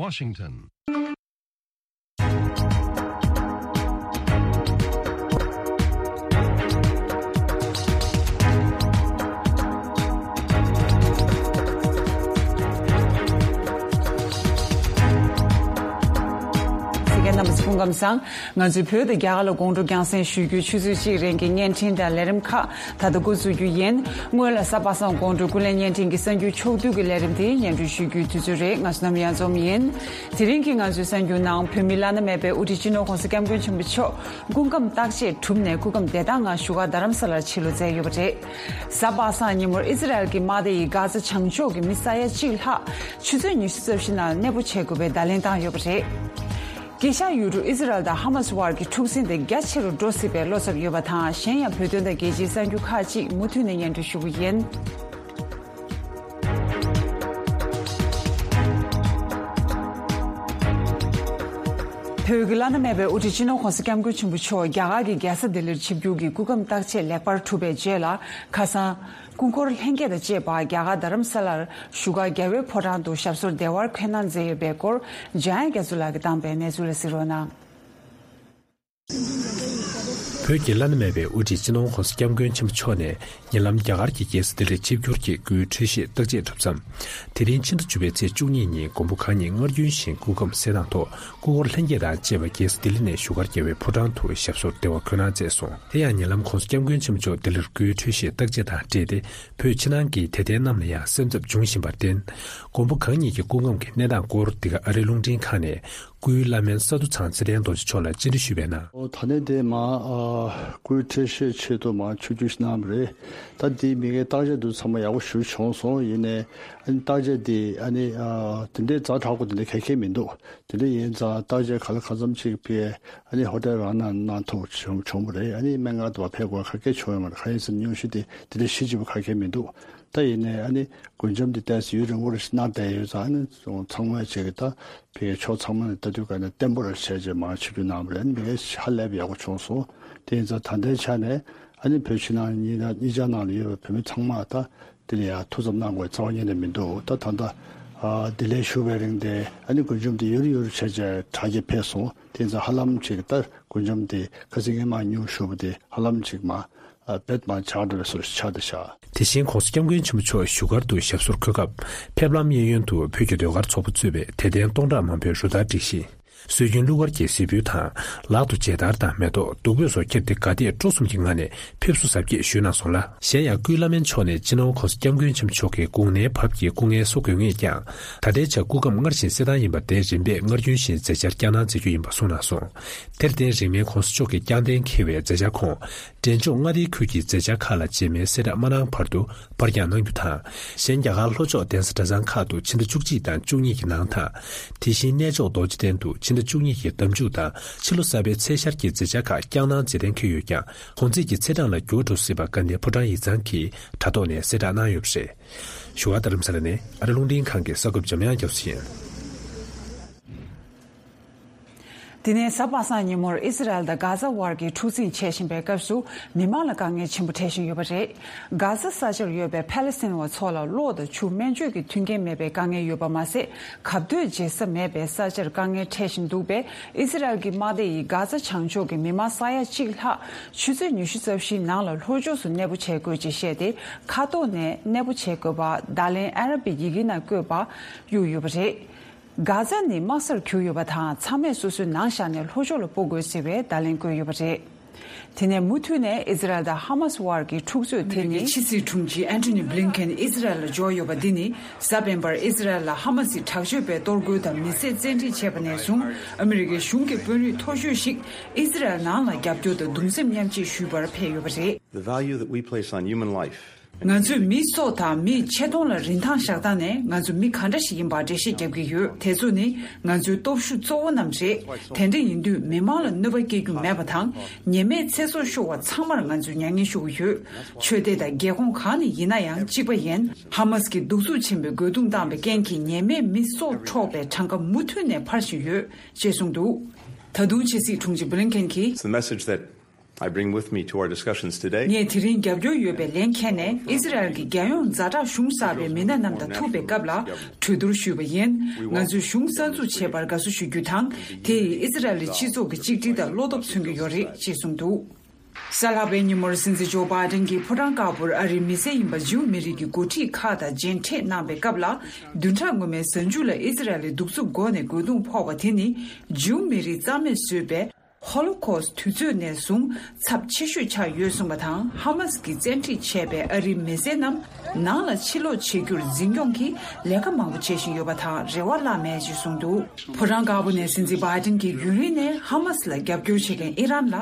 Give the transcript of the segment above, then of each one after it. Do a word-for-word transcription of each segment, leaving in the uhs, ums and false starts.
Washington. སྐད་རྣམ་པ་ཚོ་སྐུ་ཁམས་བཟང་། ང་ཚོའི་བོད་དང་རྒྱ་གར་ལ་དགོང་དྲོ་རྒྱང་སྲིང་ཞུ་རྒྱུའི་ཆུ་ཚོད་གཅིག་རིང་གི་བརྙན་འཕྲིན་དང་ལས་རིམ་ཁག་ད་ལྟ་འགོ་འཛུགས་རྒྱུ་ཡིན། སྔོན་ལ་གཟའ་པ་སངས་དགོང་དྲོའི་ཀུན་གླེང་བརྙན་འཕྲིན་གྱི་གསར་འགྱུར་ཕྱོགས་བསྡུས་ཀྱི་ལས་རིམ་དེ་སྙན་སྒྲོན་ཞུ་རྒྱུའི་དུས་ཚོད་རེད། ང་ཚོ་ནམ་ཡང་འཛོམས་ཡིན། དེ་རིང་གི་ང་ཚོའི་གསར་འགྱུར་ནང་བོད་མིའི་བླ་ན་མེད་པའི་དབུ་ཁྲིད་སྤྱི་ནོར་༸གོང་ས་༸སྐྱབས་མགོན་ཆེན་པོ་མཆོག་སྐུ་ཁམས་བརྟག་དཔྱད་གྲུབ་ནས་སྐུ་ཁམས་བདེ་ཐང་ངང་བཞུགས་སྒར་རྡ་རམ་ས་ལར་ཕྱིར་ལོག་མཛད་ཡོད་པ་རེད། གཟའ་པ་སངས་ཉིན་མོར་ཨི་ཟི་རལ་གྱི་དམག་སྡེ་ཡིས་གྷ་ཛ་བྱང་ཕྱོགས་ཀྱི་མི་ས་ཡ་གཅིག་ལྷག་ཆུ་ཚོད་ཉི་ཤུ་རྩ་བཞི་ནང་གནས་སྤོ་བྱེད་དགོས་པའི་བརྡ་ལན་བཏང་ཡོད་པ་རེད། དཀྱིལ་ཤར་ཡུལ་གྲུ་ཨི་ཟི་རལ་དང་ཧ་མ་སི་དབར་གྱི་འཁྲུག་ཟིང་དེ་རྒྱ་ཆེ་རུ་འགྲོ་སྲིད་པའི་བློ་འཚབ་ཡོད་པ་དང་། གཞན་ཡང་བོད་དོན་དང་རྒྱལ་སྤྱིའི་གསར་འགྱུར་ཁག་ཅིག་མུ་མཐུད་ནས་སྙན་སྒྲོན་ཞུ་གི་ཡིན། བོད་ཀྱི་བླ་ན་མེད་པའི་དབུ་ཁྲིད་སྤྱི་ནོར་༸གོང་ས་༸སྐྱབས་མགོན་ཆེན་པོ་མཆོག་རྒྱ་གར་གྱི་རྒྱལ་ས་ལྡི་ལིར་ཆིབས་བསྒྱུར་གྱིས་སྐུ་ཁམས་བརྟག་དཔྱད་ལེགས་པར་གྲུབ་པའི་རྗེས་ལ། ཁ་སང་སྐུ་འཁོར་ལྷན་རྒྱས་དང་བཅས་པ་རྒྱ་གར་རྡ་རམ་ས་ལར་བཞུགས་སྒར་རྒྱལ་བའི་ཕོ་བྲང་དུ་ཞབས་སོར་བདེ་བར་འཁོད་གནང་མཛད་ཡོད་པའི་སྐོར། འཇམ་དབྱངས་རྒྱ་མཚོ་ལགས་ཀྱིས་བཏང་པའི་གནས་ཚུལ་ལ་གཟིགས་རོགས་གནང་། བོད་ཀྱི་བླ་ན་མེད་པའི་དབུ་ཁྲིད་སྤྱི་ནོར་༸གོང་ས་༸སྐྱབས་མགོན་ཆེན་པོ་མཆོག་ནས་ཉེ་ལམ་རྒྱ་གར་གྱི་རྒྱལ་ས་ལྡི་ལིར་ཆིབས་བསྒྱུར་གྱིས་སྐུའི་འཕྲོད་བཞེས་བརྟག་དཔྱད་གྲུབ་མཚམས། དེ་རིང་ཕྱི་ཟླ་བཅུ་པའི་ཚེས་བཅུ་གཉིས་ཉིན་མགོན་པོ་གང་ཉིད་སྔར་རྒྱུན་བཞིན་སྐུ་ཁམས་གསལ་ཐང་ཐོག་སྐུ་འཁོར་ལྷན་རྒྱས་དང་བཅས་པ་རྒྱལ་ས་ལྡི་ལི་ནས་བཞུགས་སྒར་རྒྱལ་བའི་ཕོ་བྲང་དུ་ཞབས་སོར་བདེ་བར་འཁོད་གནང་མཛད་སོང་། དེ་ཡང་ཉེ་ལམ་༸གོང་ས་༸སྐྱབས་མགོན་ཆེན་པོ་མཆོག་ལྡི་ལིར་སྐུའི་འཕྲོད་བཞེས་བརྟག་དཔྱད་དང་འབྲེལ་ཏེ། བོད་ཕྱི་ནང་གི་དད་ལྡན་རྣམས་ལ་ཡང་སེམས་འཚབ་འབྱུང་བཞིན་པར་བརྟེན། མགོན་པོ་གང་ཉིད་ཀྱི་སྐུ་ཁམས་ཀྱི་གནས་སྟངས་སྐོར་འདི་ག་ཨ་རིའི་རླུང་འཕྲིན་ཁང་ནས་སྐུའི་བླ་སྨན་ས་འདུ་ཚང་ཚེ་བརྟན་རྡོ་རྗེ་མཆོག་ལ་བཅར་འདྲི་ཞུས་པའི་ནང་། ཨོ། ད་ནས་དེ་མ་ཨ་སྐུའི་འཕྲོད་བཞེས་ཆེད་དུ་མ་ཆིབས་བསྒྱུར་ཞིག་གནང་བ་རེད། ད་དེའི་མི་ངའི་བརྟག་དཔྱད་འདུག་ཚང་མ་ཡག་པོ་ཞུ་བྱུང་སོང་། ཡིན་ནའི་ཨ་ནི་བརྟག་དཔྱད་དེ་ཨ་ནི་ཨ་དེ་འདྲའི་ཛ་དྲག་པོ་དེ་འདྲ་ག་གེ་མི་འདུག་དེ་འདྲ་ཡིན་ཙང་བརྟག་དཔྱད་ག་ལ་གང་འཚམ་ཅིག་ཕེ་ཨ་ནི་ཧོ་ཊེལ་རང་ནང་གནང་ཐུབ་བྱུང་བྱུང་བ་རེད། ཨ་ནི་སྨན་ཁང་དུ་བ་ཕེབས་དགོས་ག་གེ་བྱུང་ཡོད་མ་རེད། གང་ཡིན་ཟེར་ན་སྙུང་གཞི་དེ་དེ་འདྲ་ཞེ་ཅིག་པོ་ག་གེ་མི་འདུག་ད་ཡིན་ནའི་ཨ་ནི་མགུལ་ཆམ་དེ་ཏོག་ཙམ་ཡུན་རིང་པོ་རེ་ཞིག་གནང་བསྡད་ཡོད་ཙང་། ཨ་ནི་ཚང་མས་ཅིག་ད་ཕེ་ཕྱོགས་ཚང་མ་ནས་ལྟ་དུས་ག་ནས་བརྟན་པོ་རེ་བྱས་རྗེས་མ་ཆིབས་བསྒྱུར་གནང་བ་རེད། ཨ་ནི་མི་ངའི་ཧ་ལས་པ་ཡག་པོ་བྱུང་སོང་། དེ་ཡིན་ཙང་ད་ལྟའི་ཆ་ནས་ཨ་ནི་བོད་ཕྱི་ནང་གཉིས་ན་གཉིས་ཆ་ནང་ལ་ཡོད་པའི་བོད་མི་ཚང་མ་ད་དེ་ལ་ཡང་ཐུགས་འཚབ་གནང་དགོས་རྩ་བ་ཉིད་ནས་མི་འདུག་ད་ད་ལྟ་ཨ་ལྡི་ལིར་བཞུགས་པའི་རིང་དེ་ཨ་ནི་མགུལ་ཆམ་དེ་ཡུར་ཡུར་བྱས་རྗེས་དྲག་སྐྱེད་ཕེབས་སོང་། དེ་ཡིན་ཙང་ཧ་ལམ་ཅིག་ད་མགུལ་ཆམ་དེ་ཁ་སང་སྔོན་མ་སྙུང་ཞུས་པ་དེ་ཧ་ལམ་ཅིག་མ་ཨ་བེད་མ་ཆགས་འགྲོ་བའི་བཟོ་ཞིག་ཆགས་བསྡད་ཤག་དེ་བཞིན་༸གོང་ས་༸སྐྱབས་མགོན་ཆེན་པོ་མཆོག་བཞུགས་སྒར་དུ་ཞབས་སོར་འཁོད་སྐབས། ཕེབས་ལམ་གཡས་གཡོན་དུ་བོད་ཀྱི་ཟློས་གར་ཚོགས་པ་གཙོས་པའི་དད་ལྡན་སྟོང་ཕྲག་མང་པོས་རུ་སྟར་སྒྲིག་གཞི། སྲོལ་རྒྱུན་གླུ་གར་གྱི་གཟིགས་འབུལ་དང་། ལག་ཏུ་མཇལ་དར་དང་མེ་ཏོག་བདུག་སྤོས་སོགས་འཁྱེར་ཏེ་དགའ་དད་སྤྲོ་གསུམ་གྱི་ངང་ནས་ཕེབས་བསུ་གཟབ་རྒྱས་ཞུས་གནང་སོང་ལ། གཞན་ཡང་སྐུའི་བླ་སྨན་མཆོག་ནས་སྤྱི་ནོར་༸གོང་ས་༸སྐྱབས་མགོན་ཆེན་པོ་མཆོག་གི་དགུང་ནའི་བབ་ཀྱི་སྐུ་ངལ་གསོ་དགོས་ངེས་ཀྱང་། ད་ལྟའི་ཆར་སྐུ་ཁམས་སྔར་བཞིན་གསལ་ཐང་ཡིན་པར་བརྟེན། རིམ་པས་སྔར་རྒྱུན་བཞིན་མཛད་འཆར་བསྐྱངས་གནང་མཛད་རྒྱུ་ཡིན་པ་གསུངས་གནང་སོང་། དེར་བརྟེན། རིང་མིན་༸གོང་ས་མཆོག་གིས་བསྐྱངས་གཏན་འཁེལ་བའི་མཛད་འཆར་ཁོངས། འབྲས་ལྗོངས་མངའ་སྡེའི་ཁུལ་གྱི་མཛད་འཆར་ཁག་ལ་རྗེས་མའི་གསལ་བསྒྲགས་མ་གནང་བར་དུ་པར་འགྱངས་གནང་རྒྱུ་དང་། གཞན་རྒྱ་གར་ལྷོ་ཕྱོགས་གདན་ས་གྲྭ་ཚང་ཁག་ཏུ་ཕྱི་ཟླ་བཅུ་གཅིག་དང་བཅུ་གཉིས་ཀྱི་ནང་དང་། དེ་བཞིན་གནས་མཆོག་རྡོ་རྗེ་གདན་དུ་ཕྱི་ཟླ་བཅུ་གཉིས་ཀྱི་ཟླ་མཇུག་དང་ཕྱི་ལོ་གསར་པའི་ཚེས་ཤར་གྱི་མཛད་འཆར་ཁག་བསྐྱངས་གནང་མཛད་གཏན་འཁེལ་ཡོད་ཀྱང་། གོང་ཚད་ཀྱི་ཚེས་གྲངས་ལ་འགྱུར་བ་འགྲོ་སྲིད་པ་དགའ་ལྡན་ཕོ་བྲང་ཡིག་ཚང་གིས་དྲ་ཐོག་ནས་གསལ་བསྒྲགས་གནང་ཡོད་པ་རེད། བཞུགས་སྒར་རྡ་རམ་ས་ལ་ནས་ཨ་རི་རླུང་འཕྲིན་ཁང་གི་གསར་འགོད་པ་འཇམ་དབྱངས་རྒྱ་མཚོ་ཡིན། དེ་ནས་གཟའ་པ་སངས་ཉིན་མོར་ཨི་སི་རལ་དང་གྷ་ཛ་དབར་གྱི་འཁྲུག་འཛིང་ཆེ་བཞིན་པའི་སྐབས་སུ། མི་མང་ལ་དཀའ་ངལ་ཆེན་པོ་འཕྲད་བཞིན་ཡོད་པ་རེད། གྷ་ཛ་ས་ཆར་ཡོད་པའི་ཕཱ་ལེ་སི་ཐན་བ་ཚོ་ལ་གློག་དང་ཆུ། སྨན་བཅོས་ཀྱི་མཐུན་རྐྱེན་མེད་པའི་དཀའ་ངལ་ཡོད་པ་མ་ཟད། གབ་སྡོད་བྱེད་ས་མེད་པས་ས་ཆར་དཀའ་ངལ་འཕྲད་བཞིན་འདུག་པས། ཨི་སི་རལ་གྱི་དམག་སྡེ་ཡིས་གྷ་ཛ་བྱང་ཕྱོགས་ཀྱི་མི་མང་ས་ཡ་གཅིག་ལྷག་ཆུ་ཚོད་ཉི་ཤུ་རྩ་བཞིའི་ནང་ལ་ལྷོ་ཕྱོགས་སུ་གནས་སྤོ་བྱེད་དགོས་ཅེས་བཤད་དེ། མཁའ་ཐོག་ནས་གནས་སྤོ་བྱེད་དགོས་པ་བརྡ་ལན་ཨ་ར་བིག་ཡི་གེ་ནང་བཀོད་པ་གཡུགས་ཡོད་པ་རེད། གྷ་ཛ་ནི་དམག་སར་གྱུར་ཡོད་པ་དང་། ཚང་མས་སོ་སོའི་ནང་བཞག་ནས་ལྷོ་ཕྱོགས་ལ་སྤོ་དགོས་ཟེར་བའི་བརྡ་ལན་བཀོད་ཡོད་པ་རེད། དེ་ནས་མུ་མཐུད་ནས་ཨི་ཛི་རལ་དང་ཧ་མ་སི་དབར་གྱི་འཁྲུག་རྩོད་དེ་ནི། ཕྱི་སྲིད་དྲུང་ཆེ་ཨན་ཐོ་ནི་བྷི་ལིན་ཁེན་ཨི་ཛི་རལ་ལ་འབྱོར་ཡོད་པ་འདི་ནི། གཟའ་སྤེན་པར་ཨི་ཛི་རལ་ལ་ཧ་མ་སི་དྲག་སྤྱོད་པས་གཏོར་རྒོལ་དང་མི་བསད་རྩོད་འགྲན་བྱས་པ་ནས་བཟུང་། ཨ་མི་རི་ཀའི་གཞུང་གི་དཔོན་རིགས་མཐོ་ཤོས་ཤིག་ཨི་ཛི་རལ་ནང་ལ་རྒྱབ་སྐྱོར་དང་གདུང་སེམས་མཉམ་སྐྱེད་ཞུས་པར་ཕེབས་ཡོད་པ་རེད། The value that we place on human life. ང་ཚོས་མིའི་སྲོག་དང་མིའི་ཆེ་མཐོང་ལ་རིན་ཐང་བཞག་སྟངས་ནས། ང་ཚོ་མི་ག་འདྲ་ཞིག་ཡིན་པར་འགྲེལ་བཤད་རྒྱབ་ཀྱི་ཡོད། དེ་ཚོ་ནི་ང་ཚོའི་སྟོབས་ཤུགས་གཙོ་བོ་རྣམས་རེད། དེ་འདྲ་ཡིན་དུས་མི་མང་ལ་གནོད་པ་སྐྱེལ་རྒྱུ་མེད་པ་དང་། ཉེས་མེད་ཚེ་སྲོག་ཤོར་བ་ཚང་མར་ང་ཚོས་མྱ་ངན་ཞུ་གི་ཡོད། ཆོས་སྡེ་དང་རྒྱལ་ཁོངས་གང་ནས་ཡིན་ན་ཡང་གཅིག་པ་ཡིན། ཧ་མ་སི་གིས་གདུག་རྩུབ་ཆེན་པོས་རྒོལ་རྡུང་བཏང་བའི་རྐྱེན་གྱིས་ཉེས་མེད་མི་སྲོག་འཕྲོག་པའི་གྲངས་ཀ་མུ་མཐུད་ནས་འཕར་བཞིན་ཡོད། ཅེས་གསུངས་འདུག་ད་དུང་ཕྱི་སྲིད་དྲུང་ཆེ་བྷི་ལིན་ཁེན་གྱིས། It's the message that I bring with me to our discussions today. ངས་དེ་རིང་རྒྱབ་སྐྱོར་ཡོད་པའི་ལན་འཁྱེར་ནས་ཨི་ཟི་རལ་གྱི་རྒྱལ་ཡོངས་ཛ་དྲག་གཞུང་གསར་པའི་མི་སྣ་རྣམས་དང་ཐུག་པའི་སྐབས་ལ་གྲོས་བསྡུར་ཞུས་པ་ཡིན། ང་ཚོས་གཞུང་གསར་འཛུགས་བྱས་པར་དགའ་བསུ་ཞུ་རྒྱུ་དང་། དེ་ཡིས་ཨི་ཟི་རལ་གྱི་སྤྱི་ཚོགས་ཀྱི་གཅིག་སྒྲིལ་དང་བློ་སྟོབས་མཚོན་གྱི་ཡོད་རེད་ཅེས་གསུངས་འདུག་གཟའ་ལྷག་པའི་ཉིན་མོར་སྲིད་འཛིན་ཇོ་བྷའི་ཏན་གྱིས་ཕོ་བྲང་དཀར་པོར་ཨ་རིའི་མི་སེར་ཡིན་པ་ཇིའུ་མི་རིགས་ཀྱི་འགོ་ཁྲིད་ཁག་དང་མཇལ་འཕྲད་གནང་བའི་སྐབས་ལ། བདུན་ཕྲག་སྔོན་མའི་གཟའ་མཇུག་ལ་ཨི་ཟི་རལ་ལ་གདུག་རྩུབ་སྒོ་ནས་རྒོལ་རྡུང་ཕོག་པ་དེ་ནི་ཇིའུ་མི་རིགས་རྩ་མེད་བཟོས་པའི་ཧོ་ལོ་ཁོ་སི་དུས་ཚོད་ནས་བཟུང་ཚབས་ཆེ་ཤོས་ཆགས་ཡོད་གསུངས་པ་དང་། ཧ་མ་སི་གིས་བཙན་ཁྲིད་བྱས་པའི་ཨ་རིའི་མི་སེར་རྣམས་ནང་ལ་ཕྱིར་ལོག་བྱེད་རྒྱུར་འཛིན་སྐྱོང་གིས་ལས་ཀ་མང་པོ་བྱེད་བཞིན་ཡོད་པ་དང་རེ་བ་བརླག་མེད་ཅེས་གསུངས་འདུག་ཕོ་བྲང་དཀར་པོ་ནས་སྲིད་འཛིན་བྷའི་ཏན་གྱིས་ཡུན་རིང་ནས་ཧ་མ་སི་ལ་རྒྱབ་སྐྱོར་བྱེད་མཁན་ཨི་རན་ལ་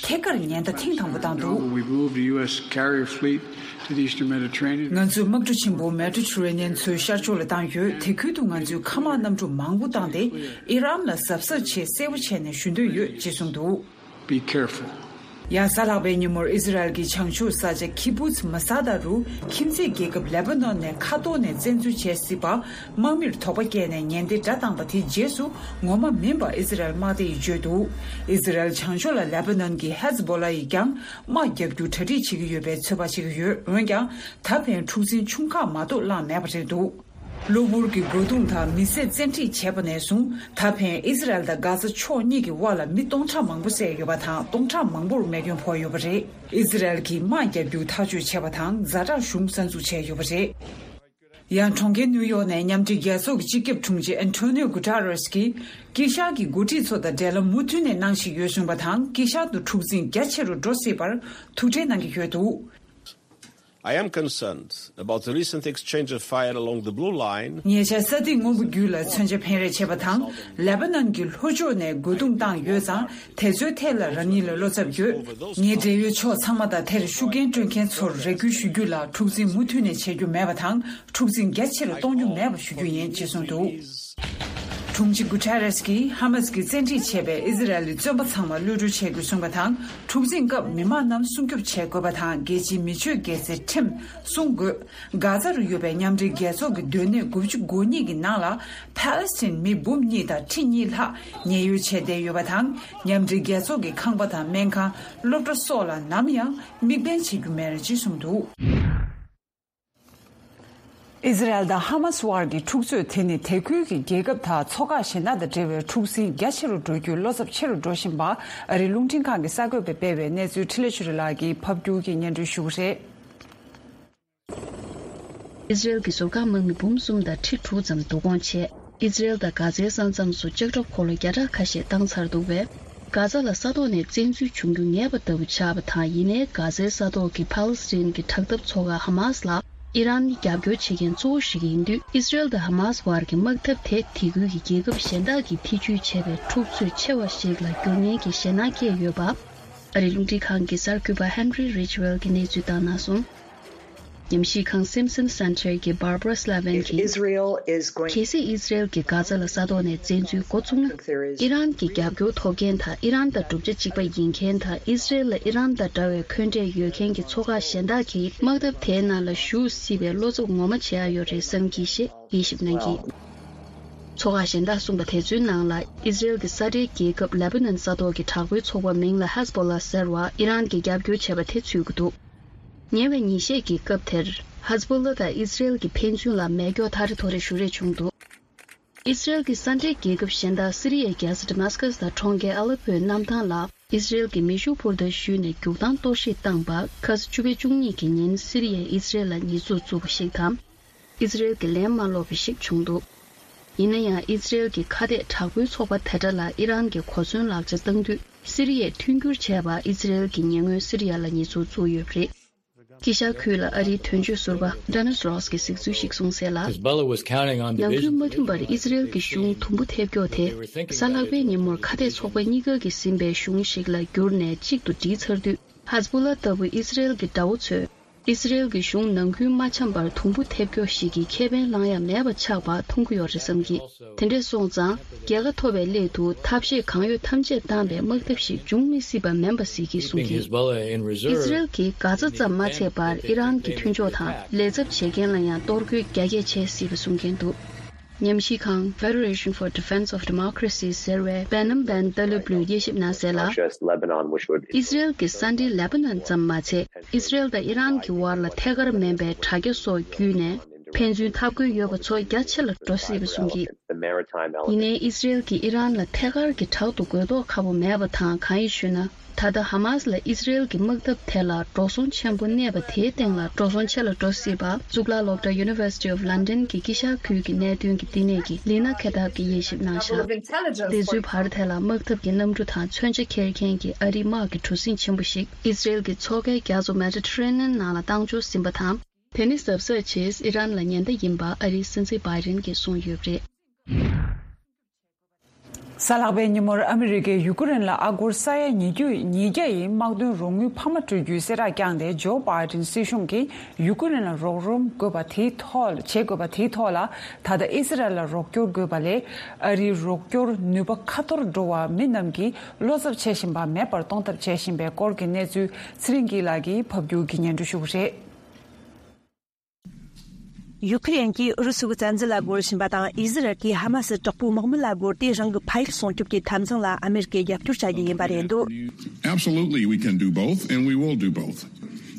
ཐད་ཀར་ཉེན་བརྡ་ཐེངས་དང་པོ་བཏང་འདུག We've moved U S carrier fleet to the eastern Mediterranean. ང་ཚོས་དམག་གྲུ་ཆེན་པོ་མེ་ཏྲོ་ཆུ་རེ་ནན་མཚོའི་ཤར་ཕྱོགས་ལ་བཏང་ཡོད། དེ་ཁུལ་དུ་ང་ཚོས་མཁའ་དམག་གནམ་གྲུ་མང་པོ་བཏང་སྟེ་ཨི་རན་ལ་གཟབ་གཟབ་བྱེད། གསལ་པོ་བྱས་ནས་ཞུ་འདོད་ཡོད་ཅེས་གསུངས་འདུག Be careful. ཡང་གཟའ་ལྷག་པའི་ཉིན་མོར་ཨི་ཟི་རལ་གྱི་བྱང་ཕྱོགས་ས་ཆ་ཁི་བུ་ཛི་མ་ས་ད་རུ་ཁྱིམ་མཚེས་རྒྱལ་ཁབ་ལེ་པ་ནོན་ནས་མཁའ་ཐོག་ནས་བཙན་འཛུལ་བྱས་སྲིད་པ་དམག་མིར་དོགས་པ་སྐྱེས་ནས་ཉེན་བརྡ་བསྒྲགས་བཏང་པ་དེའི་རྗེས་སུ་ངོ་མ་མིན་པ་ཨི་ཟི་རལ་དམག་སྡེ་ཡིས་བརྗོད་འདུག་ཨི་ཟི་རལ་བྱང་ཕྱོགས་ལ་ལེ་པ་ནོན་གྱི་ཧེ་ཛི་བོ་ལ་ཡིས་ཀྱང་དམག་རྒྱག་རྒྱུ་གྲ་སྒྲིག་བྱེད་ཀྱི་ཡོད་པའི་ཚོད་དཔག་བྱེད་ཀྱི་ཡོད། འོན་ཀྱང་ད་ཕན་འཁྲུག་འཛིང་ཆུང་ཁག་མ་གཏོགས་བསླངས་མེད་པ་རེད་འདུག་གློ་བུར་གྱི་རྒོལ་རྡུང་དང་མི་སེར་བཙན་ཁྲིད་བྱས་པ་ནས་བཟུང་ད་ཕན་ཨི་ཟི་རལ་དང་གྷ་ཛ་ཕྱོགས་གཉིས་ཀྱི་དབར་ལ་མི་སྟོང་ཕྲག་མང་པོ་བསད་ཡོད་པ་དང་སྟོང་ཕྲག་མང་པོར་རྨས་སྐྱོན་ཕོག་ཡོད་པ་རེད། ཨི་ཟི་རལ་གྱིས་དམག་རྒྱག་རྒྱུ་ཐག་གཅོད་བྱས་པ་དང་ཛ་དྲག་གཞུང་གསར་འཛུགས་བྱས་ཡོད་པ་རེད། ཡང་གྲོང་ཁྱེར་ནིའུ་ཡོག་ནས་མཉམ་འབྲེལ་རྒྱལ་ཚོགས་ཀྱི་སྤྱི་ཁྱབ་དྲུང་ཆེ་ཨན་ཐོ་ནིའོ་གུ་ཏཱ་རེས་ཀྱིས་དཀྱིལ་ཤར་གྱི་འགོ་ཁྲིད་ཚོ་དང་འབྲེལ་ལམ་མུ་མཐུད་ནས་གནང་བཞིན་ཡོད་གསུངས་པ་དང་། དཀྱིལ་ཤར་དུ་འཁྲུག་འཛིང་རྒྱ་ཆེ་རུ་འགྲོ་སྲིད་པར་ཐུགས་ཁྲལ་གནང་གི་ཡོད་འདུག I am concerned about the recent exchange of fire along the blue line. ཉེ་ཆར་ས་ཐིག་སྔོན་པོ་བརྒྱུད་ལ་མཚོན་ཆ་འཕེན་རེས་བྱས་པ་དང་། ལེ་པ་ནན་གྱི་ལྷོ་ཕྱོགས་ནས་རྒོལ་རྡུང་བཏང་ཡོད་ཙང་། དེ་ཚོའི་ཐད་ལ་རང་ཉིད་ལ་བློ་འཚབ་ཡོད། ངའི་འབྲེལ་ཡོད་ཕྱོགས་ཚང་མ་དང་དེར་ཤུགས་རྐྱེན་སྤྲོད་མཁན་ཚོར་རེ་སྐུལ་ཞུ་རྒྱུ་ལ། འཁྲུག་འཛིང་མུ་མཐུད་ནས་བྱེད་རྒྱུ་མེད་པ་དང་། འཁྲུག་འཛིང་རྒྱ་ཆེ་རུ་གཏོང་རྒྱུ་མེད་པ་ཞུ་རྒྱུ་ཡིན་ཅེས་གསུངས་འདུག་དྲུང་ཆེ་གུ་ཐེ་རེས་ཀྱིས་ཧ་མ་སི་གིས་བཙན་ཁྲིད་བྱས་པའི་ཨི་ཟི་རལ་གྱི་བཙོན་པ་ཚང་མ་གློད་གྲོལ་བྱེད་དགོས་གསུངས་པ་དང་། འཁྲུག་འཛིང་སྐབས་མི་མང་རྣམས་སྲུང་སྐྱོབ་བྱེད་དགོས་པ་དང་། རྒྱལ་སྤྱིའི་མི་སྤྱོད་སྒྱུ་རྩལ་ཁྲིམས་སྲུང་དགོས། གྷ་ཛ་རུ་ཡོད་པའི་མཉམ་འབྲེལ་རྒྱལ་ཚོགས་ཀྱི་སྡོད་གནས་དགུ་བཅུ་གོ་གཉིས་ཀྱི་ནང་ལ་ཕཱ་ལེ་སི་ཐན་མི་འབུམ་གཉིས་དང་ཁྲི་གཉིས་ལྷག་ཉེན་གཡོལ་བྱས་བསྡད་ཡོད་པ་དང་། མཉམ་འབྲེལ་རྒྱལ་ཚོགས་ཀྱི་ཁང་པ་དང་སྨན་ཁང་། སློབ་གྲྭ་སོགས་ལ་ནམ་ཡང་དམིགས་འབེན་བྱེད་རྒྱུ་མེད་ཅེས་གསུངས་འདུག་ཨི་ཟི་རལ་དང་ཧ་མ་སི་དབར་གྱི་འཁྲུག་རྩོད་དེ་ནི་དེ་ཁུལ་གྱི་རྒྱལ་ཁབ་དང་ཚོགས་ཁག་གཞན་དག་དང་འབྲེལ་བའི་འཁྲུག་ཟིང་རྒྱ་ཆེ་རུ་འགྲོ་རྒྱུའི་བློ་འཚབ་ཆེ་རུ་འགྲོ་བཞིན་པ། ཨ་རིའི་རླུང་འཕྲིན་ཁང་གི་གསར་འགོད་པས་སྤེལ་བའི་གནས་ཚུལ་འཕྲིན་ལས་ཆོས་སྒྲོན་ལགས་ཀྱིས་ཕབ་བསྒྱུར་གྱིས་སྙན་སྒྲོན་ཞུ་གི་རེད། ཨི་ཟི་རལ་གྱི་ཟུར་བཀག་དམག་མི་འབུམ་གསུམ་དང་ཁྲི་དྲུག་ཙམ་བསྡུ་སྐོང་བྱས། ཨི་ཟི་རལ་དང་གྷ་ཛའི་ས་མཚམས་སུ་ལྕགས་ཁྲབ་འཁོར་ལོ་བརྒྱ་ཕྲག་ཁ་ཤས་བཏང་ཚར་འདུག་པས། གྷ་ཛ་ལ་ས་ཐོག་ནས་བཙན་འཛུལ་བྱུང་རྒྱུ་ངེས་པ་ལྟ་བུ་ཆགས་པ་དང་། ཡིན་ནའི་གྷ་ཛའི་ས་ཐོག་གི་ཕཱ་ལེ་སི་ཐན་གྱི་དྲག་འཐབ་ཚོགས་ཁག་ཧ་མ་སི་ལ་ཨི་རན་ནི་རྒྱབ་སྐྱོར་བྱེད་མཁན་གཙོ་བོ་ཞིག་ཡིན་དུས། ཨི་ཟི་རལ་དང་ཧ་མ་སི་བར་གྱི་དམག་འཐབ་དེ་དེ་ཁུལ་གྱི་རྒྱལ་ཁབ་གཞན་དག་གིས་ཐེ་ཇུས་བྱས་པའི་འཁྲུག་རྩོད་ཆེ་བ་ཞིག་ལ་འགྱུར་ཉེན་གྱི་ཞེད་སྣང་སྐྱེས་ཡོད་པ། ཨ་རིའི་རླུང་འཕྲིན་ཁང་གི་གསར་འགོད་པ་ཧན་རི་རིཆ་ཝེལ་གྱིས་གནས་ཚུལ་བཏང་གནང་སོང་། ཉམས་ཞིབ་ཁང་Simpson Center གྱི་Barbara Slavin གྱིས། If Israel is going གལ་སྲིད་ཨི་ཟི་རལ་གྱིས་གྷ་ཛ་ལ་ས་ཐོག་ནས་བཙན་འཛུལ་འགོ་བཙུགས་ན། ཨི་རན་གྱི་རྒྱབ་སྐྱོར་ཐོབ་མཁན་དང་། ཨི་རན་དང་གྲུབ་ཆ་གཅིག་པ་ཡིན་མཁན་དང་། ཨི་ཟི་རལ་ལ་ཨི་རན་དང་འདྲ་བའི་འཁོན་འགྲས་ཡོད་མཁན་གྱི་ཚོགས་ཁག་གཞན་དག་གིས་དམག་འཐབ་དེའི་ནང་ལ་ཞུགས་སྲིད་པའི་བློ་འཚབ་ངོ་མ་བྱེད་ཡ་ཡོད་རེད་བསམ་གྱིས་ཞེས་དབྱེ་ཞིབ་གནང་གིས། ཚོགས་ཁག་གཞན་དག་གསུངས་པ་དེ་ཚོའི་ནང་ལ། ཨི་ཟི་རལ་གྱི་ས་འབྲེལ་རྒྱལ་ཁབ་ལེ་པ་ནན་ས་ཐོག་གི་དྲག་པོའི་ཚོགས་པ་མིང་ལ་ཧེ་ཛ་བྷོ་ལ་ཟེར་བ་ཨི་རན་གྱིས་རྒྱབ་སྐྱོར་བྱས་པ་དེ་ཚུད་ཀྱི་འདུག་ཉེ་བའི་ཉིན་ཤས་ཀྱི་སྐབས་དེར། ཧེ་ཛ་བྷོ་ལ་དང་ཨི་ཟི་རལ་གྱི་ཕན་ཚུན་ལ་མེ་སྒྱོགས་ཐ་རེ་ཐོ་རེ་གཞུ་རེས་བྱུང་འདུག་ཨི་ཟི་རལ་གྱི་ས་འབྲེལ་རྒྱལ་ཁབ་གཞན་དག་སི་རི་ཡའི་རྒྱལ་ས་ཌི་མཱ་སི་ཀ་སི་དང་གྲོང་ཁྱེར་ཨ་ལེ་པོའི་གནམ་ཐང་ལ་ཨི་ཟི་རལ་གྱི་མེ་ཤུགས་འཕུར་མདའ་གཞུས་ནས་རྒྱུག་སྟངས་གཏོར་བཤིག་བཏང་པ། ཁ་ས་ཆུ་ཚོད་བཅུ་གཉིས་ཀྱི་ཉིན་སི་རི་ཡས་ཨི་ཟི་རལ་ལ་ཉེས་འཛུགས་བཙུགས་པ་ཞིག་དང་། ཨི་ཟི་རལ་གྱིས་ལན་མ་སློག་པ་ཞིག་བྱུང་འདུག་ཡིན་ན་ཡང་ཨི་ཟི་རལ་གྱི་ཁ་གཏད་དྲག་པོའི་ཚོགས་པ་དེ་འདྲ་ལ་ཨི་རན་གྱིས་གོ་མཚོན་ལག་ཆ་བཏང་དུས། སི་རི་ཡས་མཐུན་འགྱུར་བྱས་པ། ཨི་ཟི་རལ་གྱིས་ཉེ་སྔོན་སི་རི་ཡ་ལ་ཉེས་འཛུགས་བཙུགས་ཡོད་པ་རེད། དཀྱིལ་ཤར་ཁུལ་ལ་ཨ་རིའི་དོན་གཅོད་ཟུར་པ་Dennis Ross གྱིས་གཟིགས་ཚུལ་ཞིག་གསུངས་གསལ་ལ། Hezbollah was counting on ནང་ཁུལ་མ་མཐུན་པར་ཨི་ཟི་རལ་གྱི་གཞུང་དུམ་བུ་ཐེབས་མགྱོགས་དེ། གཟའ་ལྷག་པའི་ཉིན་མོར་ཁ་གཏད་ཚོགས་པ་གཉིས་ཀ་གིས་ཟིན་པའི་གཞུང་ཞིག་ལ་བསྒྱུར་ནས་གཅིག་ཏུ་སྒྲིལ་ཚར་དུས། ཧེ་ཛ་བྷོ་ལ་ལྟ་བུ་ཨི་ཟི་རལ་གྱི་དགྲ་བོ་ཚོས། ཨི་ཟི་རལ་གྱི་གཞུང་ནང་ཁུལ་མ་འཆམ་པར་དུམ་བུ་ཐེབས་མགྱོགས་ཤིག་གིས་ཁེ་ཕན་བླང་ཡ་མེད་པ་ཆགས་པ་མཐོང་གི་ཡོད་རེད་བསམ་གྱི། དེ་འདྲས་སོང་ཙང་། རྒྱལ་ཁ་ཐོབ་པའི་སླད་དུ་ཐབས་ཤེས་གང་ཡོད་ཐམས་ཅད་བཏང་བའི་དམག་འཐབ་ཞིག་འབྱུང་མི་སྲིད་པ་མིན་པ་གཟིགས་ཀྱིས་གསུངས་ཀྱི། ཨི་ཟི་རལ་གྱིས་གྷ་ཛ་ཙམ་མ་ཚད་པར་ཨི་རན་གྱི་མཐུན་ཕྱོགས་དང་ལས་ཚབ་བྱེད་མཁན་ལ་ཡང་གཏོར་རྒོལ་རྒྱ་སྐྱེད་བྱེད་སྲིད་པ་གསུང་མཁན་འདུག་ཉམས་ཞིབ་ཁང་Federation for Defense of Democracy ཟེར་བས་པན་ནམ་པན་ཏ་ལུབ་ལུས་དབྱེ་ཞིབ་གནང་གསལ་ལ། Russia is Lebanon, which would ཨི་སི་རེལ་གྱི་ས་འབྲེལ་ལེ་པ་ནན་ཙམ་མ་ཚད། ཨི་སི་རེལ་དང་ཨི་རན་གྱི་དབར་ལ་ཐད་ཀར་མིན་པའི་དྲ་རྒྱ་སོགས་བརྒྱུད་ནས་ཕན་ཚུན་འཐབ་དགོས་ཡོད་པ་ཚོ་རྒྱ་ཆེ་ལ་འགྲོ་སྲིད་པ་གསུངས་ཀྱིས། ཡིན་ནའི་ཨི་སི་རེལ་གྱིས་ཨི་རན་ལ་ཐད་ཀར་གྱི་དྲག་ཏུ་རྒོལ་རྟོག་ཁ་པོ་མེད་པ་དང་། གང་ཡིན་ཞུས་ན། ད་ལྟ་ཧ་མཱས་ལ་ཨི་སི་རེལ་གྱི་དམག་འཐབ་དེ་ལ་འགྲོ་སོང་ཆེན་པོ་གནས་པ་དེའི་སྟེང་ལ་འགྲོ་སོང་ཆེ་ལ་འགྲོ་སྲིད་པ། གཙུག་ལག་སློབ་གྲྭ་University of London གྱི་དཀྱིལ་ཤར་ཁུལ་གྱི་གནད་དོན་གྱི་བསྟི་གནས་ཀྱི་ལི་ན་ཁེ་ཐབ་ཀྱིས་དབྱེ་ཞིབ་གནང་བཞག་དེ་ཚོའི་བར་དེ་ལ་དམག་འཐབ་ཀྱི་གནམ་གྲུ་དང་མཚོན་ཆ་འཁྱེར་མཁན་གྱི་ཨ་རིའི་དམག་གི་གྲུ་གཟིངས་ཆེན་པོ་ཞིག་ཨི་སི་རེལ་གྱི་མཚོ་ཁའི་རྒྱ་མཚོ་Mediterranean ནང་ལ་བཏང་འབྱོར་ཟིན་པ་དང་། དེ་ནི་གཟབ་གཟབ་ཆེད་ཨི་རན་ལ་ཉེན་བརྡ་ཡིན་པ་ཨ་རིའི་སྲིད་འཛིན་བྷའི་ཌེན་གྱིས་གསུངས་ཡོད་པ་རེད། གཟའ་ལྷག་པའི་ཉིན་མོར་ཨ་མི་རི་ཀས་ཡུ་ཀེ་རེན་ལ་ཨ་སྒོར་ས་ཡ་ཉིས་བརྒྱ་ཉིས་བརྒྱ་ཡི་དམག་དོན་རོགས་དངུལ་འཕར་མ་སྤྲོད་རྒྱུའི་གསལ་བསྒྲགས་བསྐྱངས་ཏེ། ཇོ་བྷའི་ཌེན་སྲིད་གཞུང་གིས་ཡུ་ཀེ་རེན་ལ་རོགས་རམ་དགོས་པ་དེའི་ཐོག་བྱེད་དགོས་པ་དེའི་ཐོག་ལ། ད་ལྟ་ཨི་སི་རལ་ལ་རོགས་སྐྱོར་དགོས་པ་ལས་ཨ་རིའི་རོགས་སྐྱོར་ནུས་པ་ཁ་འཐོར་འགྲོ་བ། མི་རྣམས་ཀྱིས་བློ་འཚབ་བྱེད་བཞིན་པ་མེད་པར་གཏོང་ཐབས་བྱེད་བཞིན་པའི་སྐོར་གྱི་གནས་ཚུལ་ཚེ་རིང་སྐྱིད་ལགས་ཀྱིས་ཕབ་སྒྱུར་གྱིས་སྙན་སྒྲོན་ཞུ་གི་རེད། ཡུ་ཁི་རེན་གྱིས་ཨུ་རུ་སུ་གི་བཙན་འཛུལ་ལ་རྒོལ་བཞིན་པ་དང་། ཨི་ཟི་རལ་གྱིས་ཧ་མ་སི་དྲག་པོའི་དམག་མི་ལ་རྒོལ་ཏེ་རང་གི་ཕ་ཡུལ་སྲུང་སྐྱོབ་ཀྱི་འཐབ་འཛིང་ལ་ཨ་མེ་རི་ཀས་རྒྱབ་སྐྱོར་བྱ་རྒྱུ་ཡིན་པ་རེད་འདུག Absolutely, we can do both, and we will do both.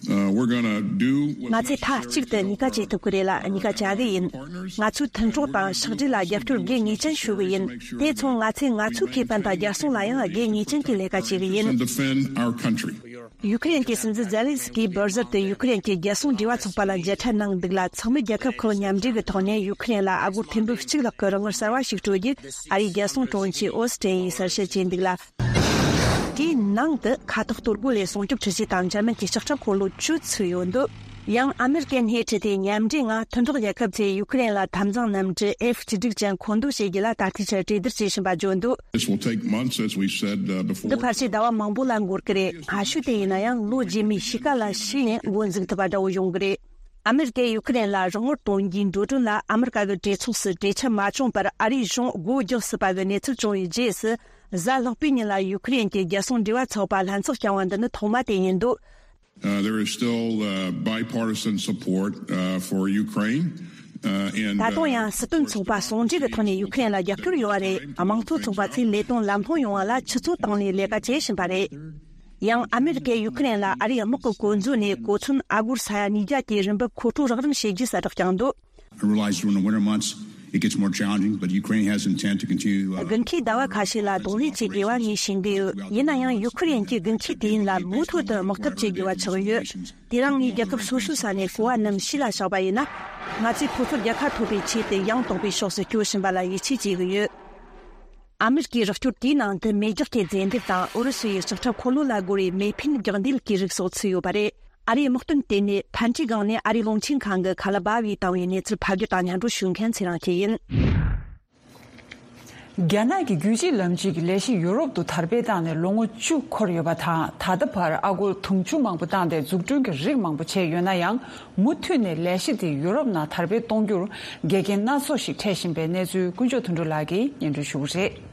Uh, we're gonna do what ང་ཚོས་མཐའ་གཅིག་ཏུ་གཉིས་ཀ་བྱེད་ཐུབ་ཀྱི་རེད་ལ། གཉིས་ཀ་བྱ་གི་ཡིན། ང་ཚོའི་མཐུན་གྲོགས་དང་ཕྱག་སྦྲེལ་ལ་རྒྱབ་སྐྱོར་དགེ་ངེས་ཅན་ཞུ་གི་ཡིན། དེ་མཚུངས་ང་ཚོས་ང་ཚོའི་ཁེ་ཕན་དང་རྒྱལ་སྲུང་ལ་ཡང་དགེ་ངེས་ཅན་གྱི་ལས་ཀ་བྱེད་གི་ཡིན། And defend our country. ཡུ་ཁི་རེན་གྱི་སྲིད་འཛིན་ཛེ་ལན་སི་ཀིས་འབུར་གཟར་དུ་ཡུ་ཁི་རེན་གྱི་རྒྱལ་སྲུང་འབྲེལ་བ་ཚོགས་པ་ལ་མཇལ་འཕྲད་གནང་འདུག་ལ། ཚོགས་མི་རྒྱལ་ཁབ་ཁག་མཉམ་འབྲེལ་གྱི་ཐོག་ནས་ཡུ་ཁི་རེན་ལ་ཨ་སྒོར་ཐེར་འབུམ་གཅིག་ལྷག་གི་རོགས་དངུལ་གསར་བ་ཞིག་སྤྲོད་རྒྱུ་ཨ་རིའི་རྒྱལ་སྲུང་དྲུང་ཆེ་ཨོ་སི་ཏྲེན་ཡིས་གསལ་བཤད་བྱས་འདུག་ལ། དེའི་ནང་དུ་མཁའ་ཐོག་གཏོར་རྒོལ་ལས་སྲུང་སྐྱོབ་འཕྲུལ་ཆས་དང་འཇར་མན་གྱི་ལྕགས་ཁྲབ་འཁོར་ལོ་བཅུ་ཚུད་ཡོད་འདུག་ཡང་ཨ་མེ་རི་ཀའི་སྣེ་ཁྲིད་དེ་མཉམ་འབྲེལ་ངང་མཐུན་གྲོགས་རྒྱལ་ཁབ་ཚོས་ཡུ་ཁི་རེན་ལ་འཐབ་འཛིང་གནམ་གྲུ་F་གཅིག་དྲུག་ཅན་མཁོ་འདོན་བྱེད་རྒྱུ་ལ་ད་ལྟའི་ཆར་གྲོས་བསྡུར་བྱེད་བཞིན་པ་བརྗོད་འདུག This will take months, as we said, uh, before. འདི་ཕལ་ཆེར་ཟླ་བ་མང་པོ་ལ་འགོར་གི་རེད། སྔ་ཤོས་དེ་ཡིན་ན་ཡང་ལོ་རྗེས་མའི་དཔྱིད་ཀ་ལ་ཞིག་ནས་འགོ་འཛུགས་ཐུབ་པ་འདྲ་བོ་ཡོང་གི་རེད། ཨ་མེ་རི་ཀས་ཡུ་ཁི་རེན་ལ་རོགས་དངུལ་གཏོང་རྒྱུའི་འགྲོ་གྲོན་ལ་ཨ་མེ་རི་ཀ་གི་གྲོས་ཚོགས་སུ་གྲོས་འཆར་མ་བྱུང་བར་ཨ་རིའི་གཞུང་སྒོ་རྒྱག་སྲིད་པ་གི་གནས་ཚུལ་བྱུང་བའི་རྗེས་སུ། གཟའ་ལྷག་པའི་ཉིན་ལ་ཡུ་ཁི་རེན་གྱི་རྒྱལ་སྲུང་འབྲེལ་བ་ཚོགས་པ་ལྷན་ཚོགས་བསྐྱངས་པ་འདི་ནི་ཐོག་མ་དེ་ཡིན་འདུག Uh, there is still uh, bipartisan support uh, for Ukraine. Uh, and, ད་དུང་ཡང་སྲིད་དོན་ཚོགས་པ་ཟུང་འབྲེལ་གྱི་ཐོག་ནས་ཡུ་ཁི་རེན་ལ་རྒྱབ་སྐྱོར་ཡོད་པ་རེད། དམངས་གཙོ་ཚོགས་པ་ཚོས་ལས་དོན་ལམ་ལྷོང་ཡོང་བ་ལ་ཆུ་ཚོད་བཏང་ནས་ལས་ཀ་བྱེད་བཞིན་པ་རེད། ཡང་ཨ་མེ་རི་ཀས་ཡུ་ཁི་རེན་ལ་ཨ་རིའི་དམག་གི་བཀོལ་མཛོད་ནས་གོ་མཚོན་ཨ་སྒོར་ས་ཡ་ཉིས་བརྒྱ་གྱི་རིན་འབབ་མཁོ་སྤྲོད་རོགས་རམ་བྱེད་རྒྱུའི་གསལ་བསྒྲགས་བསྐྱངས་འདུག I realize during the winter months it gets more challenging, but Ukraine has intent to continue. Uh, དགུན་ཁའི་ཟླ་བ་ཁ་ཤས་ལ་གདོང་ལེན་བྱེད་དགོས་པ་ངས་ཤེས་ཀྱི་ཡོད། ཡིན་ན་ཡང་ཡུ་ཁུ་རེན་གྱིས་དགུན་ཁའི་དུས་ཡུན་ལ་མུ་མཐུད་དུ་དམག་འཐབ་བྱེད་དགོས་པ་ཆགས་ཡོད། དེ་རིང་ངས་རྒྱལ་ཁབ་སོ་སོའི་ས་ནས་གོ་བ་རྣམས་ཕྱི་ལ་བཞག་པ་ཡིན་ན། ང་ཚོས་ཁོ་ཚོར་རྒྱལ་ཁ་ཐོབ་པའི་ཆེད་དུ་ཡང་དག་པའི་ཕྱོགས་སུ་སྐྱོད་བཞིན་པ་ལ་ཡིད་ཆེས་བྱེད་ཀྱི་ཡོད། ཨ་མེ་རི་ཀའི་རོགས་སྐྱོར་དེའི་ནང་དུ་མེ་སྒྱོགས་ཀྱི་རྫས་འདེབས་དང་ཨུ་རུ་སུ་ཡི་ལྕགས་ཁྲབ་འཁོར་ལོ་ལ་རྒོལ་བའི་མེ་འཕེན་རྒྱག་འདེད་ཀྱི་རིགས་སོགས་ཚུད་ཡོད་པ་རེད། ཨ་རིའི་དམག་དོན་དེ་ནི་ཕན་ཁྲིའི་སྒང་ནས་ཨ་རིའི་རླུང་འཕྲིན་ཁང་གི་ཁ་ལ་སྦ་བའི་བཏང་བའི་གནས་ཚུལ་ཕབ་སྒྱུར་དང་སྙན་སྒྲོན་ཞུ་མཁན་ཚེ་རིང་སྐྱིད་ཡིན། རྒྱ་ནག་གི་རྒྱུད་གཅིག་ལམ་གཅིག་གི་ལས་གཞི་ཡོ་རོབ་ཏུ་དར་སྤེལ་བཏང་ནས་ལོ་ངོ་བཅུ་འཁོར་ཡོད་པ་དང་། ད་ལྟ་བར་ཨ་སྒོར་དུང་ཕྱུར་མང་པོ་བཏང་སྟེ་འཛུགས་སྐྲུན་གྱི་རིགས་མང་པོ་བྱས་ཡོད་ན་ཡང་། མུ་མཐུད་ནས་ལས་གཞི་དེ་ཡོ་རོབ་ནང་དར་སྤེལ་གཏོང་རྒྱུར་འགལ་རྐྱེན་སྣ་ཚོགས་ཤིག་འཕྲད་བཞིན་པའི་གནས་ཚུལ་དཀོན་མཆོག་དོན་གྲུབ་ལགས་ཀྱིས་སྙན་སྒྲོན་ཞུ་གི་རེད།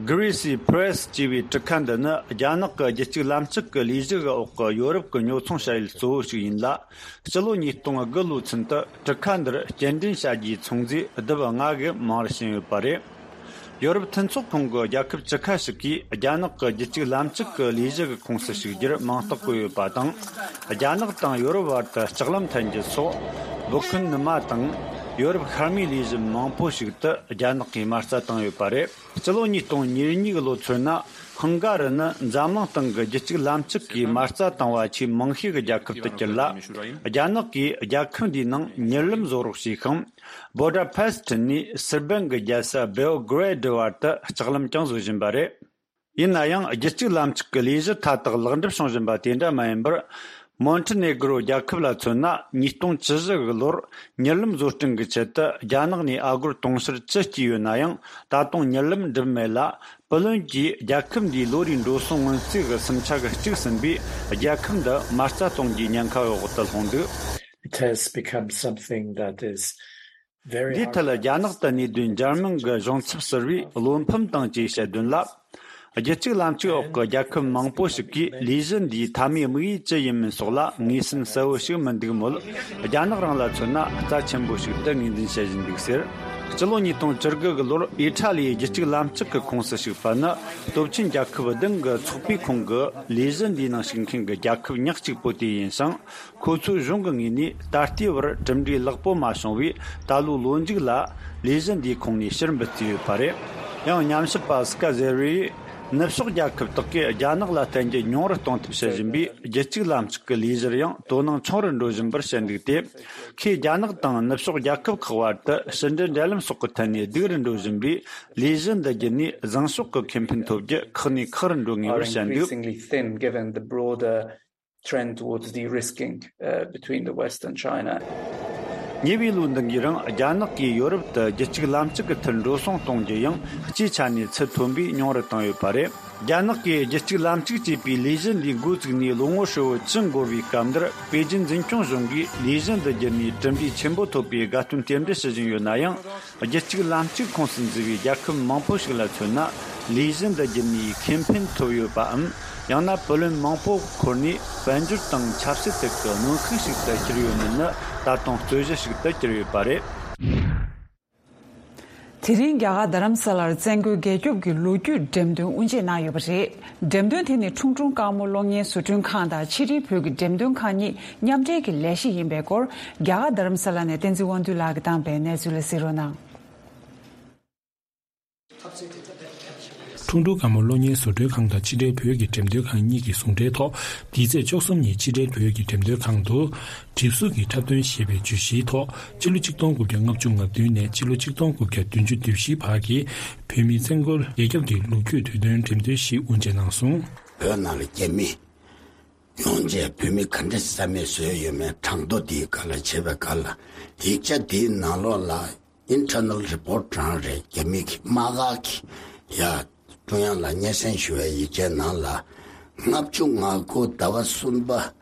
Greasy Press ཅེས་པའི་གྲུ་ཁ་འདི་ནི་རྒྱ་ནག་གི་རྒྱུད་གཅིག་ལམ་གཅིག་གི་ལས་གཞི་འོག་གི་ཡོ་རོབ་ཀྱི་ཉོ་ཚོང་བྱ་ཡུལ་གཙོ་བོ་ཞིག་ཡིན་ལ། སྤྱི་ལོ་ཉིས་སྟོང་དགུ་ལོའི་ཚུན་དུ་གྲུ་ཁ་འདིར་སྐྱེལ་འདྲེན་བྱ་རྒྱུའི་ཚོང་རྫས་ལྡེབ་ལྔ་གི་མིང་རུ་ཕྱིན་ཡོད་པ་རེད། ཡོ་རོབ་མཐུན་ཚོགས་ཁང་གི་རྒྱལ་ཁབ་བཅུ་ཁ་ཞིག་གིས་རྒྱ་ནག་གི་རྒྱུད་གཅིག་ལམ་གཅིག་གི་ལས་གཞི་གི་ཁོངས་སུ་ཞུགས་རྒྱུར་མིང་རྟགས་བཀོད་ཡོད་པ་དང་། རྒྱ་ནག་དང་ཡོ་རོབ་བར་དུ་ལྕགས་ལམ་འཐེན་རྒྱུ་སོགས། སྦུག་ཁུན་ནུ་མ་དང་། ཡོ་རོབ་ཤར་མའི་ལས་གཞི་མང་པོ་ཞིག་ཏུ་རྒྱ་ནག་གིས་མ་རྩ་བཏང་ཡོད་པ་རེད། སྤྱི་ལོ་ཉིས་སྟོང་ཉེར་གཉིས་ལོ་ཚུན་ན་ཧང་ག་རི་ནི་འཛམ་གླིང་སྟེང་གི་རྒྱུད་གཅིག་ལམ་གཅིག་གིས་མ་རྩ་བཏང་བ་ཆེས་མང་ཤོས་ཀྱི་རྒྱལ་ཁབ་ཏུ་གྱུར་ལ། རྒྱ་ནག་གིས་རྒྱལ་ཁབ་འདིའི་ནང་མྱུར་ལམ་བཟོ་རོགས་བྱས་ཤིང་། བོ་ཌ་པེ་སི་ཊི་ནས་སེར་བན་གྱི་རྒྱལ་ས་བེའོ་གྷི་རེ་ཌི་བར་དུ་ལྕགས་ལམ་ཀྱང་བཟོ་བཞིན་པ་རེད། ཡིན་ན་ཡང་རྒྱུད་གཅིག་ལམ་གཅིག་གི་ལས་གཞི་མཐའ་དག་ལེགས་འགྲུབ་བྱུང་བཞིན་པ་དེ་འདྲ་མ་ཡིན་པར། མོན་ཏི་ནེ་གྷི་རོ་རྒྱལ་ཁབ་ལ་མཚོན་ན། ཉིས་སྟོང་བཅུ་བཞི་གི་ལོར་མྱུར་ལམ་བཟོ་སྐྲུན་གྱི་ཆེད་དུ་རྒྱ་ནག་ནས་ཨ་སྒོར་དུང་ཕྱུར་བཅུ་བསྐྱིས་ཡོད་ན་ཡང་། ད་དུང་མྱུར་ལམ་འགྲུབ་མེད་ལ། པུ་ལོན་གྱིས་རྒྱལ་ཁབ་འདིའི་ལོ་རེའི་འགྲོ་སོང་སྔོན་རྩིས་ཀྱི་སུམ་ཆ་གི་གཅིག་ཟིན་པས། རྒྱལ་ཁབ་འདི་མ་རྩ་གཏོང་རྒྱུའི་ཉེན་ཁ་འོག་ཏུ་ལྷུང་འདུག It has become something that is very འདིའི་ཐད་ལ་རྒྱ་ནག་ཏུ་གནས་སྡོད་འཇར་མན་གྱི་གཞུང་ཚབ་ཟུར་པས་བློ་ཕམ་དང་བཅས་བཤད་དོན་ལ། རྒྱུད་གཅིག་ལམ་གཅིག་འོག་གི་རྒྱལ་ཁབ་མང་པོ་ཞིག་གིས་ལས་གཞི་འདིའི་མཐའ་མའི་དམིགས་ཡུལ་ཅི་ཡིན་མིན་སོགས་ལ་ངོས་ཟིན་གསལ་བོ་ཞིག་མི་འདུག་མོད། རྒྱ་ནག་རང་ལ་མཚོན་ན་རྩ་ཆེན་པོ་ཞིག་ཏུ་ངོས་འཛིན་བྱེད་བཞིན་འདུག་ཟེར། སྤྱི་ལོ་ཉིས་སྟོང་བཅུ་དགུ་གི་ལོར་ཨི་ཊ་ལིའི་རྒྱུད་གཅིག་ལམ་གཅིག་གི་ཁོངས་སུ་ཞུགས་པ་ནི་སྟོབས་ཆེན་རྒྱལ་ཁབ་བདུན་གྱི་ཚོགས་པའི་ཁོངས་ཀྱི་ལས་གཞི་འདིའི་ནང་ཞུགས་མཁན་གྱི་རྒྱལ་ཁབ་ཉག་གཅིག་པོ་དེ་ཡིན་ཞིང་། ཁོ་ཚོའི་གཞུང་གི་ངོས་ནས་ད་ལྟའི་བར་གྲུབ་འབྲས་ལེགས་པོ་མ་བྱུང་བས། ད་ལོའི་ལོ་མཇུག་ལ་ལས་གཞི་འདིའི་ཁོངས་ནས་ཕྱིར་འབུད་བརྩིས་ཡོད་པ་རེད། ཡང་ཉམས་ཞིབ་པ་སི་ཀ་ཟེར་བས། ནུབ་ཕྱོགས་རྒྱལ་ཁབ་དག་གིས་རྒྱ་ནག་ལ་བརྟེན་རྒྱུ་ཉུང་རུ་གཏོང་ཐབས་བྱེད་བཞིན་པས། རྒྱུད་གཅིག་ལམ་གཅིག་གི་ལས་གཞིར་ཡང་དོ་སྣང་ཆུང་རུ་འགྲོ་བཞིན་པར་བཤད་འདུག་སྟེ། ཁོས་རྒྱ་ནག་དང་ནུབ་ཕྱོགས་རྒྱལ་ཁབ་ཁག་བར་དུ་ཕྱི་འབྲེལ་འབྲེལ་ལམ་སོགས་ཀྱི་ཐད་ནས་སྡུག་རུ་འགྲོ་བཞིན་པས། ལས་གཞི་འདི་བརྒྱུད་ནས་བཟང་ཕྱོགས་ཀྱི་ཁེ་ཕན་ཐོབ་རྒྱུ་ཁག་ནས་ཁག་རུ་འགྲོ་ངེས་པར་བཤད་འདུག increasingly thin given the broader trend towards de-risking, uh, between the West and China. ཉེ་བའི་ལོ་འདི་འགའི་རིང་རྒྱ་ནག་གིས་ཡོ་རོབ་ཏུ་རྒྱུད་གཅིག་ལམ་གཅིག་གི་ཐད་འགྲོ་སོང་གཏོང་རྒྱུ་ཡང་སྤྱིའི་ཆ་ནས་ཚད་མཐོན་པོས་ཉུང་རུ་བཏང་ཡོད་པ་རེད། རྒྱ་ནག་གིས་རྒྱུད་གཅིག་ལམ་གཅིག་ཅེས་པའི་ལས་གཞི་འདི་འགོ་བཙུགས་ནས་ལོ་ངོ་ཧྲིལ་བོ་བཅུ་འགོར་བའི་སྐབས་འདིར། པེ་ཅིན་འཛིན་སྐྱོང་གཞུང་གིས་ལས་གཞི་འདི་བརྒྱུད་ནས་གྲུབ་འབྲས་ཆེན་པོ་ཐོབ་པའི་དགའ་སྟོན་རྟེན་འབྲེལ་ཞུ་བཞིན་ཡོད་ན་ཡང་། རྒྱུད་གཅིག་ལམ་གཅིག་ཁོངས་སུ་འཛུལ་བའི་རྒྱལ་ཁབ་མང་པོ་ཞིག་ལ་མཚོན་ན། ལས་གཞི་འདི་བརྒྱུད་ནས་ཁེ་ཕན་ཐོབ་ཡོད་པའམ། ཡང་ན་བུ་ལོན་མང་པོ་འཁོར་ནས་དཔལ་འབྱོར་དང་ཆབ་སྲིད་ཐད་ཀྱི་གནོན་ཤུགས་ཤིག་ཏུ་གྱུར་ཡོད་མེད་ནི་ད་དུང་རྩོད་གཞི་ཞིག་ཏུ་གྱུར་ཡོད་པ་རེད། དེ་རིང་རྒྱ་གར་རྡ་རམ་ས་ལར་བཙན་རྒོལ་རྒྱལ་སྐྱོབ་ཀྱི་ལོ་རྒྱུས་འགྲེམས་སྟོན་དབུ་འབྱེད་གནང་ཡོད་པ་རེད། འགྲེམས་སྟོན་དེ་ནི་ཁྲུང་ཁྲུང་དཀར་མོ་གློག་བརྙན་བཟོ་སྐྲུན་ཁང་དང་ཕྱི་དྲིལ་བོད་ཀྱི་འགྲེམས་སྟོན་ཁང་གཉིས་མཉམ་འབྲེལ་གྱི་ལས་གཞི་ཡིན་པའི་སྐོར། རྒྱ་གར་རྡ་རམ་ས་ལ་ནས་བསྟན་འཛིན་དབང་འདུས་ལགས་ཀྱིས་བཏང་པའི་གནས་ཚུལ་ལ་གཟིགས་རོགས་གནང་། ཁྲུང་ཁྲུང་དཀར་མོ་གློག་བརྙན་བཟོ་སྐྲུན་ཁང་དང་ཕྱི་དྲིལ་བོད་ཀྱི་འགྲེམས་སྟོན་ཁང་གཉིས་ཀྱི་ཟུང་འབྲེལ་ཐོག་འདི་ཚེས་བཅུ་གསུམ་ཉིན་ཕྱི་དྲིལ་བོད་ཀྱི་འགྲེམས་སྟོན་ཁང་དུ། གྲིབ་གཟུགས་ཀྱི་འཁྲབ་སྟོན་ཞེས་པའི་བརྗོད་གཞིའི་ཐོག་སྤྱི་ལོ་ཆིག་སྟོང་དགུ་བརྒྱ་ལྔ་བཅུ་ང་བདུན་ནས་སྤྱི་ལོ་ཆིག་སྟོང་དགུ་བརྒྱ་བདུན་ཅུ་དོན་བཞི་བར་གྱི་བོད་མིའི་བཙན་རྒོལ་རྒྱལ་ཁྱབ་ཀྱི་ལོ་རྒྱུས་དུས་སྟོན་འགྲེམས་སྟོན་ཞིག་དབུ་འབྱེད་གནང་སོང་། བོད་ནང་ལ་རྒྱ་མི་ཡོང་རྗེས་བོད་མི་ག་འདྲ་རྩ་མེད་བཟོས་ཡོད་མེད་གྲངས་ཐོ་དེའི་སྒང་ལ་བྱས་པའི་སྒང་ལ། ཡིག་ཆ་དེའི་ནང་ལོགས་ལ་Internal Report རང་རེད། རྒྱ་མི་གི་དམག་སྒར་གྱི་ཡ་ཀྲུང་དབྱང་ལ་སྙན་སེང་ཞུ་བའི་ཡིག་ཆའི་ནང་ལ། ལྔ་བཅུ་ང་དགུ་ཟླ་བ་གསུམ་པ་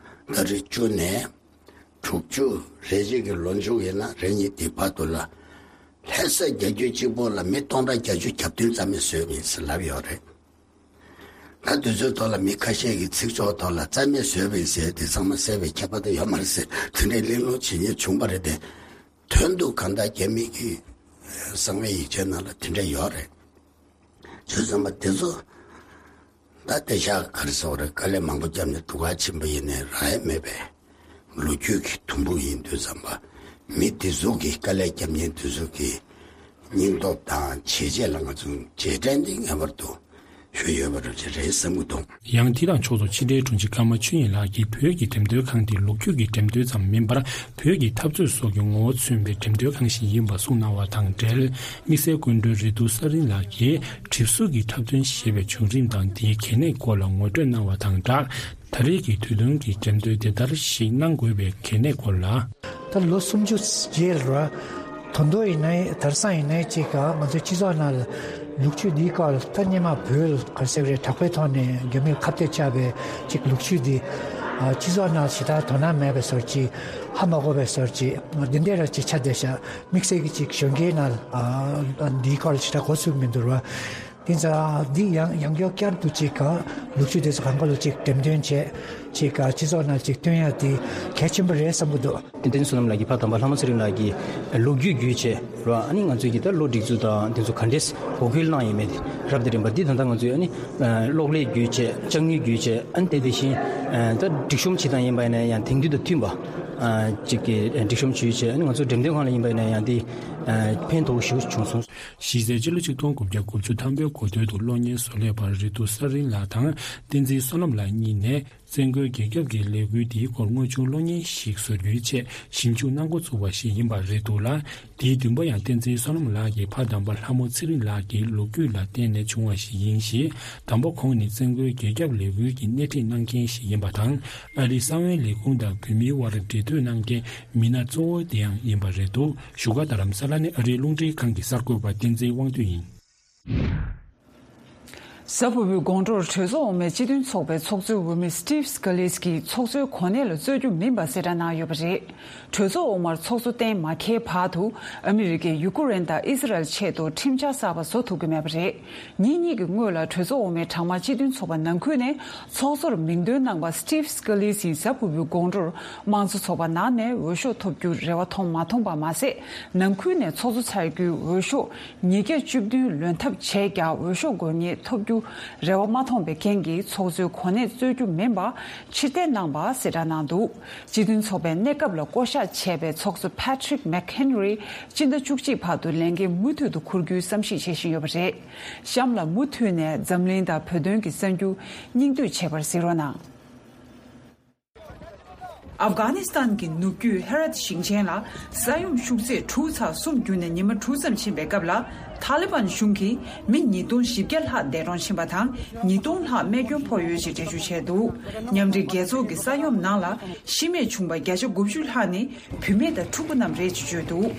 ཏ་རིག་བཅུ་ནས་དྲུག་ཅུ་རེ་གཅིག་གི་ལོ་མཇུག་ཡིན་ན་རེ་གཉིས་དེ་བར་དུ་ལ། ལྷ་ས་རྒྱལ་རྒྱུད་གཅིག་པོ་ལ་མི་སྟོང་ཕྲག་བརྒྱད་ཅུ་གྱ་བདུན་རྩ་མེད་བཟོས་པ་ཡིན་ཟེར་ལབ་ཡོད་རེད། ད་དུས་ཚོད་ཐོག་ལ་མི་ཁ་ཤས་ཀྱི་ཚིག་སྦྱོར་ཐོག་ལ་རྩ་མེད་བཟོས་པ་ཡིན་ཟེར་དེ་ཚང་མ་གསལ་བའི་ཁྱད་པར་དུ་ཡོད་མ་རེད་ཟེར། དེ་འདྲའི་གླེང་སློང་བྱེད་མཁན་བྱུང་བ་རེད་དེ། དོན་དུ་གང་ལྟར་རྒྱ་མི་གི་གསང་བའི་ཡིག་ཆའི་ནང་ལ་དེ་འདྲ་ཡོད་རེད། བྱས་ཙང་མ་དེ་ཚོ་ད་དེ་ཤག་ག་རེ་ཟེར་བ་རེད། དཀའ་ལས་མང་པོ་བརྒྱབ་ནས་སྡུག་ཁ་ཆེན་པོ་ཡིན་ནའི་རག་ཡ་མེད་པའི་ལོ་རྒྱུས་ཀྱི་དུམ་བུ་ཡིན་དུས་ཙམ་པ། མི་དེ་ཚོ་གི་དཀའ་ལས་བརྒྱབ་མཁན་དེ་ཚོ་གི་སྙིང་སྟོབས་དང་བྱས་རྗེས་ལ་ང་ཚོ་རྗེས་དྲན་འདི་ངེས་པར་དུ་ཞུ་ཡོད་པ་རེད་བསམ་གྱི་འདུག། ཡང་དེ་དང་ཕྱོགས་སུ་ཕྱི་དྲིལ་དྲུང་ཆེ་ཀརྨ་ཆོས་དབྱིངས་ལགས་ཀྱིས་བོད་ཀྱི་འགྲེམས་སྟོན་ཁང་དེ་ལོ་རྒྱུས་ཀྱི་འགྲེམས་སྟོན་ཙམ་མིན་པར་བོད་ཀྱི་འཐབ་རྩོད་སོགས་ཀྱི་ངོ་བོ་མཚོན་པའི་འགྲེམས་སྟོན་ཁང་ཞིག་ཡིན་པ་གསུངས་གནང་བ་དང་འབྲེལ། དམིགས་བསལ་སྐུ་མགྲོན་རེ་ཏུ་ས་རིན་ལགས་ཀྱིས་གྲིབ་གཟུགས་ཀྱི་འཁྲབ་སྟོན་ཞེས་པའི་བྱུང་རིམ་དང་དེའི་གལ་གནད་སྐོར་ལ་ངོ་སྤྲོད་གནང་བ་དང་སྦྲགས། ད་རེས་ཀྱི་དུས་སྟོན་གྱི་འགྲེམས་སྟོན་དེ་ལྟར་ཞིག་གནང་དགོས་པའི་གལ་གནད་སྐོར་ལ། ད་ལོ་སུམ་ཅུ་རྗེས་ལ་ད་དུང་ཡིན་ནའི་དེང་སང་ཡིན་ནའི་ཅིག་ང་ཚོའི་སྤྱི་ཚོགས་ནང་ལ་ལོ་རྒྱུས་འདིའི་སྐོར་ལ་ད་སྔོན་མ་བོད་ག་རེ་ཟེར་བ་རེད། དྲག་པོའི་ཐོག་ནས་རྒྱ་མིར་ཁ་གཏད་བཅག་པའི་ཅིག་ལོ་རྒྱུས་འདི་སྤྱི་ཚོགས་ནང་ཞེ་དྲག་དོ་སྣང་མེད་པའི་བཟོ་འདྲ་ཅིག་ཧ་མ་གོ་བའི་བཟོ་འདྲ་ཅིག་འདི་འདྲ་ར་ཅིག་ཆགས་བསྡད་ཤག། དམིགས་བསལ་གྱི་ཅིག་གཞོན་སྐྱེས་ནང་ལ་འདིའི་སྐོར་ལ་ཞེ་དྲག་གོ་ཚུགས་མི་འདུག་ར། དེ་ཚོ་འདི་ཡང་ཡང་བསྐྱར་བསྐྱར་དུ་ཅིག་ག་ལོ་རྒྱུས་དེ་ཚོ་གང་ག་ལ་ཅིག་འགྲེམས་སྟོན་བྱས་ཅིག་ག་སྤྱི་ཚོགས་ནང་ཅིག་སྟོན་ཡ་དེ་གལ་ཆེན་པོ་རེད་བསམ་གྱི་འདུག། བསྟན་འཛིན་བསོད་ནམས་ལགས་ཀྱིས་ཕ་དམ་པ་ལྷ་མོ་ཚེ་རིང་ལགས་ཀྱི་ལོ་རྒྱུས་བརྒྱུད་བྱས་ར། ཨ་ནི་ང་ཚོས་ཀྱི་ད་ལོ་སྒྲིག་འཛུགས་དང་དེ་ཚོ་ག་འདྲས་འགོག་རྒོལ་གནང་ཡོད་མེད་རབ་དང་རིམ་པ་འདི་ད་ལྟ་ང་ཚོས་ཨ་ནི་གློག་ཀླད་བརྒྱུད་བྱས་ལྕགས་དངུལ་བརྒྱུད་བྱས་ཨ་ནི་དེ་དེ་བཞིན་ད་སྒྲིག་གཤོམ་བྱེད་སྟངས་ཡིན་པ་ཡིན་ན་ཡང་དེང་དུས་དང་མཐུན་པ་ཅིག་གི་སྒྲིག་གཤོམ་བྱས་བྱས་ཨ་ནི་ང་ཚོ་འགྲེམས་སྟོན་ཁང་ལ་ཡིན་པ་ཡིན་ན་ཡང་དེ་ཕན་ཐོགས་ཞེ་པོ་བྱུང་སོང་། གཞི་རྩའི་སྤྱི་ལོ་ཆིག་སྟོང་དགུ་བརྒྱ་དགུ་བཅུ་ཐམ་པའི་འགོ་སྟོད་དུ་གློག་བརྙན་བཟོ་ལས་པ་རེ་ཏུ་ས་རིན་ལགས་དང་བསྟན་འཛིན་བསོད་ནམས་ལགས་གཉིས་ནས་བཙན་རྒོལ་རྒྱལ་ཁབ་ཀྱི་ལས་འགུལ་འདིའི་སྐོར་དངོས་བྱུང་གློག་བརྙན་ཞིག་བཟོ་རྒྱུའི་ཆེད་ཞིབ་འཇུག་གནང་འགོ་བཙུགས་པ་ཞིག་ཡིན་པ་རེད་འདུག་ལ། དེའི་བདུན་པོ་ཡང་བསྟན་འཛིན་བསོད་ནམས་ལགས་ཀྱི་ཕ་དམ་པ་ལྷ་མོ་ཚེ་རིང་ལགས་ཀྱི་ལོ་རྒྱུས་ལ་བརྟེན་ནས་བྱུང་བ་ཞིག་ཡིན་ཞེས་དང་པོ་ཁོང་ནི་བཙན་རྒོལ་རྒྱལ་ཁབ་ལས་འགུལ་གྱི་སྣེ་ཁྲིད་གནང་མཁན་ཞིག་ཡིན་པ་དང་། ཨ་རིའི་གསང་བའི་ལས་ཁུངས་དང་བོད་མིའི་དབར་འབྲེལ་མཐུད་གནང་མཁན་མི་སྣ་གཙོ་བོ་དེ་ཡང་ཡིན་པ་རེད་འདུག། བཞུགས་སྒར་རྡ་རམ་ས་ལ་ནས་ཨ་རིའི་རླུང་འཕྲིན་ཁང་གི་གསར་འགོད་པ་བསྟན་འཛིན་དབང་འདུས་ཡིན། གཟའ་ཕུར་བུའི་དགོང་དྲོར་གྲོས་ཚོགས་འོག་མའི་སྤྱི་མཐུན་ཚོགས་པའི་ཚོགས་གཙོའི་འོས་མི་Steve Scalise་གྱིས་ཚོགས་གཙོའི་གོ་གནས་ལ་རྩོད་རྒྱུ་མིན་པ་གསལ་བསྒྲགས་གནང་ཡོད་པ་རེད། གྲོས་ཚོགས་འོག་མར་ཚོགས་གཙོ་གཏན་མ་འཁེལ་བར་དུ་ཨ་མི་རི་ཀས་ཡུ་ཀུ་རེན་དང་ཨི་སི་རལ་ཆེད་དུ་ཁྲིམས་འཆར་གསར་པ་བཟོ་ཐུབ་ཀྱི་མེད་པ་རེད། ཉིན་གཉིས་ཀྱི་སྔོན་ལ་གྲོས་ཚོགས་འོག་མའི་གྲངས་མང་སྤྱི་མཐུན་ཚོགས་པ་ནང་ཁུལ་ནས་ཚོགས་གཙོར་མིང་འདོན་གནང་པ་Steve Scalise་ཡིས་གཟའ་ཕུར་བུའི་དགོང་དྲོར་དམངས་གཙོ་ཚོགས་པ་ནང་ནས་འོས་ཤོག་ཐོབ་རྒྱུར་རེ་བ་མཐོང་མ་མཐོང་པ་མ་ཟད། ནང་ཁུལ་ནས་ཚོགས་གཙོ་ཚར་རྒྱུའི་འོས་ཤོག་ཉིས་བརྒྱ་བཅུ་བདུན་ལོན་ཐབས་བྱས་ཀྱང་འོས་ཤོག་དགོས་ངེས་ཐོབ་རྒྱུ་རེ་བ་མ་མཐོང་བའི་རྐྱེན་གྱིས་ཚོགས་གཙོའི་གོ་གནས་རྩོད་རྒྱུ་མིན་པ་ཕྱིར་འཐེན་གནང་པ་གསལ་བསྒྲགས་གནང་འདུག་སྤྱི་མཐུན་ཚོགས་པའི་གནས་སྐབས་ལ་བསྐོ་གཞག་བྱས་པའི་ཚོགས་གཙོ་Patrick McHenry་སྤྱི་ཟླ་བཅུ་གཅིག་བར་དུ་ལས་འགན་མུ་མཐུད་དུ་འཁུར་རྒྱུའི་བསམ་གཞིག་བྱེད་བཞིན་ཡོད་པ་རེད། གཤམ་ལ་མུ་མཐུད་ནས་འཛམ་གླིང་དང་བོད་དོན་གྱི་གསར་འགྱུར་སྙིང་བསྡུས་བྱེད་པར་གཟིགས་རོགས་གནང་། ཨབ་གྷ་ནི་སི་ཐན་གྱི་ནུབ་རྒྱུད་ཧེ་ར་ཏི་ཞིང་ཆེན་ལ་ས་ཡོམ་ཤུགས་ཚད་དྲུག་ཚེག་གསུམ་བརྒྱུད་ནས་ཉི་མ་དྲུག་ཙམ་ཕྱིན་པའི་སྐབས་ལ་ཐ་ལི་བན་གཞུང་གིས་མི་ཉིས་སྟོང་བཞི་བརྒྱ་ལྷག་འདས་གྲོངས་ཕྱིན་པ་དང་ཉིས་སྟོང་ལྷག་རྨས་སྐྱོན་ཕོག་ཡོད་ཅེས་འགྲེལ་བརྗོད་བྱས་འདུག་མཉམ་འབྲེལ་རྒྱལ་ཚོགས་ཀྱི་ས་ཡོམ་ནང་ལ་ཤི་རྨས་བྱུང་པ་བརྒྱ་ཆ་དགུ་བཅུ་ལྷག་ནི་བུད་མེད་དང་ཕྲུ་གུ་རྣམས་རེད་ཅེས་བརྗོད་འདུག་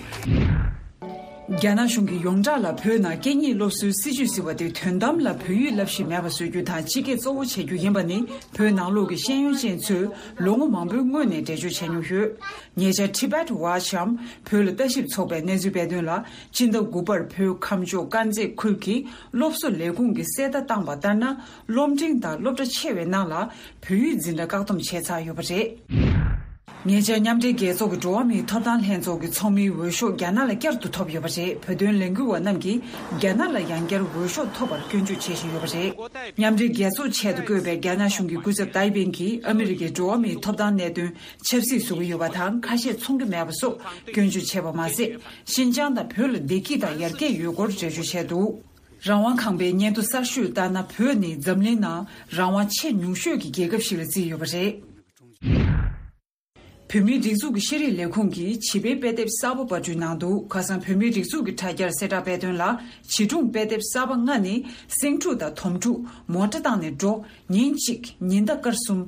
རྒྱ་ནག་གཞུང་གིས་ཡོངས་གྲགས་ལ་བོད་ནང་སྐད་གཉིས་སློབ་གསོའི་སྲིད་ཇུས་ཟེར་བ་དེ་དོན་དམ་ལ་བོད་ཡིག་བསླབ་གཞི་མེད་པ་བཟོ་རྒྱུ་དང་སྤྱི་སྐད་གཙོ་བོ་བྱེད་རྒྱུ་ཡིན་པ་ནི་བོད་ནང་ལོགས་ཀྱི་ཤེས་ཡོན་ཅན་ཚོས་ལོ་ངོ་མང་པོའི་སྔོན་ནས་འགྲེལ་བརྗོད་བྱས་མྱོང་ཡོད། ཉེ་ཆར་Tibet Watch་འམ་བོད་ལ་ལྟ་ཞིབ་ཚོགས་པས་གནས་ཚུལ་སྤེལ་དོན་ལ་སྤྱི་ཟླ་དགུ་པར་བོད་ཁམས་ཕྱོགས་དཀར་མཛེས་ཁུལ་གྱི་སློབ་གསོ་ལས་ཁུངས་ཀྱིས་གསལ་བརྡ་བཏང་པ་ལྟར་ན་སློབ་འབྲིང་དང་སློབ་གྲྭ་ཆེ་བའི་ནང་ལ་བོད་ཡིག་འཛིན་གྲྭ་བཀག་སྡོམ་བྱས་ཚར་ཡོད་པ་རེད། ཉེ་ཆར་མཉམ་འབྲེལ་རྒྱལ་ཚོགས་ཀྱི་འགྲོ་བ་མིའི་ཐོབ་ཐང་ལྷན་ཚོགས་ཀྱི་ཚོགས་མིའི་འོས་ཤོག་རྒྱ་ནག་ལ་བསྐྱར་དུ་ཐོབ་ཡོད་པ་རེད། བོད་དོན་ལས་འགུལ་བ་རྣམས་ཀྱིས་རྒྱ་ནག་ལ་ཡང་བསྐྱར་འོས་ཤོག་ཐོབ་པར་སྐྱོན་བརྗོད་བྱེད་བཞིན་ཡོད་པ་རེད། མཉམ་འབྲེལ་རྒྱལ་ཚོགས་ཆེད་དུ་བསྐོས་པའི་རྒྱ་ནག་གཞུང་གི་སྐུ་ཚབ་ཏའེ་པེན་གྱིས་ཨ་མི་རི་ཀའི་འགྲོ་བ་མིའི་ཐོབ་ཐང་གནད་དོན་ཆབ་སྲིད་བཟོ་གི་ཡོད་པ་དང་ཁ་ཤས་འཚོང་གི་མེད་པ་སོགས་སྐྱོན་བརྗོད་བྱས་པ་མ་ཟད། ཤིན་ཅང་དང་བོད་ལ་བདེ་སྐྱིད་དང་ཡར་རྒྱས་ཡོད་སྐོར་འགྲེལ་བརྗོད་བྱས་འདུག་རང་དབང་ཁང་པའི་སྙན་ཐོ་གསར་ཤོས་ལྟར་ན་བོད་ནི་འཛམ་གླིང་ནང་རང་དབང་ཆེས་ཉུང་ཤོས་ཀྱི་རྒྱལ་ཁབ་ཞིག་ལ་བརྩིས་ཡོད་པ་རེད། བོད་མིའི་སྒྲིག་འཛུགས་ཀྱི་ཤེས་རིག་ལས་ཁུངས་ཀྱིས་བྱིས་པའི་དཔེ་དེབ་གསར་པ་པར་སྐྲུན་གནང་འདུག་ཁ་སང་བོད་མིའི་སྒྲིག་འཛུགས་ཀྱི་དྲ་རྒྱར་གསལ་བསྒྲགས་སྤེལ་དོན་ལ་བྱིས་སྒྲུང་དཔེ་དེབ་གསར་པ་ལྔ་ནི་སེང་ཕྲུག་དང་དོམ་ཕྲུག་མོ་ཊ་བཏང་ནས་འགྲོ། ཉིན་གཅིག་ཉི་ཟླ་སྐར་གསུམ།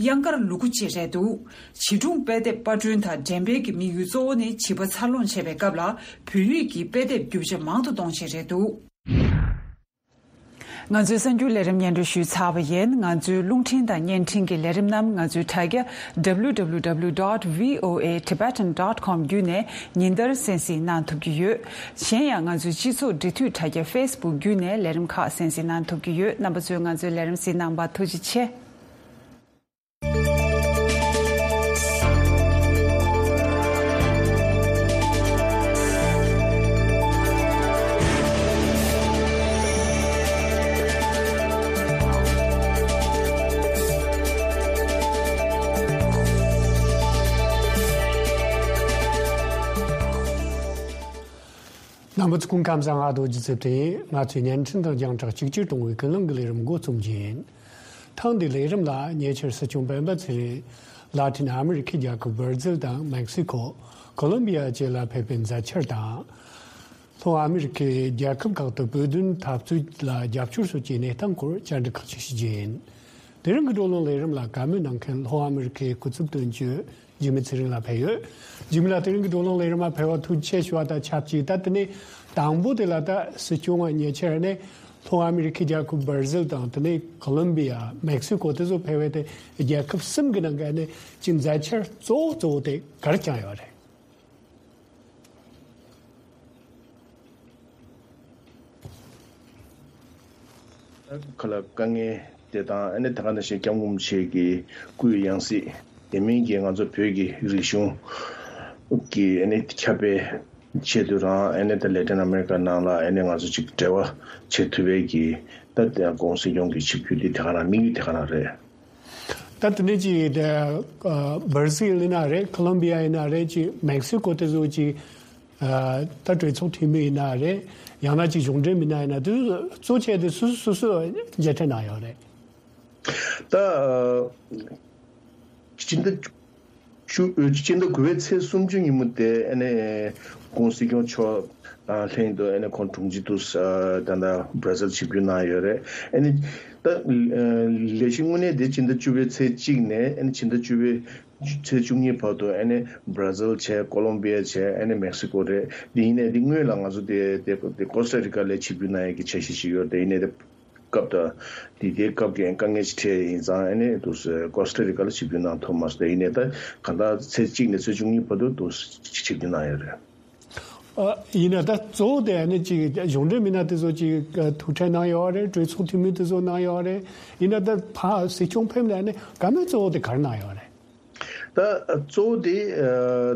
གཡང་དཀར་ལུ་གུ་བཅས་རེད་འདུག་བྱིས་སྒྲུང་དཔེ་དེབ་པར་སྐྲུན་དང་འགྲེམས་སྤེལ་གྱི་དམིགས་ཡུལ་གཙོ་བོ་ནི་བྱིས་པ་འཚར་ལོངས་བྱེད་པའི་སྐབས་ལ་བོད་ཡིག་གི་དཔེ་དེབ་རྒྱུ་ཆ་མང་དུ་གཏོང་ཆེད་རེད་འདུག་ང་ཚོའི་གསར་འགྱུར་ལས་རིམ་སྙན་སྒྲོན་ཞུས་ཚར་བ་ཡིན། ང་ཚོའི་རླུང་འཕྲིན་དང་བརྙན་འཕྲིན་གྱི་ལས་རིམ་རྣམས་ང་ཚོའི་དྲ་རྒྱ་W W W dot V O A Tibetan dot com བརྒྱུད་ནས་ཉིན་ལྟར་གསན་གཟིགས་གནང་ཐུབ་ཀྱི་ཡོད། གཞན་ཡང་ང་ཚོའི་སྤྱི་ཚོགས་འབྲེལ་མཐུད་དྲ་རྒྱ་Facebook བརྒྱུད་ནས་ལས་རིམ་ཁག་གསན་གཟིགས་གནང་ཐུབ་ཀྱི་ཡོད། རྣམ་པ་ཚོས་ང་ཚོའི་ལས་རིམ་གཟིགས་གནང་བར་ཐུགས་རྗེ་ཆེ། རྣམ་པ་ཚོ་སྐུ་ཁམས་བཟང་། ང་རྡོ་རྗེ་ཚེ་བརྟན་ཡིན། ང་ཚོས་བརྙན་འཕྲིན་དང་རྒྱང་བསྒྲགས་གཅིག་གྱུར་གཏོང་བའི་ཀུན་གླེང་གི་ལས་རིམ་འགོ་རྩོམ་གྱི་ཡིན། ཐེངས་འདིའི་ལས་རིམ་ལ་ཉེ་ཆར་སྲིད་སྐྱོང་སྤེན་པ་ཚེ་རིང་ལ་ཏིན་ཨ་མི་རི་ཁའི་རྒྱལ་ཁབ་བར་ཛིལ་དང་མེག་སི་ཁོ། ཁོ་ལོམ་བི་ཡ་བཅས་ལ་ཕེབས་པའི་མཛད་འཆར་དང་། ལྷོ་ཨ་མི་རི་ཁའི་རྒྱལ་ཁབ་ཁག་ཏུ་བོད་དོན་འཐབ་རྩོད་ལ་རྒྱབ་སྐྱོར་སོགས་ཀྱི་གནས་སྟངས་སྐོར་བཅར་འདྲི་ཁག་ཅིག་ཞུ་རྒྱུ་ཡིན། དེ་རིང་གི་བགྲོ་གླེང་ལས་རིམ་ལ་བཀའ་མོལ་གནང་མཁན་ལྷོ་ཨ་མི་རི་ཁའི་སྐུ་ཚབ་དོན་གཅོད་འཇིགས་མེད་ཚེ་རིང་ལགས་ཕེབས་ཡོད། འཇིགས་མེད་ལགས། དེ་རིང་གི་བགྲོ་གླེང་ལས་རིམ་ལ་ཕེབས་པར་ཐུགས་རྗེ་ཆེ་ཞུ་བ་དང་ཆབས་ཅིག་ད་དེ་ནས་དང་པོ་དེ་ལ་ད་སྲིད་སྐྱོང་བ་ཉེ་ཆར་ནས་ལྷོ་ཨ་མི་རི་ཁའི་རྒྱལ་ཁབ་བར་ཛིལ་དང་དེ་ནས་ཁོ་ལོམ་བི་ཡ། མེག་སི་ཀོ་དེ་ཚོ་ཕེབས་པའི་དེ་རྒྱལ་ཁབ་གསུམ་གྱི་ནང་གི་ནས་ཅིག་མཛད་འཆར་གཙོ་བོ་གཙོ་བོ་དེ་ག་རེ་བསྐྱངས་ཡོད་རེད། ཁ་ལ་དཀའ་ངལ་དེ་དང་ཨ་ནི་ད་ག་ནང་བཞིན་སྐྱབས་མགོན་རིན་པོ་ཆེ་གི་སྐུའི་ཡང་སྲིད་དེ་མིན་གྱི་ང་ཚོ་བོད་ཀྱི་རིག་གཞུང་གི་ཨ་ནི་ཁྱབ་སྤེལ་ཆེད་དུ་རང་ཨ་ནི་ད་ལེ་ཏིན་ཨ་མེ་རི་ཀ་ནང་ལ་ཨ་ནི་ང་ཚོ་ཅིག་འབྲེལ་བ་བྱེད་ཐུབ་པའི་གི་ད་དེ་ཡང་ཁོང་སྲིད་སྐྱོང་གི་ཆིབས་བསྒྱུར་དེ་དེ་ག་རང་དམིགས་ཡུལ་དེ་ག་རང་རེད། ད་དེ་ནས་ཅིག་དེ་བར་ཛིལ་ཡིན་ན་རེད། ཁོ་ལོམ་བི་ཡ་ཡིན་ན་རེད། ཅིག་མེག་སི་ཀོ་དེ་ཚོ་ཅིག་ད་གྲོས་ཚོགས་འཐུས་མི་ཡིན་ན་རེད། ཡང་ན་ཅིག་གཞུང་འབྲེལ་མི་སྣ་ཡིན་ན་དེ་ཚོ་གཙོ་ཆེ་དེ་སུ་སུ་སུ་མཇལ་འཕྲད་གནང་ཡོད་རེད། ད་སྤྱི་ཟླ་བཅུ། སྤྱི་ཟླ་དགུ་པའི་ཚེས་སུམ་ཅུ་ཉིན་མོ་དེ་ཨ་ནི་ཁོང་སྲིད་སྐྱོང་མཆོག་དང་ལྷན་དུ་ཨ་ནི་ཁོང་དྲུང་ཆེ་དུ་ད་ལྟ་བྷ་ར་ཟིལ་ཆིབས་བསྒྱུར་གནང་ཡོད་རེད། ཨ་ནི་ད་ལས་གཞི་དངོས་གནས་དེ་སྤྱི་ཟླ་བཅུ་པའི་ཚེས་གཅིག་ནས་ཨ་ནི་སྤྱི་ཟླ་བཅུ་པའི་ཚེས་བཅུ་གཉིས་བར་དུ་ཨ་ནི་བྷ་ར་ཟིལ་བྱས། ཀོ་ལོམ་བི་ཡ་བྱས། ཨ་ནི་མེག་སི་ཀོ་རེད། འདི་ཡིན་ནའི་འདི་སྔོན་ལ་ང་ཚོ་དེ་དེ་དེ་ཀོ་སྟ་རི་ཀ་ལ་ཆིབས་བསྒྱུར་གནང་ཡས་ཀྱི་འཆར་གཞི་ཞིག་ཡོད་རེད། དེ་ཡིན་ནའི་དེ་ སྐབས་དང་། དེ་དེའི་སྐབས་ཀྱི་དཀའ་ངལ་ཞིག་འཕྲད་ཡིན་ཙང་ཨ་ནི་འདུག་སེ་ཀོ་སྟ་རི་ཀ་ལ་ཆིབས་བསྒྱུར་གནང་ཐུབ་མ་སོང་། དེ་ཡིན་ནའི་ད་གང་ལྟར་ཚེས་གཅིག་ནས་ཚེས་བཅུ་གཉིས་བར་དུ་འདུག་སེ་ཆིབས་བསྒྱུར་གནང་ཡོད་རེད། ཨ། ཡིན་ན་ད་གཙོ་བོ་དེ་ཨ་ནི་ཅིག་གཞུང་འབྲེལ་མི་སྣ་དེ་ཚོ་ཅིག་ཐུག་འཕྲད་གནང་ཡོད་རེད། གྲོས་ཚོགས་འཐུས་མི་དེ་ཚོ་གནང་ཡོད་རེད། ཡིན་ན་ད་ཕར་སྲིད་སྐྱོང་ཕེབས་ནས་ཨ་ནི་བཀའ་མོལ་གཙོ་བོ་དེ་ག་རེ་གནང་ཡོད་རེད། ད་གཙོ་བོ་དེ་ཨ་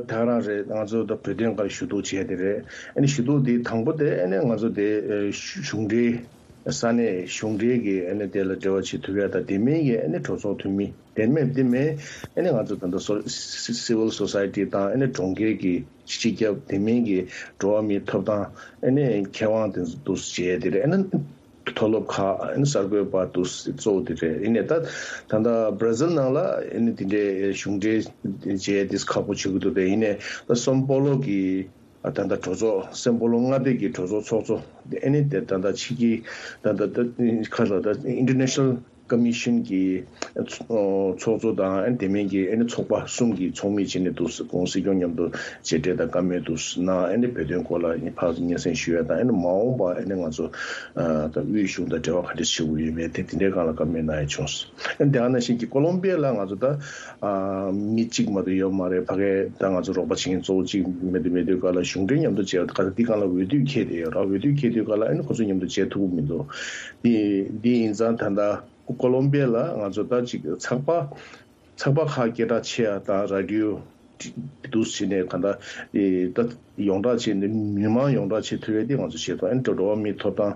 ད་རང་རེད། ང་ཚོ་ད་བོད་དོན་སྒང་ཞུ་གཏུག་བྱས་དེ་རེད། ཨ་ནི་ཞུ་གཏུག་དེ་དང་པོ་དེ་ཨ་ནི་ང་ཚོ་དེ་ཨ་གཞུང་འབྲེལ། ས་གནས་གཞུང་འབྲེལ་གྱི་ཨ་ནི་དེ་ལ་འབྲེལ་བ་བྱེད་ཐུབ་ཡ་དང་། དེ་མིན་གྱི་ཨ་ནི་གྲོས་ཚོགས་འཐུས་མི། དེ་མིན་དེ་མིན་ཨ་ནི་ང་ཚོ་ད་ལྟ་སོ་སི་སི་ཝིལ་སོ་སའི་ཊི་དང་ཨ་ནི་གྲོང་ཁྱེར་གྱི་སྤྱི་ཁྱབ། དེ་མིན་གྱི་འགྲོ་བ་མིའི་ཐོབ་ཐང་ཨ་ནི་མཁས་དབང་དེ་ཚོ་འདུག་སེ་བྱས་དེ་རེད། ཨ་ནི་མཐོ་སློབ་ཁག་ཨ་ནི་གསར་འགོད་པ་འདུག་སེ་གཙོ་བོ་དེ་རེད། ཡིན་ནའི་ད་ད་ལྟ་བྷར་ཛིལ་ནང་ལ་ཨ་ནི་དེ་འདྲའི་གཞུང་འབྲེལ་བྱས་དེ་ཁག་པོ་བྱེད་ཀྱི་འདུག་དེ་ཡིན་ནའི་ད་སོན་པོ་ལོ་གི་ཨ་ད་ལྟ་གྲོས་ཚོགས། སོན་པོ་ལོ་མངའ་སྡེ་གི་གྲོས་ཚོགས་ཚོགས་གཙོ། ཨ་ནི་དེ་ད་ལྟ་ཕྱི་གི་ད་ལྟ་ད་ཁ་ལ་ད་International Commission གི་ཚོགས་གཙོ་དང་། ཨ་ནི་དེ་མིན་གྱི་ཨ་ནི་ཚོགས་པ་གསུམ་གྱི་ཚོགས་མི་བྱས་ནས་འདུག་སེ་ཁོང་སྲིད་སྐྱོང་མཉམ་དུ་མཇལ་འཕྲད་དང་བཀའ་མོལ་འདུག་སེ་གནང་། ཨ་ནི་བོད་དོན་སྐོར་ལ་ཕར་ཚུར་སྙན་སེང་ཞུ་ཡ་དང་། ཨ་ནི་མ་འོངས་པ་ཨ་ནི་ང་ཚོ་ད་དབུས་གཞུང་དང་འབྲེལ་བ་ག་འདྲ་བྱེད་དགོས་ཡོད་མེད་དེ་དེ་འདྲའི་སྒང་ལ་བཀའ་མོལ་གནང་ཡ་བྱུང་སོང་། ཨ་ནི་དེ་ག་ནང་བཞིན་གྱི་ཀོ་ལོམ་པི་ཡ་ལ་ང་ཚོ་ད་ཨ་མི་གཅིག་མ་གཏོགས་ཡོད་མ་རེད། ཕ་གིར་ད་ང་ཚོ་རོགས་པ་བྱེད་མཁན་གཙོ་བོ་གཅིག་མེད་དུས་མེད་དུས་སྐབས་ལ་གཞུང་འབྲེལ་མཉམ་དུ་བྱས་པ་ག་ད་འདི་སྒང་ལ་འོས་བསྡུ་འཁེལ་བསྡད་ཡོད་ར། འོས་བསྡུ་འཁེལ་དུས་སྐབས་ལ་ཨ་ནི་ཁོ་ཚོ་མཉམ་དུ་བྱེད་ཐུབ་ཀྱི་མི་འདུག་འདི་འདི་ཡིན་ཙང་ད་ལྟ་ཀོ་ལོམ་པི་ཡ་ལ་ང་ཚོ་ད་ཅིག་ཚགས་པར་ཚགས་པར་ཁག་སྐད་གྲགས་ཆེ་ཡ་དང་རེ་ཌི་ཡོ་འདུག་སེ་བྱས་ནས་ག་ད་ཨེ་ད་ཡོངས་གྲགས་བྱས་ནས་མི་མང་ཡོངས་གྲགས་བྱེད་ཐུབ་ཡ་དེ་ང་ཚོ་བྱེད་ཐུབ། ཨ་ནི་འགྲོ་བ་མིའི་ཐོབ་ཐང་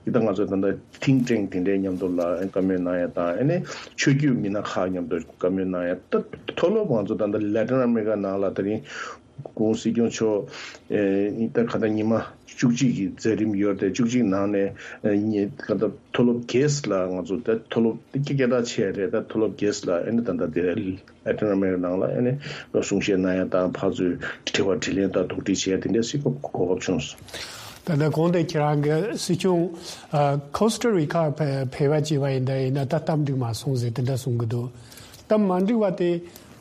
གི་ད་ང་ཚོ་ད་ལྟ་ཐིང་ཀྲེང་དེ་འདྲའི་མཉམ་དུ་ལ་བཀའ་མོལ་གནང་ཡ་དང་། ཨ་ནི་ཆོས་བརྒྱུད་མི་སྣ་ཁག་མཉམ་དུ་བཀའ་མོལ་གནང་ཡ། ད་མཐོ་སློབ་ང་ཚོ་ད་ལྟ་ལ་ཏིན་ཨ་མེ་རི་ཀ་ནང་ལ་དེ་རིང་ཁོང་སྲིད་སྐྱོང་མཆོག་ཨེ་ད་ག་ད་ཉི་མ་བཅུ་གཅིག་གི་མཛད་རིམ་ཡོད་རེད། བཅུ་གཅིག་ནང་ནས་ཨེ་ཉི་ག་ད་མཐོ་སློབ་བརྒྱད་ལ་ང་ཚོ་ད་མཐོ་སློབ་དེ་སྐད་གྲགས་ཆེ་རེད། ད་མཐོ་སློབ་བརྒྱད་ལ་ཨ་ནི་ད་ལྟ་དེ་ལ་ཏིན་ཨ་མེ་རི་ཀ་ནང་ལ་ཨ་ནི་གསུང་བཤད་གནང་ཡ་དང་ཕར་ཚུར་དྲི་བ་དྲིས་ལན་དང་དོགས་འདྲི་བྱེད་ཡ་དེ་འདྲ་སྲིད་སྐྱོང་གོ་སྐབས་བྱུང་སོང་། ད་ལྟ་གོང་དེ་ཁྱེད་རང་གི་སྲིད་སྐྱོང་ཨ་ཁོ་སྟ་རི་ཀ་ཕེ་ཕེབས་པ་བྱས་པ་ཡིན་ད་ཡིན་ན་ད་སྟབས་འགྲིག་མ་སོང་ཟེར་དེ་འདྲ་གསུང་གི་འདུག་སྟབས་མ་འགྲིག་པ་དེ་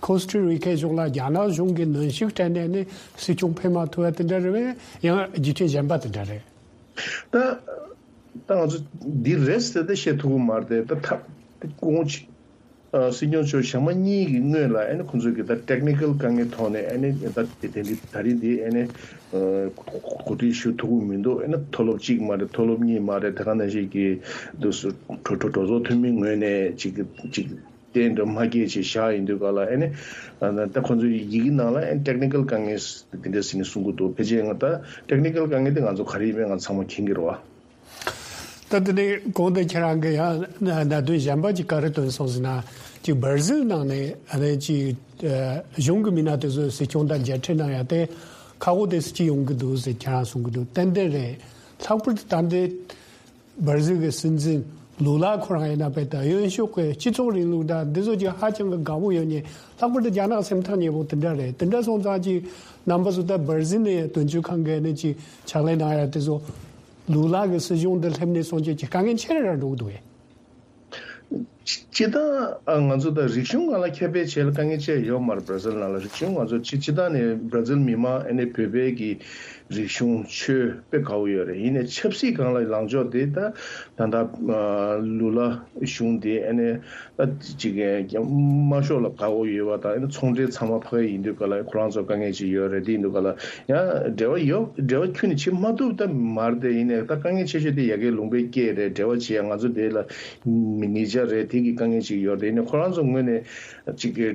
ཁོ་སྟ་རི་ཀའི་གཞུང་ལ་རྒྱ་ནག་གཞུང་གིས་གནོན་ཤུགས་སྤྲད་ནས་ནི་སྲིད་སྐྱོང་ཕེབས་མ་ཐུབ་པ་དེ་འདྲ་རེད་པས། ཡང་རྒྱུ་མཚན་གཞན་པ་དེ་འདྲ་རེད། ད་ད་ང་ཚོ་འདི་རེད་ཟེར་ཏེ་བཤད་ཐུབ་ཀྱི་མ་རེད་དེ། ད་ཐབས་དེ་ཁོང་ཆ་ཨ་སྲིད་སྐྱོང་མཆོག་ཞག་མ་གཉིས་ཀྱི་སྔོན་ལ་ཨ་ནི་ཁོང་ཚོས་ཀྱི་ད་ཊེག་ནི་ཀལ་དཀའ་ངལ་ཐོག་ནས་ཨ་ནི་ད་དེ་དེ་འདི་ད་རིང་འདི་ཨ་ནི་ཨ་གོ་སྒྲིག་ཞུ་ཐུབ་ཀྱི་མི་འདུག་ཨ་ནི་མཐོ་སློབ་གཅིག་མ་རེད། མཐོ་སློབ་གཉིས་མ་རེད། དེ་ག་ནང་བཞིན་གྱི་འདུག་སེ་གྲོས་གྲོས་གྲོས་ཚོགས་འཐུས་མི་ངོས་ནས་ཅིག་ཅིག་གཏན་དུ་མ་སྐྱེལ་བྱས་བཞག་ཡིན་དུས་སྐབས་ལ་ཨ་ནི་ཨ་ད་ཁོང་ཚོའི་ཡི་གེ་ནང་ལ་ཨ་ནི་ཊེག་ནི་ཀལ་དཀའ་ངལ་དེ་འདྲ་ཟེར་ནས་གསུང་གི་འདུག་ཕལ་ཆེར་ང་ད་ཊེག་ནི་ཀལ་དཀའ་ངལ་དེ་ང་ཚོ་ག་རེ་ཡིན་མིན་ང་ཚང་མ་མཁྱེན་གྱི་རེད་བ། ད་དེ་ནས་གོང་དུ་ཁྱེད་རང་གིས་ཡང་གནད་དོན་གཞན་པ་ཅིག་ག་རེ་བཏོན་སོང་ཟེར་ན། ཅིག་བར་ཟིལ་ནང་ནས་ཨ་ནི་ཅིག་ཨ་གཞུང་གི་མི་སྣ་དེ་ཚོས་སྲིད་སྐྱོང་དང་མཇལ་འཕྲད་གནང་ཡ་དེ་ཁག་པོ་དེ་སུ་ཅིག་ཡོང་གི་འདུག་ཟེར་ཁྱེད་རང་གསུང་གི་འདུག་ཏན་ཏན་རེད། ལྷག་པར་དུ་ད་ལྟའི་བར་ཟིལ་གྱི་སྲིད་འཛིན་ལུ་ལ་ཁོ་རང་ཡིན་ན་བས་ད་གཡོན་ཕྱོགས་ཀྱི་སྤྱི་ཚོགས་རིང་ལུགས་དང་འདི་ཚོ་ཅིག་ཧ་ཅང་གི་དགའ་པོ་ཡོད་ནས། ལྷག་པར་དུ་རྒྱ་ནག་སེམས་ཐག་ཉེ་པོ་དེ་འདྲ་རེད། དེ་འདྲ་སོང་ཙང་ཅིག་རྣམ་པ་ཚོ་ད་བར་ཟིལ་ནས་དོན་གཅོད་ཁང་གི་ནས་ཅིག་ཕྱག་ལས་གནང་ཡ་དེ་ཚོ། ལུ་ལ་གི་སྲིད་གཞུང་འདི་སླེབས་ནས་སོང་ཅིག་གི་དཀའ་ངལ་ཆེ་རུ་ར་འགྲོ་གི་འདུག་གས། སྤྱི་བཏང་ཨ་ང་ཚོ་ད་རིག་གཞུང་སྒང་ལ་ཁྱབ་སྤེལ་བྱེད་ལ་དཀའ་ངལ་ཅི་ཡང་ཡོད་མ་རེད། བར་ཟིལ་ནང་ལ་རིག་གཞུང་ང་ཚོ་སྤྱི་སྤྱི་བཏང་ནས་བར་ཟིལ་མི་མང་ཨ་ནི་བོད་པའི་གི་རིག་གཞུང་ཆོས་དཔེ་དགའ་བོ་ཡོད་རེད། ཡིན་ནའི་ཆབ་སྲིད་སྒང་ལ་ལངས་ཕྱོགས་དེ་ད་ད་ལྟ་ཨ་ལུ་ལ་གཞུང་དེ་ཨ་ནི་ད་ཅིག་གི་དམར་ཤོག་ལ་དགའ་བོ་ཡོད་པ་དང་། ཨ་ནི་ཚོང་འབྲེལ་ཚང་མ་ཕ་གི་ཡིན་དུས་སྐབས་ལ་ཁོ་རང་ཚོ་དཀའ་ངལ་ཅིག་ཡོད་རེད། དེ་ཡིན་དུས་སྐབས་ལ་ཡང་འབྲེལ་བ་ཡོད། འབྲེལ་བ་ཁྱོན་ནས་བྱེད་མ་ཐུབ་ད་མ་རེད་དེ། ཡིན་ནའི་ད་དཀའ་ངལ་ཆེ་ཤོས་དེ་ཡ་གིའི་ལུང་པའི་སྐད་རེད། འབྲེལ་བ་བྱེད་ཡ་ང་ཚོ་དེ་ལ་མི་ཉེ་ཆར་རེད། དེ་གི་དཀའ་ངལ་ཅིག་ཡོད་རེད། ཡིན་ནའི་ཁོ་རང་ཚོ་ངོས་ནས་ཅིག་གི་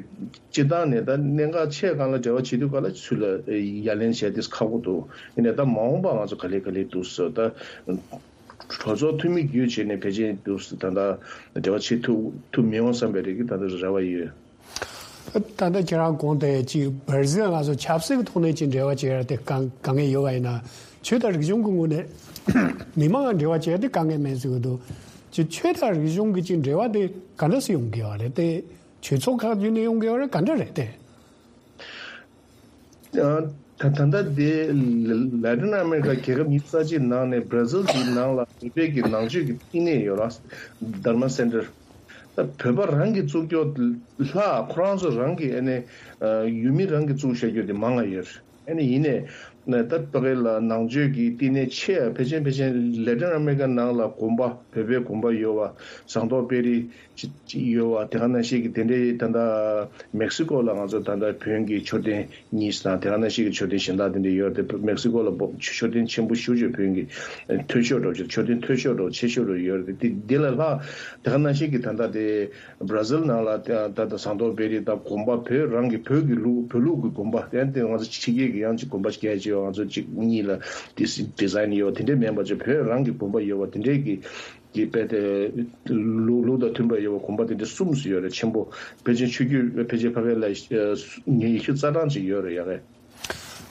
སྤྱི་བཏང་ནས་ད་གནད་འགག་ཆེ་སྒང་ལ་འབྲེལ་བ་བྱེད་དུས་སྐབས་ལ་ཚུར་ལ་ཡ་ལན་བྱས་ཏེ་ཁག་པོ་འདུག་ཡིན་ནའི་ད་མ་འོངས་པ་ང་ཚོ་ག་ལེ་ག་ལེ་འདུག་ཟེར་ད། གྲོས་ཚོགས་འཐུས་མི་བརྒྱུད་བྱས་ནས་ཕལ་ཆེར་འདུག་ད་ལྟ་འབྲེལ་བ་བྱེད་ཐུབ་ཐུབ་མི་འོང་བསམ་པའི་རིགས་ཀྱི་ད་ལྟ་རེ་བ་ཡོད། ད་ལྟ་ཁྱེད་རང་གོང་དེ་ཅིག་བར་ཟིལ་ང་ཚོ་ཆབ་སྲིད་ཀྱི་ཐོག་ནས་ཅིག་འབྲེལ་བ་བྱེད་ཡ་དེ་དཀའ་དཀའ་ངལ་ཡོད་པ་ཡིན་ན། ཆོས་དང་རིག་གཞུང་གི་ངོས་ནས་མི་མང་ལ་འབྲེལ་བ་བྱེད་ཡ་དེ་དཀའ་ངལ་མེད་ཟེར་གི་འདུག་ཅིག་ཆོས་དང་རིག་གཞུང་གི་ཅིག་འབྲེལ་བ་དེ་ག་འདྲ་སེ་ཡོང་གི་ཡོད་རེད་དེ། ཆོས་ཚོགས་ཁག་བརྒྱུད་ནས་ཡོང་གི་ཡོད་རེད། ག་འདྲ་རེད་དེ། ཨ་ད་ད་ལྟ་དེ་ལ་ཏིན་ཨ་མེ་རི་ཀ་རྒྱལ་ཁབ་ཉི་ཤུ་རྩ་གཅིག་ནང་ནས་བར་ཟིལ་གྱི་ནང་ལ་བོད་པའི་གི་ནང་ཆོས་ཀྱི་བསྟི་གནས་ཡོད་ར། དྷརྨ་སེན་ཊར། ད་བོད་པ་རང་གིས་བཙུགས་རྒྱུ་ལྷག་ཁོ་རང་ཚོ་རང་གི་ཨ་ནི་ཨ་ཡུལ་མི་རང་གིས་བཙུགས་བཞག་རྒྱུ་དེ་མང་ང་ཡོད་རེད། ཨ་ནི་ཡིན་ནའི་ ནས་ད་ཕ་གི་ལ་ནང་ཆོས་ཀྱི་བསྟི་གནས་ཆེ་བ་ཕལ་ཆེར་ཕལ་ཆེར་ལེ་ཊིན་ཨ་མེ་རི་ཀ་ནང་ལ་དགོན་པ་བོད་པའི་དགོན་པ་ཡོད་པ་ཟངས་མདོག་དཔལ་རི་ཅིག་ཅིག་ཡོད་པ་དེ་ག་ནང་བཞིན་གྱི་དེ་འདྲའི་ད་ལྟ་མེག་སི་ཀོ་ལ་ང་ཚོ་ད་ལྟ་བོན་གྱི་མཆོད་རྟེན་གཉིས་དང་དེ་ག་ནང་བཞིན་གྱི་མཆོད་རྟེན་གཞན་དག་དེ་འདྲ་ཡོད་རེད། དེ་མེག་སི་ཀོ་ལ་བོ་མཆོད་རྟེན་ཆེན་པོ་ཞེ་པོ་ཅིག་བོན་གྱི་མཐོ་ཤོས་འདྲ་པོ་ཅིག་མཆོད་རྟེན་མཐོ་ཤོས་འདྲ་པོ་ཆེ་ཤོས་འདྲ་པོ་ཡོད་རེད། དེ་འདི་ལས་ལྷག་དེ་ག་ནང་བཞིན་གྱི་ད་ལྟ་དེ། བྷ་ར་ཟིལ་ནང་ལ་ད་ད་ཟངས་མདོག་དཔལ་རི་དང་དགོན་པ་བོད་རང་གི་བོད་ཀྱི་ལུགས་བོད་ལུགས་ཀྱི་དགོན་པ་དེ་དེ་ང་ཚོ་ཕྱི་རྒྱལ་གྱི་ཡང་ཅིག་དགོན་པ་སྐད་ཅིག་ང་ཚོ་གཅིག་གཉིས་ལ་ཌི་སི་ཌི་ཛ་ཡིན་ཡོད་དེ་འདྲས་མིན་པ་ཅིག་བོད་རང་གི་དགོན་པ་ཡོད་པ་དེ་འདྲས་ཀྱི་ཀྱི་དཔེ་དེ་ལུགས་ལུགས་དང་མཐུན་པ་ཡོད་པ་དགོན་པ་དེ་འདྲས་གསུམ་ཙམ་ཡོད་རེད། ཆེན་པོ་ཕལ་ཆེར་ཆོས་བརྒྱུད་ཕལ་ཆེར་ཕ་གི་ལ་ཉི་ཤུ་རྩ་གྲངས་ཅིག་ཡོད་རེད་ཡ་གི།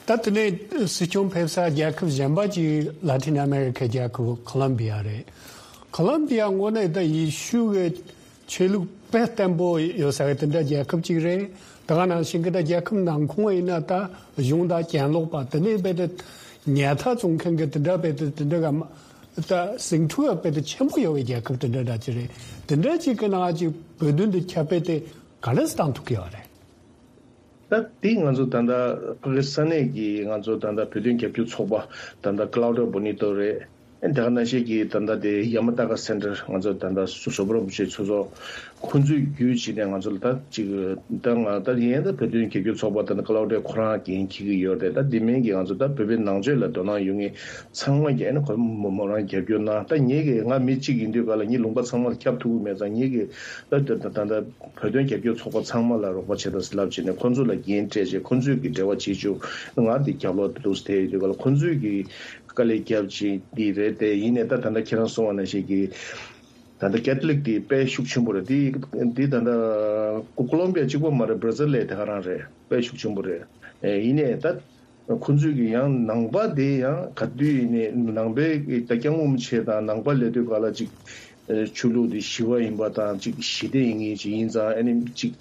ད་དེ་ནས་སྲིད་སྐྱོང་ཕེབས་ས་རྒྱལ་ཁབ་གཞན་པ་ཅིག་ལ་ཏིན་ཨ་མེ་རི་ཁའི་རྒྱལ་ཁབ་ཁོ་ལོམ་བི་ཡ་རེད། ཁོ་ལོམ་བི་ཡ་དངོས་གནས་ད་ཡེ་ཤུ་གི་ཆོས་ལུགས་དཔེ་བརྟན་པོ་ཡོད་ས་གི་དེ་འདྲ་རྒྱལ་ཁབ་ཅིག་རེད། ད་ག་ནང་བཞིན་གི་ད་རྒྱལ་ཁབ་ནང་ཁོངས་ཡིན་ན་ད་གཞུང་དང་གྱེན་ལོག་པ་དེ་ནས་དཔེ་དེ་ཉལ་ཐ་བཙོང་མཁན་གི་དེ་འདྲ་དཔེ་དེ་དེ་འདྲ་ག་མ་ད་ཟིང་འཁྲུག་དཔེ་དེ་ཆེན་པོ་ཡོད་པའི་རྒྱལ་ཁབ་དེ་འདྲ་འདྲ་ཅིག་རེད། དེ་འདྲ་ཅིག་གི་ནང་ཅིག་བོད་དོན་དེ་ཁྱབ་སྤེལ་དེ་ག་འདྲ་སེ་བཏང་ཐུབ་ཀྱི་ཡོད་རེད། ད་དེ་ང་ཚོ་ད་ལྟ་ཕ་གི་ས་གནས་ཀྱི་ང་ཚོ་ད་ལྟ་བོད་དོན་རྒྱབ་སྐྱོར་ཚོགས་པ་ད་ལྟ་ཀ་ལའོ་ཌི་ཡ་བྷོ་ནི་ཏོ་རེད། ཨེ་དེ་ག་ནང་བཞིན་གྱི་ད་ལྟ་དེ་ཡ་མ་ཏཱ་ཀ་སེན་ཊར་ང་ཚོ་ད་ལྟ་སུ་ཟུར་པ་རིན་པོ་ཆེ་ཚོགས་གཙོ་ཁོང་ཚོས་བརྒྱུད་བྱས་ནས་ང་ཚོ་ལ་ད་ཅིག་ད་ང་ད་ཡིན་ད་བོད་དོན་རྒྱབ་སྐྱོར་ཚོགས་པ་ད་ནི་ཀ་ལའོ་ཌི་ཡ་ཁོ་རང་འགན་འཁྱེར་གྱི་ཡོད་རེད། ད་དེ་མིན་གྱི་ང་ཚོ་ད་བོད་པའི་ནང་ཆོས་ལ་དོ་སྣང་ཡོད་མཁན་ཚང་མ་གྱིས་ཨེ་ནི་ཁོ་མོ་མོ་རང་རྒྱབ་སྐྱོར་གནང་། ད་ངེད་ཀྱི་ང་མི་གཅིག་ཡིན་དུས་ག་ལ་ངའི་ལུང་པ་ཚང་མ་ལ་ཁྱབ་ཐུབ་ཀྱི་མེད་ཙང་ངེད་ཀྱི་ད་ད་ད་ད་བོད་དོན་རྒྱབ་སྐྱོར་ཚོགས་པ་ཚང་མ་ལ་རོགས་པ་བྱེད་དང་ཟེར་ལབ་བྱས་ནས་ཁོང་ཚོ་ལ་འགན་སྤྲད་བྱས་ཁོང་ཚོས་ཀྱི་འབྲེལ་བ་བྱེད་བཅུག་ང་འདི་རྒྱབ་ལོགས་དུ་དེ་ཡོད་དུས་ག་ལ་ཁོང་ཚོས་ཀྱི་དཀའ་ལས་རྒྱབ་བྱས་འདི་རེད་དེ། ཡིན་ནའི་ད་ད་ལྟ་ཁྱེད་རང་གསུངས་པ་ནང་བཞིན་གྱི་ད་ལྟ་ཀེ་ཐོ་ལིག་དེ་དཔེ་ཤུགས་ཆེན་པོ་རེད། དེ་དེ་ད་ལྟ་ཀོ་ལོམ་བི་ཡ་གཅིག་པོ་མ་རེད། བྷ་ར་ཟིལ་ལ་དེ་ག་རང་རེད། དཔེ་ཤུགས་ཆེན་པོ་རེད། ཨེ་ཡིན་ནའི་ད་ཁོང་ཚོས་ཀྱི་ཡང་ནང་པ་དེ་ཡང་ག་དུས་ཡིན་ནའི་ནང་པའི་ད་སྐྱབས་མགོན་རིན་པོ་ཆེ་དང་ནང་པ་ལབ་དུས་ག་ལ་ཅིག་ཆོས་ལུགས་དེ་ཞི་བ་ཡིན་པ་དང་ཅིག་ཞི་བདེ་ཡིན་མཁན་ཅིག་ཡིན་ཙང་ཨ་ནི་ཅིག་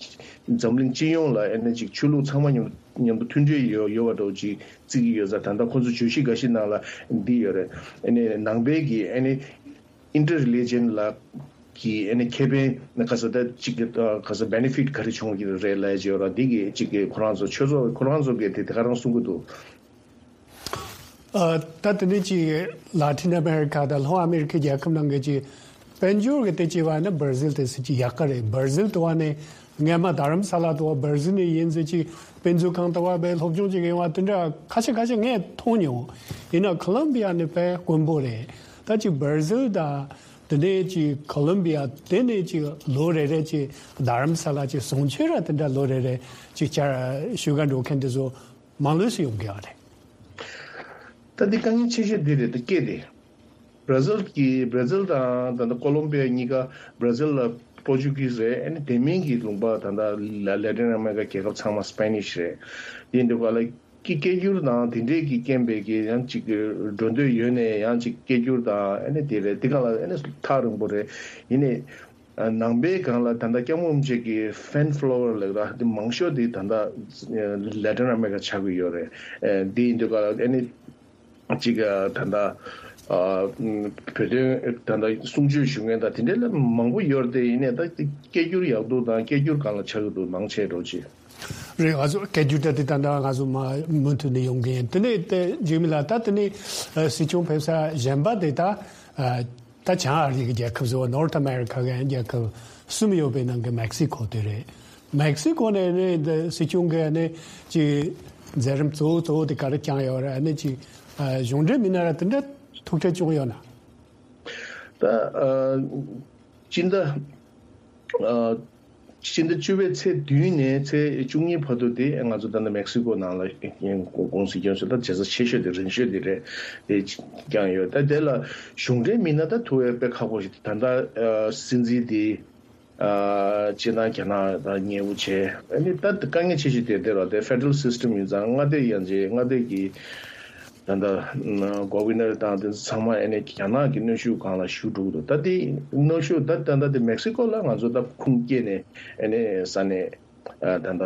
འཛམ་གླིང་སྤྱི་ཡོངས་ལ་ཨ་ནི་ཅིག་ཆོས་ལུགས་ཚང་མ་མཉམ་མཉམ་དུ་མཐུན་སྒྲིལ་ཡོད་ཡོད་པ་འདྲ་བོ་ཅིག་བརྩི་གི་ཡོད་ཙང་། ད་ལྟ་ཁོང་ཚོ་བརྗོད་གཞི་འགའ་ཤས་ནང་ལ་འདི་ཡོད་རེད། ཨ་ནི་ནང་པའི་གི་ཨ་ནི་ཨིན་ཊར་རི་ལི་ཇན་ལ་གི་ཨ་ནི་ཁེ་ཕན་ག་ས་ད་ཅིག་གི་ག་ས་བེ་ནི་ཕིཊ་ག་རེ་བྱུང་གི་རེད་ལབ་ཀྱི་ཡོད་ར། འདི་གི་ཅིག་གི་ཁོ་རང་ཚོ་ཆོས་ཚོགས་ཁོ་རང་ཚོ་གི་དེ་དེ་ག་རང་གསུང་གི་འདུག་ཨ། ད་དེ་ནས་ཅིག་ལ་ཏིན་ཨ་མེ་རི་ཁ་དང་ལྷོ་ཨ་མེ་རི་ཁའི་རྒྱལ་ཁབ་ནང་གི་ཅིག་དཔལ་འབྱོར་གྱི་སྟེགས་ཀྱི་བར་ན་བྷར་ཟིལ་དེ་སྲིད་ཀྱི་ཡག་ག་རེད། བྷར་ཟིལ་དུ་བ་ནས་སྔས་མ་རྡ་རམ་ས་ལ་དུ་བ་བྷར་ཟིལ་ནས་ཡིན་ཟེར་ཅིག་དཔེ་མཛོད་ཁང་དུ་བ་བའི་སློབ་སྦྱོང་ཅིག་ཡོང་བ་དེ་འདྲ་ཁ་ཤས་ཁ་ཤས་ངས་མཐོང་མྱོང་། ཡིན་ན་ཁོ་ལོམ་བི་ཡ་ནི་དཔེ་དཀོན་པོ་རེད། ད་ཅིག་བྷར་ཟིལ་དང་དེ་ནས་ཅིག་ཁོ་ལོམ་བི་ཡ་དེ་ནས་ཅིག་ལོ་རེ་རེ་ཅིག་རྡ་རམ་ས་ལ་ཅིག་བྱང་ཆུབ་ར་དེ་འདྲ་ལོ་རེ་རེ་ཅིག་བཅར་བཞུགས་ག་འགྲོ་མཁན་དེ་ཚོ་མང་ལོས་སུ་ཡོང་གི་ཡོད་རེད། ད་འདི་དཀའ་ངལ་ཆེ་ཤོས་འདི་རེད། ད་སྐད་དེ་བྷར་ཟིལ་གྱི་བྷར་ཟིལ་དང་ད་ལྟ་ཀོ་ལོམ་བི་ཡ་གཉིས་ཀ། བྷར་ཟིལ་ལ་པོར་ཅུ་གིས་རེད། ཨ་ནི་དེ་མིན་གྱི་ལུང་པ་ད་ལྟ་ལ་ལེ་ཏིན་ཨ་མེ་རི་ཀ་རྒྱལ་ཁབ་ཚང་མ་སི་པེ་ནིཤ་རེད། དེ་འདུག་ག་ལ་ཀི་སྐད་སྒྱུར་དང་དེ་འདྲས་ཀྱི་རྐྱེན་པས་ཀྱི་ཡང་ཅིག་འགྲོ་འདོད་ཡོད་ནས་ཡང་ཅིག་སྐད་སྒྱུར་དང་ཨ་ནི་དེ་རེད། དེ་ག་ལ་ཨ་ནི་ཐག་རིང་པོ་རེད། ཡིན་ནའི། ནང་པའི་སྒང་ལ་ད་ལྟ་སྐྱབས་མགོན་རིན་པོ་ཆེ་གི་ཕེན་ཕོ་ལོ་ཝར་ལབ་ར་དེ་མང་ཤོས་དེ་ད་ལྟ་ལེ་ཏིན་ཨ་མེ་རི་ཀ་ཆགས་ཀྱི་ཡོད་རེད། དེ་ཡིན་དུས་ག་ལ་ཨ་ནི་ཅིག་ད་ལྟ་བོད་དོན་ད་ལྟ་གསུང་ཆོས་ཞུ་མཁན་དང་དེ་འདྲ་ལ་མང་པོ་ཡོད་རེད་དེ། ཡིན་ནའི་ད་སྐད་སྒྱུར་ཡག་འདུག་དང་སྐད་སྒྱུར་སྒང་ལ་ཆགས་ཀྱི་འདུག་མང་ཆེ་འགྲོ་ཆེ། རེད། ང་ཚོ་སྐད་སྒྱུར་ད་དེ་ད་ལྟ་ང་ཚོ་མ་མུ་མཐུད་ནས་ཡོང་གི་ཡིན། དེ་ནས་དེ་འཇིགས་མེད་ལགས་ད་དེ་ནས་སྲིད་སྐྱོང་ཕེབས་ས་གཞན་པ་དེ་ད། ད་བྱང་ཨ་རི་གི་རྒྱལ་ཁབ་ཟེར་བ་ནོར་ཐ་ཨ་མེ་རི་ཁ་གི་རྒྱལ་ཁབ་གསུམ་ཡོད་པའི་ནང་གི་མེག་སི་ཀོ་དེ་རེད། མེག་སི་ཀོ་ནས་ནི་འདི་སྲིད་སྐྱོང་གི་ནི་ཅིག་མཛད་རིམ་གཙོ་བོ་གཙོ་བོ་དེ་ག་རེ་བསྐྱངས་ཡོད་རེད། ནི་ཅིག་གཞུང་འབྲེལ་མི་སྣ་ར་དེ་འདྲ་ཐུག་འཕྲད་བྱུང་ཡོད་ན། ད་ཨ་སྤྱི་ཟླ་ཨ་སྤྱི་ཟླ་བཅུ་པའི་ཚེས་བདུན་ནས་ཚེས་བཅུ་གཉིས་བར་དུ་དེ་ང་ཚོ་ད་ནི་མེག་སི་ཀོ་ནང་ལ་ཀུང་སི་སྐྱོན་སོ་ད་བྱེད་ས་ཆེ་ཤོས་དེ་རིང་ཤོས་དེ་རེད། དེ་བསྐྱངས་ཡོད། ད་དེ་ལ་གཞུང་འབྲེལ་མི་སྣ་ད་ཐུག་ཡས་དཔེ་ཁག་པོ་ཞིག་ད་ལྟ་སྲིད་འཛིན་དེ་སྤྱིར་བཏང་རྒྱ་ནག་དང་མཉེས་པོ་བྱས། ཨ་ནི་ད་དཀའ་ངལ་ཆེ་ཤོས་དེ་དེ་རེད། དེ་ཕེ་ཌ་རལ་སིས་ཊམ་ཡིན་ཙང་མངའ་སྡེ་ཡན་ཆད་མངའ་སྡེ་གི་ད་ལྟ་གོ་ཝི་ནར་དང་དེ་ཚང་མ་ཨ་ནི་རྒྱ་ནག་གི་གནོན་ཤུགས་སྒང་ལ་ཞུགས་འགྲོ་གི་འདུག་ད་དེ་གནོན་ཤུགས་ད་ད་ལྟ་དེ་མེག་སི་ཀོ་ལ་ང་ཚོ་ད་ཁུངས་སྐྱེལ་ནས་ཨ་ནི་ས་གནས་ད་ལྟ་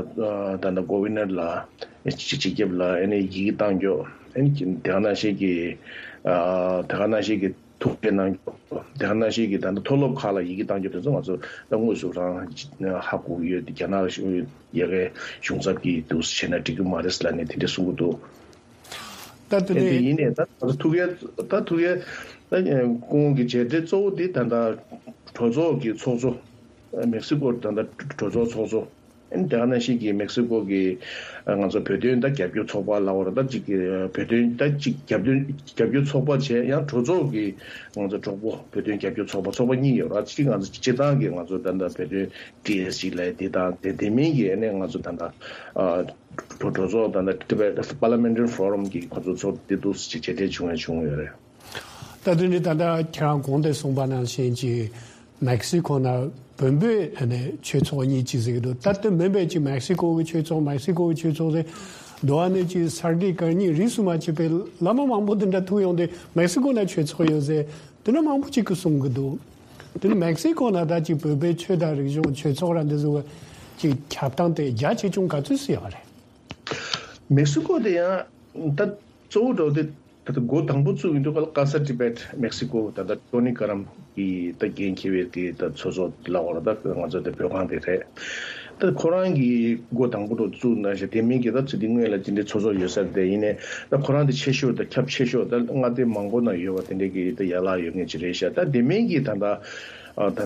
ད་ལྟ་གོ་ཝི་ནར་ལ་སྤྱི་སྤྱི་ཁྱབ་ལ་ཨ་ནི་ཡི་གེ་བཏང་རྒྱུ། ཨ་ནི་དེ་ག་ནང་བཞིན་གྱི་དེ་ག་ནང་བཞིན་གྱི་ཐུག་འཕྲད་གནང་རྒྱུ། དེ་ག་ནང་བཞིན་གྱི་ད་ལྟ་མཐོ་སློབ་ཁག་ལ་ཡི་གེ་བཏང་རྒྱུ་དེ་ཚོ་ང་ཚོ་ད་དངོས་སུ་རང་ཧ་གོ་གི་ཡོད། རྒྱ་ནག་ཡ་གའི་གཞུང་ཚབ་ཀྱིས་འདུག་སེ་བྱས་ན་འགྲིག་གི་མ་རེད་ལབ་ནས་དེ་འདྲ་གསུང་གི་འདུག་ད་དེ་ནས་དེ་ཡིན་ནས་ད་ཐུག་ཡ་ད་ཐུག་ཡ་ད་སྐུ་ངོ་གི་མཇལ་འཕྲད་གཙོ་བོ་དེ་ད་ལྟ་གྲོས་ཚོགས་ཀྱི་ཚོགས་གཙོ་མེག་སི་ཀོ་ད་ལྟ་གྲོས་ཚོགས་ཚོགས་གཙོ་ཨེམ་དེ་ག་ནང་བཞིན་གྱི་མེག་སི་ཀོ་གི་ང་ཚོ་བོད་དོན་ད་རྒྱབ་སྐྱོར་ཚོགས་པ་ལ་བར་ད་ཅིག་བོད་དོན་ད་ཅིག་རྒྱབ་སྐྱོར་རྒྱབ་སྐྱོར་ཚོགས་པ་བྱས་ཡང་གྲོས་ཚོགས་ཀྱི་ང་ཚོ་གྲོགས་པོ་བོད་དོན་རྒྱབ་སྐྱོར་ཚོགས་པ་ཚོགས་པ་གཉིས་ཡོད་ར། གཅིག་ང་ཚོ་སྤྱི་བཏང་གི་ང་ཚོ་ད་ལྟ་བོད་དོན་ཊི་ཨེས་ཇི་ལབ་དེ་དང་དེ་དེ་མིན་གྱི་ཨ་ནི་ང་ཚོ་ད་ལྟ་གྲོས་གྲོས་ཚོགས་དང་Tibet Parliamentary Forum གི་ཁོ་ཚོ་ཚོགས་འདུ་ཞིག་མཇལ་འཕྲད་བྱུང་ཡ་བྱུང་ཡོད་རེད། ད་དེ་ནི་ད་ལྟ་ཁྱེད་རང་གོང་དུ་གསུངས་པ་ནང་བཞིན་གྱི་མེག་སི་ཀོ་ནང་བོད་པའི་ཨ་ནི་ཆོས་ཚོགས་གཉིས་ཅིག་ཟེར་གྱི་འདུག་ད་དེ་མིན་པའི་གྱི་མེག་སི་ཀོ་གི་ཆོས་ཚོགས་མེག་སི་ཀོ་གི་ཆོས་ཚོགས་ཟེར་འདུག་ཨ་ནི་གྱི་ས་དགེ་བཀའ་རྙིང་རིས་སུ་མ་ཆད་པའི་བླ་མ་མང་པོ་དེ་འདྲ་ཐུག་ཡོང་དུས་མེག་སི་ཀོ་ནང་ཆོས་ཚོགས་ཡོད་ཟེར་དེ་འདྲ་མང་པོ་ཅིག་གིས་གསུང་གི་འདུག་དེ་ནི་མེག་སི་ཀོ་ནང་ད་ཅིག་བོད་པའི་ཆོས་དང་རིག་གཞུང་ཆོས་ཚོགས་ར་འདི་ཚོ་གི་ཁྱབ་སྟངས་དེ་རྒྱ་ཆེ་ཆུང་ག་ཚོད་སུ་ཡོད་རེད། མེག་སི་ཀོ་དེ་ཡང་ད་གཙོ་བོ་འགྲོ་དེ་ད་ལྟ་འགོ་དང་པོ་བཙུགས་ཡིན་དུས་ཀ་ལ་ཀ་ས་ཏི་བེད་མེག་སི་ཀོ་ད་ལྟ་ཊོ་ནི་ཀ་རམ་གྱི་ད་འགན་འཁྱེར་བའི་དེ་ད་ཚོགས་གཙོ་ལ་བར་ད་ང་ཚོ་དེ་བོད་ཁང་དེ་རེད། ད་ཁོ་རང་གི་འགོ་དང་པོ་འགྲོ་བཙུགས་གནང་ཤག་དེ་མིན་གྱི་ད་ཚོད་དེ་སྔོན་ལ་དེ་འདྲའི་ཚོགས་གཙོ་ཡོད་ས་དེ་ཡིན་ནས་ད་ཁོ་རང་དེ་ཆེ་ཤོས་ད་ཁྱབ་ཆེ་ཤོས་ད་མངའ་སྡེ་མང་པོ་ན་ཡོད་པ་དེ་འདྲའི་གི་ད་ཡན་ལག་ཡོད་མཁན་ཅིག་རེད་ཤག་ད་དེ་མིན་གྱི་ད་ད། ད་ལྟ་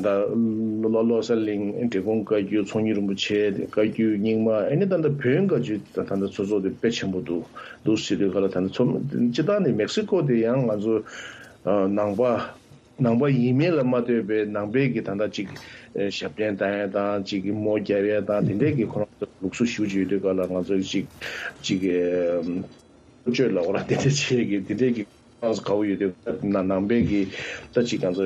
ལོ་ལོ་གསར་གླིང་འབྲས་སྤུངས་བཀའ་བརྒྱུད་ཚོགས་གཉིས་རིན་པོ་ཆེ་བཀའ་བརྒྱུད་རྙིང་མ་ཨ་ནི་ད་ལྟ་བོན་བཀའ་བརྒྱུད་ད་ད་ལྟ་ཚོགས་གཙོ་དེ་དཔེ་ཆེན་པོ་འདུག་འདུག་ཟེར་དུས་ག་ལ་ད་ལྟ་ཚོགས་སྤྱི་བཏང་ནས་མེག་སི་ཀོ་དེ་ཡང་ང་ཚོ་ནང་པ་ནང་པ་ཡིན་མིན་ལ་མ་ལྟོས་པའི་ནང་པའི་གི་ད་ལྟ་ཅིག་ཞབས་བརྟན་བཏང་ཡ་དང་ཅིག་གི་མོ་རྒྱབ་ཡ་དང་དེ་འདྲའི་གི་ཁོ་རང་ཚོ་ལུགས་སྲོལ་ཞེ་པོ་ཅིག་ཡོད་དུས་ག་ལ་ང་ཚོ་ཅིག་ཅིག་གི་སྤྱོད་ལ་འོ་ར་དེ་འདྲ་བྱེད་ཀྱི་དེ་འདྲའི་གི་ང་ཚོ་དགའ་བོ་ཡོད་དུས་ན་ནང་པའི་གི་ད་ཅིག་ང་ཚོ་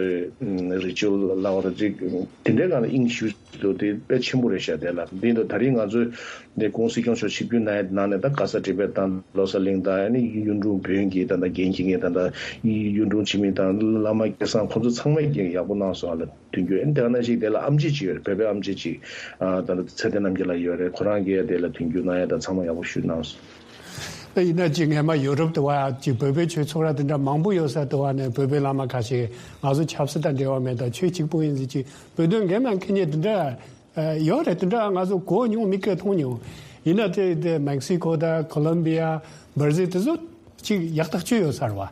རི་ཅུ་ལ་འོ་ར་ཅིག་དེ་འདྲའི་སྒང་ལ་དབྱིངས་ཞུགས་འདུག་དེ་དཔེ་ཆེན་པོ་རེད་ཤག་དེ་ལ་འདི་འདུག་ད་རིང་ང་ཚོས་འདི་ཀོང་སྲིད་སྐྱོང་མཆོག་ཆིབས་བསྒྱུར་གནང་ཡ་ནང་ནས་ད་ག་ས་ཏི་བེད་དང་ལོ་གསར་གླིང་དང་ཨ་ནི་གཡུང་དྲུང་བོན་གྱི་ད་ད་འགན་འཁྱེར་མཁན་ད་ད་གཡུང་དྲུང་འཆི་མེད་དང་བླ་མ་སྐལ་བཟང་ཁོང་ཚོ་ཚང་མས་ཀྱང་ཡག་པོ་གནང་སོང་ཨ་ལ། མཐུན་འགྱུར་ཨེ་འདི་ག་ནང་བཞིན་དེ་ལ་ཨམ་ཆི་ཅིག་ཡོད་རེད། བོད་པའི་ཨམ་ཆི་ཅིག་ཨ་ད་ལྟ་ཚེ་བརྟན་རྣམ་རྒྱལ་ལགས་ཡོད་རེད། ཁོ་རང་གིས་དེ་ལ་མཐུན་འགྱུར་གནང་ཡ་དང་ཚང་མ་ཡག་པོ་ཞུས་གནང་སོང་། ད་ཡིན་ན་ཅིག་སྔས་མ་ཡོ་རོབ་དུ་བ་ཅིག་བོད་པའི་ཆོས་ཚོགས་ར་དེ་འདྲ་མང་པོ་ཡོད་ས་དུ་བ་ནས་བོད་པའི་བླ་མ་ཁ་ཤས་ང་ཚོ་ཆབ་སྲིད་དང་འབྲེལ་བ་མེད་དང་ཆོས་གཅིག་པོ་ཡིན་ཟེར་ཅིག་བོད་དོན་འགན་མ་འཁྱེར་མཁན་དེ་འདྲ་ཡོད་རེད། དེ་འདྲ་ང་ཚོ་གོ་མྱོང་མིག་གིས་མཐོང་མྱོང་། ཡིན་ན་དེ་དེ་མེག་སི་ཀོ་དང་ཁོ་ལོམ་བི་ཡ་བར་ཟིལ་དེ་ཚོ་ཅིག་ཡག་ཐག་ཆོད་ཡོད་ས་རེད་བ།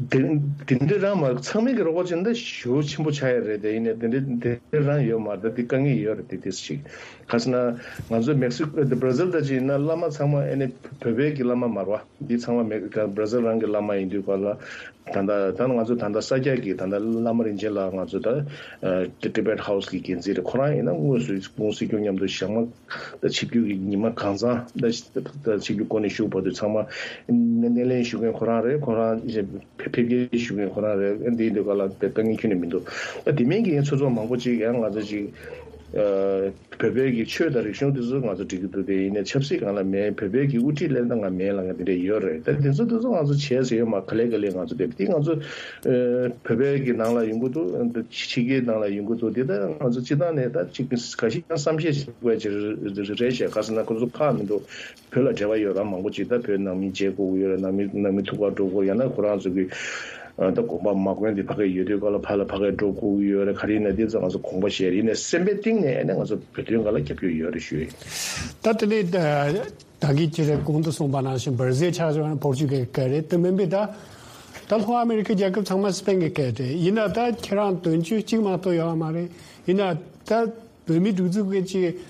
དེ་དེ་འདྲ་རང་མ་ཚང་མས་ཀྱི་རོགས་པ་བྱས་ན་ད་ཞེ་པོ་ཆེན་པོ་ཆགས་ཡ་རེད། དེ་ཡིན་ནའི་དེ་འདྲ་དེ་རང་ཡོད་མ་རེད། དེ་དཀའ་ངལ་ཡོད་རེད། དེ་དེ་ཞིག་ག་ཟེར་ན་ང་ཚོ་མེག་སི་ཀོ་དེ་བར་ཟིལ་ད་ཅིག་ཡིན་ན་བླ་མ་ཚང་མ་ཨེ་ནི་བོད་པའི་གི་བླ་མ་མ་རེད་བ། འདི་ཚང་མ་མེ་བར་ཟིལ་རང་གི་བླ་མ་ཡིན་དུས་ག་ལ་ད་ལྟ་ད་ང་ཚོ་ད་ལྟ་ས་སྐྱ་གི་ད་ལྟ་བླ་མ་རིན་ཆེན་ལགས་ང་ཚོ་ད་ཏི་བེད་ཧའུ་སི་གི་འགན་འཛིན་རེད། ཁོ་རང་ཡིན་ན་དངོས་སུ་ཀོང་སྲིད་སྐྱོང་མཉམ་དུ་ཞག་མ་ད་ཆིབས་བསྒྱུར་གྱི་ཉི་མ་གང་ཚང་ད་ད་ཆིབས་བསྒྱུར་སྐོར་ནས་བཞུགས་བར་དུ་ཚང་མ་སྣེ་ལེན་ཞུ་མཁན་ཁོ་རང་རེད། ཁོ་རང་ཕེབས་སྐྱེལ་ཞུ་མཁན་ཁོ་རང་རེད། འདི་འདི་ག་ལ་དེ་དཀའ་ངལ་ཁྱོན་ནས་མི་འདུག་ད་དེ་མིན་གྱི་ཚོགས་ཚོགས་མང་པོ་ཅིག་ཡང་ང་ཚོ་ཅིག་བོད་པའི་གི་ཆོས་དང་རིག་གཞུང་དེ་ཚོ་ང་ཚོ་འགྲིག་གི་འདུག་དེ་ཡིན་ནའི་ཆབ་སྲིད་སྒང་ལ་མེད། བོད་པའི་གི་དབུ་ཁྲིད་ལེན་སྟངས་ལ་མེད་ལ་ང་དེ་འདྲ་ཡོད་རེད། ད་དེ་ཚོ་དེ་ཚོ་ང་ཚོ་བྱས་ཟེར་ཡོད་མ་ག་ལེ་ག་ལེ་ང་ཚོ་དེ་དེ་ང་ཚོ་བོད་པའི་གི་ནང་ལ་ཡོང་གི་འདུག་ཕྱི་རྒྱལ་ནང་ལ་ཡོང་གི་འདུག་དེ་ད་ང་ཚོ་སྤྱི་བཏང་ནས་ད་ཅིག་ག་ཤེད་ཀྱང་བསམ་ཤེས་ཤིག་དགོས་ཀྱི་རེད་ཤག་ག་ཟེར་ན་ཁོ་ཚོ་ཁག་མི་འདུག་བོད་ལ་འབྲེལ་བ་ཡོད་ར་མང་པོ་ཅིག་ད་བོད་ནང་མི་མཇལ་དགོས་ཀྱི་ཡོད་རེད། ནང་མི་ནང་མི་ཐུག་པར་འགྲོ་དགོས་ཡང་ན་ཁོ་རང་ཚོ་གི་ད་དགོངས་པ་མ་དགོངས་དེ་ཕ་གི་ཡོད་དུས་ག་ལ་ཕ་ལ་ཕ་གི་འགྲོ་དགོས་ཀྱི་ཡོད་རེད། ག་རེ་ཡིན་ན་དེ་ཚོ་ང་ཚོ་དགོངས་པ་བཞེས་རེད། ཡིན་ནའི་སེམས་པའི་གཏིང་ནས་ཨ་ནི་ང་ཚོ་བོད་དོན་ག་ལ་རྒྱབ་སྐྱོར་ཡོད་རེད་ཞུ་ཡིན། ད་དེ་ནས་ད་གིན་ཅི་རེད་གོང་དུ་གསུངས་པ་ནང་བཞིན་བར་ཟས་ཆགས་བྱུང་ན་བོར་ཆུ་གི་སྐད་རེད། དེ་མིན་པའི་ད་ད་ལྷོ་ཨ་མེ་རི་ཁའི་རྒྱལ་ཁབ་ཚང་མ་སི་པན་གི་སྐད་རེད། ཡིན་ན་ད་ཁྱེད་རང་དོན་གཅོད་གཅིག་མ་གཏོགས་ཡོད་མ་རེད། ཡིན་ན་ད་བོད་མི་སྒྲིག་འཛུགས་གི་ཅིག་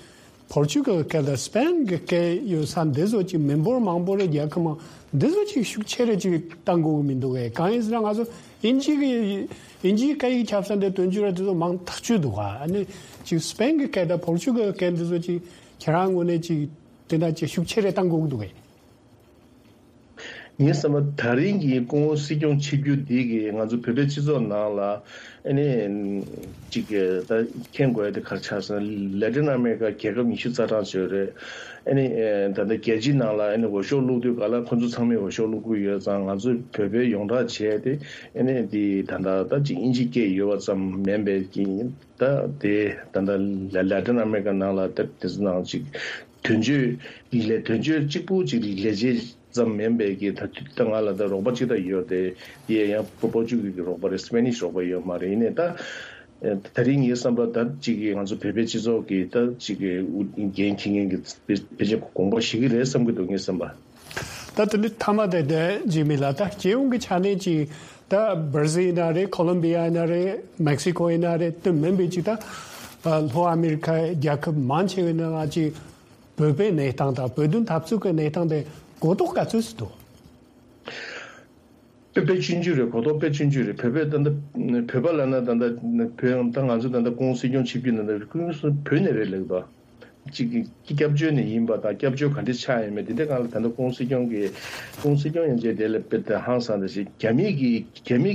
བོར་ཆུ་གི་སྐད་དང་སི་པན་གི་སྐད་ཡོད་ས་འདི་ཚོ་ཅིག་མི་འབོར་མང་པོ་རེད། རྒྱལ་ཁབ་མང་འདི་ཚོ་ཅིག་ཤུགས་ཆེ་རེ་ཅིག་བཏང་དགོས་གི་མི་འདུག་གས། གང་ཡིན་ཟེར་ན་ང་ཚོ་དབྱིན་ཇི་གི་དབྱིན་ཇིའི་སྐད་ཡིག་ཁྱབ་ས་འདི་དོན་གཅོད་ར་དེ་ཚོ་མང་ཐག་ཆོད་འདུག་ག་ཨ་ནི་ཅིག་སི་པན་གི་སྐད་དང་བོར་ཆུ་གི་སྐད་འདི་ཚོ་ཅིག་ཁྱེད་རང་ངོས་ནས་ཅིག་དེ་འདྲ་ཅིག་ཤུགས་ཆེ་རེ་བཏང་དགོས་གི་འདུག་གས། ངའི་བསམ་པ་ད་རིང་གི་སྐུ་ངོ་སྲིད་སྐྱོང་ཆིབས་བསྒྱུར་འདི་གིས་ང་ཚོ་བོད་པའི་སྤྱི་ཚོགས་ནང་ལ་ཨ་ནི་ཅིག་ད་མཁྱེན་དགོས་ཡ་དེ་ག་རེ་ཆགས་ཟེར་ན་ལེ་ཏིན་ཨ་མེ་རི་ཀ་རྒྱལ་ཁབ་ཉི་ཤུ་རྩ་གྲངས་ཅིག་ཡོད་རེད། ཨ་ནི་ད་ལྟ་རྒྱལ་སྤྱིའི་ནང་ལ་ཨ་ནི་འོས་ཤོག་བླུགས་དུས་ག་ལ་ཁོ་ཚོ་ཚང་མས་འོས་ཤོག་བླུགས་ཀྱི་ཡོད་ཙང་ང་ཚོས་བོད་པའི་ཡོངས་གྲགས་བྱས་ཏེ་ཨ་ནི་འདི་ད་ལྟ་ད་ཅིག་དབྱིན་ཇི་སྐད་ཡོད་པ་ཙམ་མིན་པའི་གི་ད་དེ་ད་ལྟ་ལ་ལ་ཏིན་ཨ་མེ་རི་ཀ་ནང་ལ་ད་དེ་ཚོ་ནང་ཅིག་དོན་གཅོད་ལས་དོན་གཅོད་གཅིག་པུ་ཅིག་ལས་བྱེད་ཙམ་མིན་པའི་གི་ད་དུས་ད་ང་ལ་ད་རོགས་པ་ཅིག་ད་ཡོད་དེ་དེ་ཡང་པོ་པོར་ཅུ་གི་གི་རོགས་པ་རེད། སི་པེ་ནིཤ་རོགས་པ་ཡོད་མ་རེད། ཡིན་ནའི་ད་ད་རིང་ངའི་བསམ་པ་ད་ཅིག་གི་ང་ཚོ་བོད་པའི་སྤྱི་ཚོགས་ཀྱི་ད་ཅིག་གི་འགན་འཁྱེར་མཁན་གྱི་ཕལ་ཆེར་དགོངས་པ་བཞེས་ཀྱི་རེད་བསམ་གྱི་འདུག་ངའི་བསམ་པ། ད་དེ་ནི་མཐའ་མ་དེ་དེ་འཇིགས་མེད་ལགས། ད་སྤྱི་ཡོངས་ཀྱི་ཆ་ནས་ཅིག་ད་སྦར་ཟིལ་ཡིན་ན་རེད། ཁོ་ལོམ་བི་ཡ་ཡིན་ན་རེད། མེག་སི་ཀོ་ཡིན་ན་རེད། དེ་མིན་པའི་ཅིག་ད་ལྷོ་ཨ་མི་རི་ཁའི་རྒྱལ་ཁབ་མང་ཆེ་བའི་ནང་ལ་ཅིག་བོད་པའི་གནས་སྟངས་དང་བོད་དོན་འཐབ་རྩོད་ཀྱི་གནས་སྟངས་དེ་གོ་རྟོགས་ག་ཚོད་ཅིག་འདུག་དཔེ་དཔེ་ཆུང་ཆུང་རེད། གོ་རྟོགས་དཔེ་ཆུང་ཆུང་རེད། བོད་པའི་ད་ལྟ་བོད་པ་ལབ་ན་ད་ལྟ་བོད་ད་ང་ཚོ་ད་ལྟ་ཀོང་སྲིད་སྐྱོང་བྱེད་རྒྱུ་ན་ད་ཀོང་སྲིད་བོད་ནས་རེད་ལབ་ད། གཅིག་གིས་སྐྱབས་བཅོལ་ནས་ཡིན་པ་དང་སྐྱབས་བཅོལ་ག་འདྲ་ཆགས་ཡོད་མེད་དེ་འདྲ་སྒང་ལ་ད་ལྟ་ཀོང་སྲིད་སྐྱོང་གིས་ཀོང་སྲིད་སྐྱོང་ཡན་ཆད་དེ་ལ་དཔེ་ད་ཧང་སང་ད་ཞིག་རྒྱ་མི་གིས་རྒྱ་མི་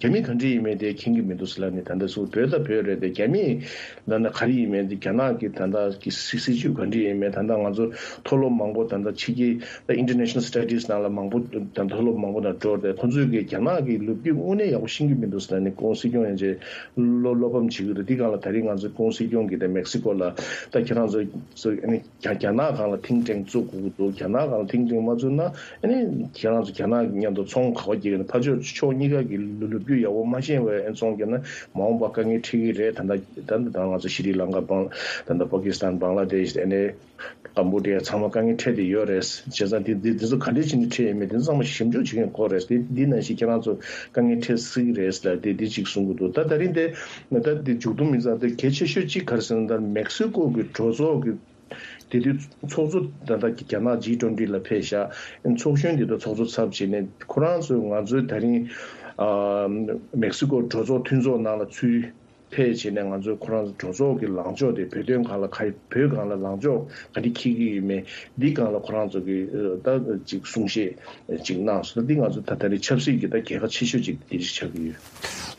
རྒྱ་མི་ག་འདྲ་ཡིན་མེད་དེ་མཁྱེན་གྱི་མི་འདུག་ཟེར་ལབ་ནས། ད་ལྟ་སུ་བོད་ད་བོད་རེད་དེ་རྒྱ་མི་ལབ་ན་ག་རེ་ཡིན་མེད་དེ་རྒྱ་ནག་གི་ད་ལྟ་གི་སྲིད་སྲིད་ཇུས་ག་འདྲ་ཡིན་མེད། ད་ལྟ་ང་ཚོ་མཐོ་སློབ་མང་པོ་ད་ལྟ་ཕྱི་རྒྱལ་ད་International Studies ནང་ལ་མང་པོ་ད་མཐོ་སློབ་མང་པོ་ནང་འགྲོ་དེ་ཁོང་ཚོས་གི་རྒྱ་ནག་གི་ལོ་རྒྱུས་དངོས་གནས་ཡག་པོ་ཤེས་ཀྱི་མི་འདུག་ཟེར་ནས་ཀོང་སྲིད་སྐྱོང་ཡན་ཆད་བློ་བློ་ཕམ་བྱེད་ཀྱི་འདུག་དེ་སྒང་ལ་ད་རིང་ང་ཚོ་ཀོང་སྲིད་སྐྱོང་གིས་ད་མེག་སི་ཀོ་ལ་ད་ཁྱེད་རང་ཚོ་ཚོ་ཨ་ནི་རྒྱ་རྒྱ་ནག་སྒང་ལ་think tank བཙུགས་དགོས་ཀྱི་འདུག་རྒྱ་ནག་སྒང་ལ་think tank མ་བཙུགས་ན་ཨ་ནི་ཁྱེད་རང་ཚོ་རྒྱ་ནག་མཉམ་དུ་ཚོང་ག་པར་རྒྱག་གི་ན། ཕར་ཕྱོགས་ཕྱོགས་གཉིས་ཀ་གི་ལོ་ལོ་རྒྱུས་ཡག་པོ་མ་ཤེས་པའི་ཨ་ཚོང་རྒྱག་ན་མ་འོངས་པ་དཀའ་ངལ་འཕྲད་ཀྱི་རེད། ད་ལྟ་ད་ལྟ་ང་ཚོ་ཤྲི་ལང་ཀ་སྤང་ད་ལྟ་པ་ཀི་སི་ཐན་བང་ལ་དེཤ་ཨ་ནི་ཀམ་བུ་ཌི་ཡ་ཚང་མ་དཀའ་ངལ་འཕྲད་དེ་ཡོད་རེད། བྱས་ཙང་དེ་དེ་དེ་ཚོ་ག་འདྲས་བྱས་ནས་འཕྲད་ཡོད་མེད་དེ་ཚོ་ཚང་མ་ཞིབ་འཇུག་བྱེད་མཁན་དགོས་རེད། དེ་འདི་ནང་བཞིན་ཁྱེད་རང་ཚོ་དཀའ་ངལ་འཕྲད་སྲིད་ཀྱི་རེད་ཟེར་ལབ་དེ་དེ་གཅིག་གསུང་གི་འདུག་ད་ད་རིང་དེ་ད་དེ་མཇུག་བསྡོམས་ཡིན་ཙང་དེ་གལ་ཆེ་ཤོས་གཅིག་ག་རེ་ཟེར་ན། ད་མེག་སི་ཀོ་གི་གྲོས་ཚོགས་ཀྱི་དེ་དུས་ཚོགས་གཙོ་ད་ལྟ་རྒྱ་ནག་ཇི་ཊུ་ཝེན་ཊི་ལ་ཕེབས་ཤག་ཚོགས་གཞོན་དེ་དུས་ཚོགས་གཙོ་ཚབ་བྱས་ནས་ཁོ་རང་ཚོས་ང་ཚོའི་ད་རིང་ཨ་མེག་སི་ཀོ་གྲོས་ཚོགས་མཐུན་ཚོགས་ནང་ལ་ཚུར་ཕེབས་བྱས་ནས་ང་ཚོའི་ཁོ་རང་ཚོ་གྲོས་ཚོགས་ཀྱི་ལངས་ཕྱོགས་དེ་བོད་དོན་སྒང་ལ་ག་བོད་སྒང་ལ་ལངས་ཕྱོགས་ག་འདྲ་འཁྱེར་གྱི་ཡོད་མེད་འདི་སྒང་ལ་ཁོ་རང་ཚོ་གི་ད་ཅིག་གསུང་བཤད་ཅིག་གནང་སོང་། འདི་ང་ཚོ་ད་ད་རེས་ཆབ་སྲིད་ཀྱི་ད་རྒྱལ་ཁ་ཆེ་ཤོས་ཅིག་དེ་ཅིག་ཆགས་ཀྱི་ཡོད།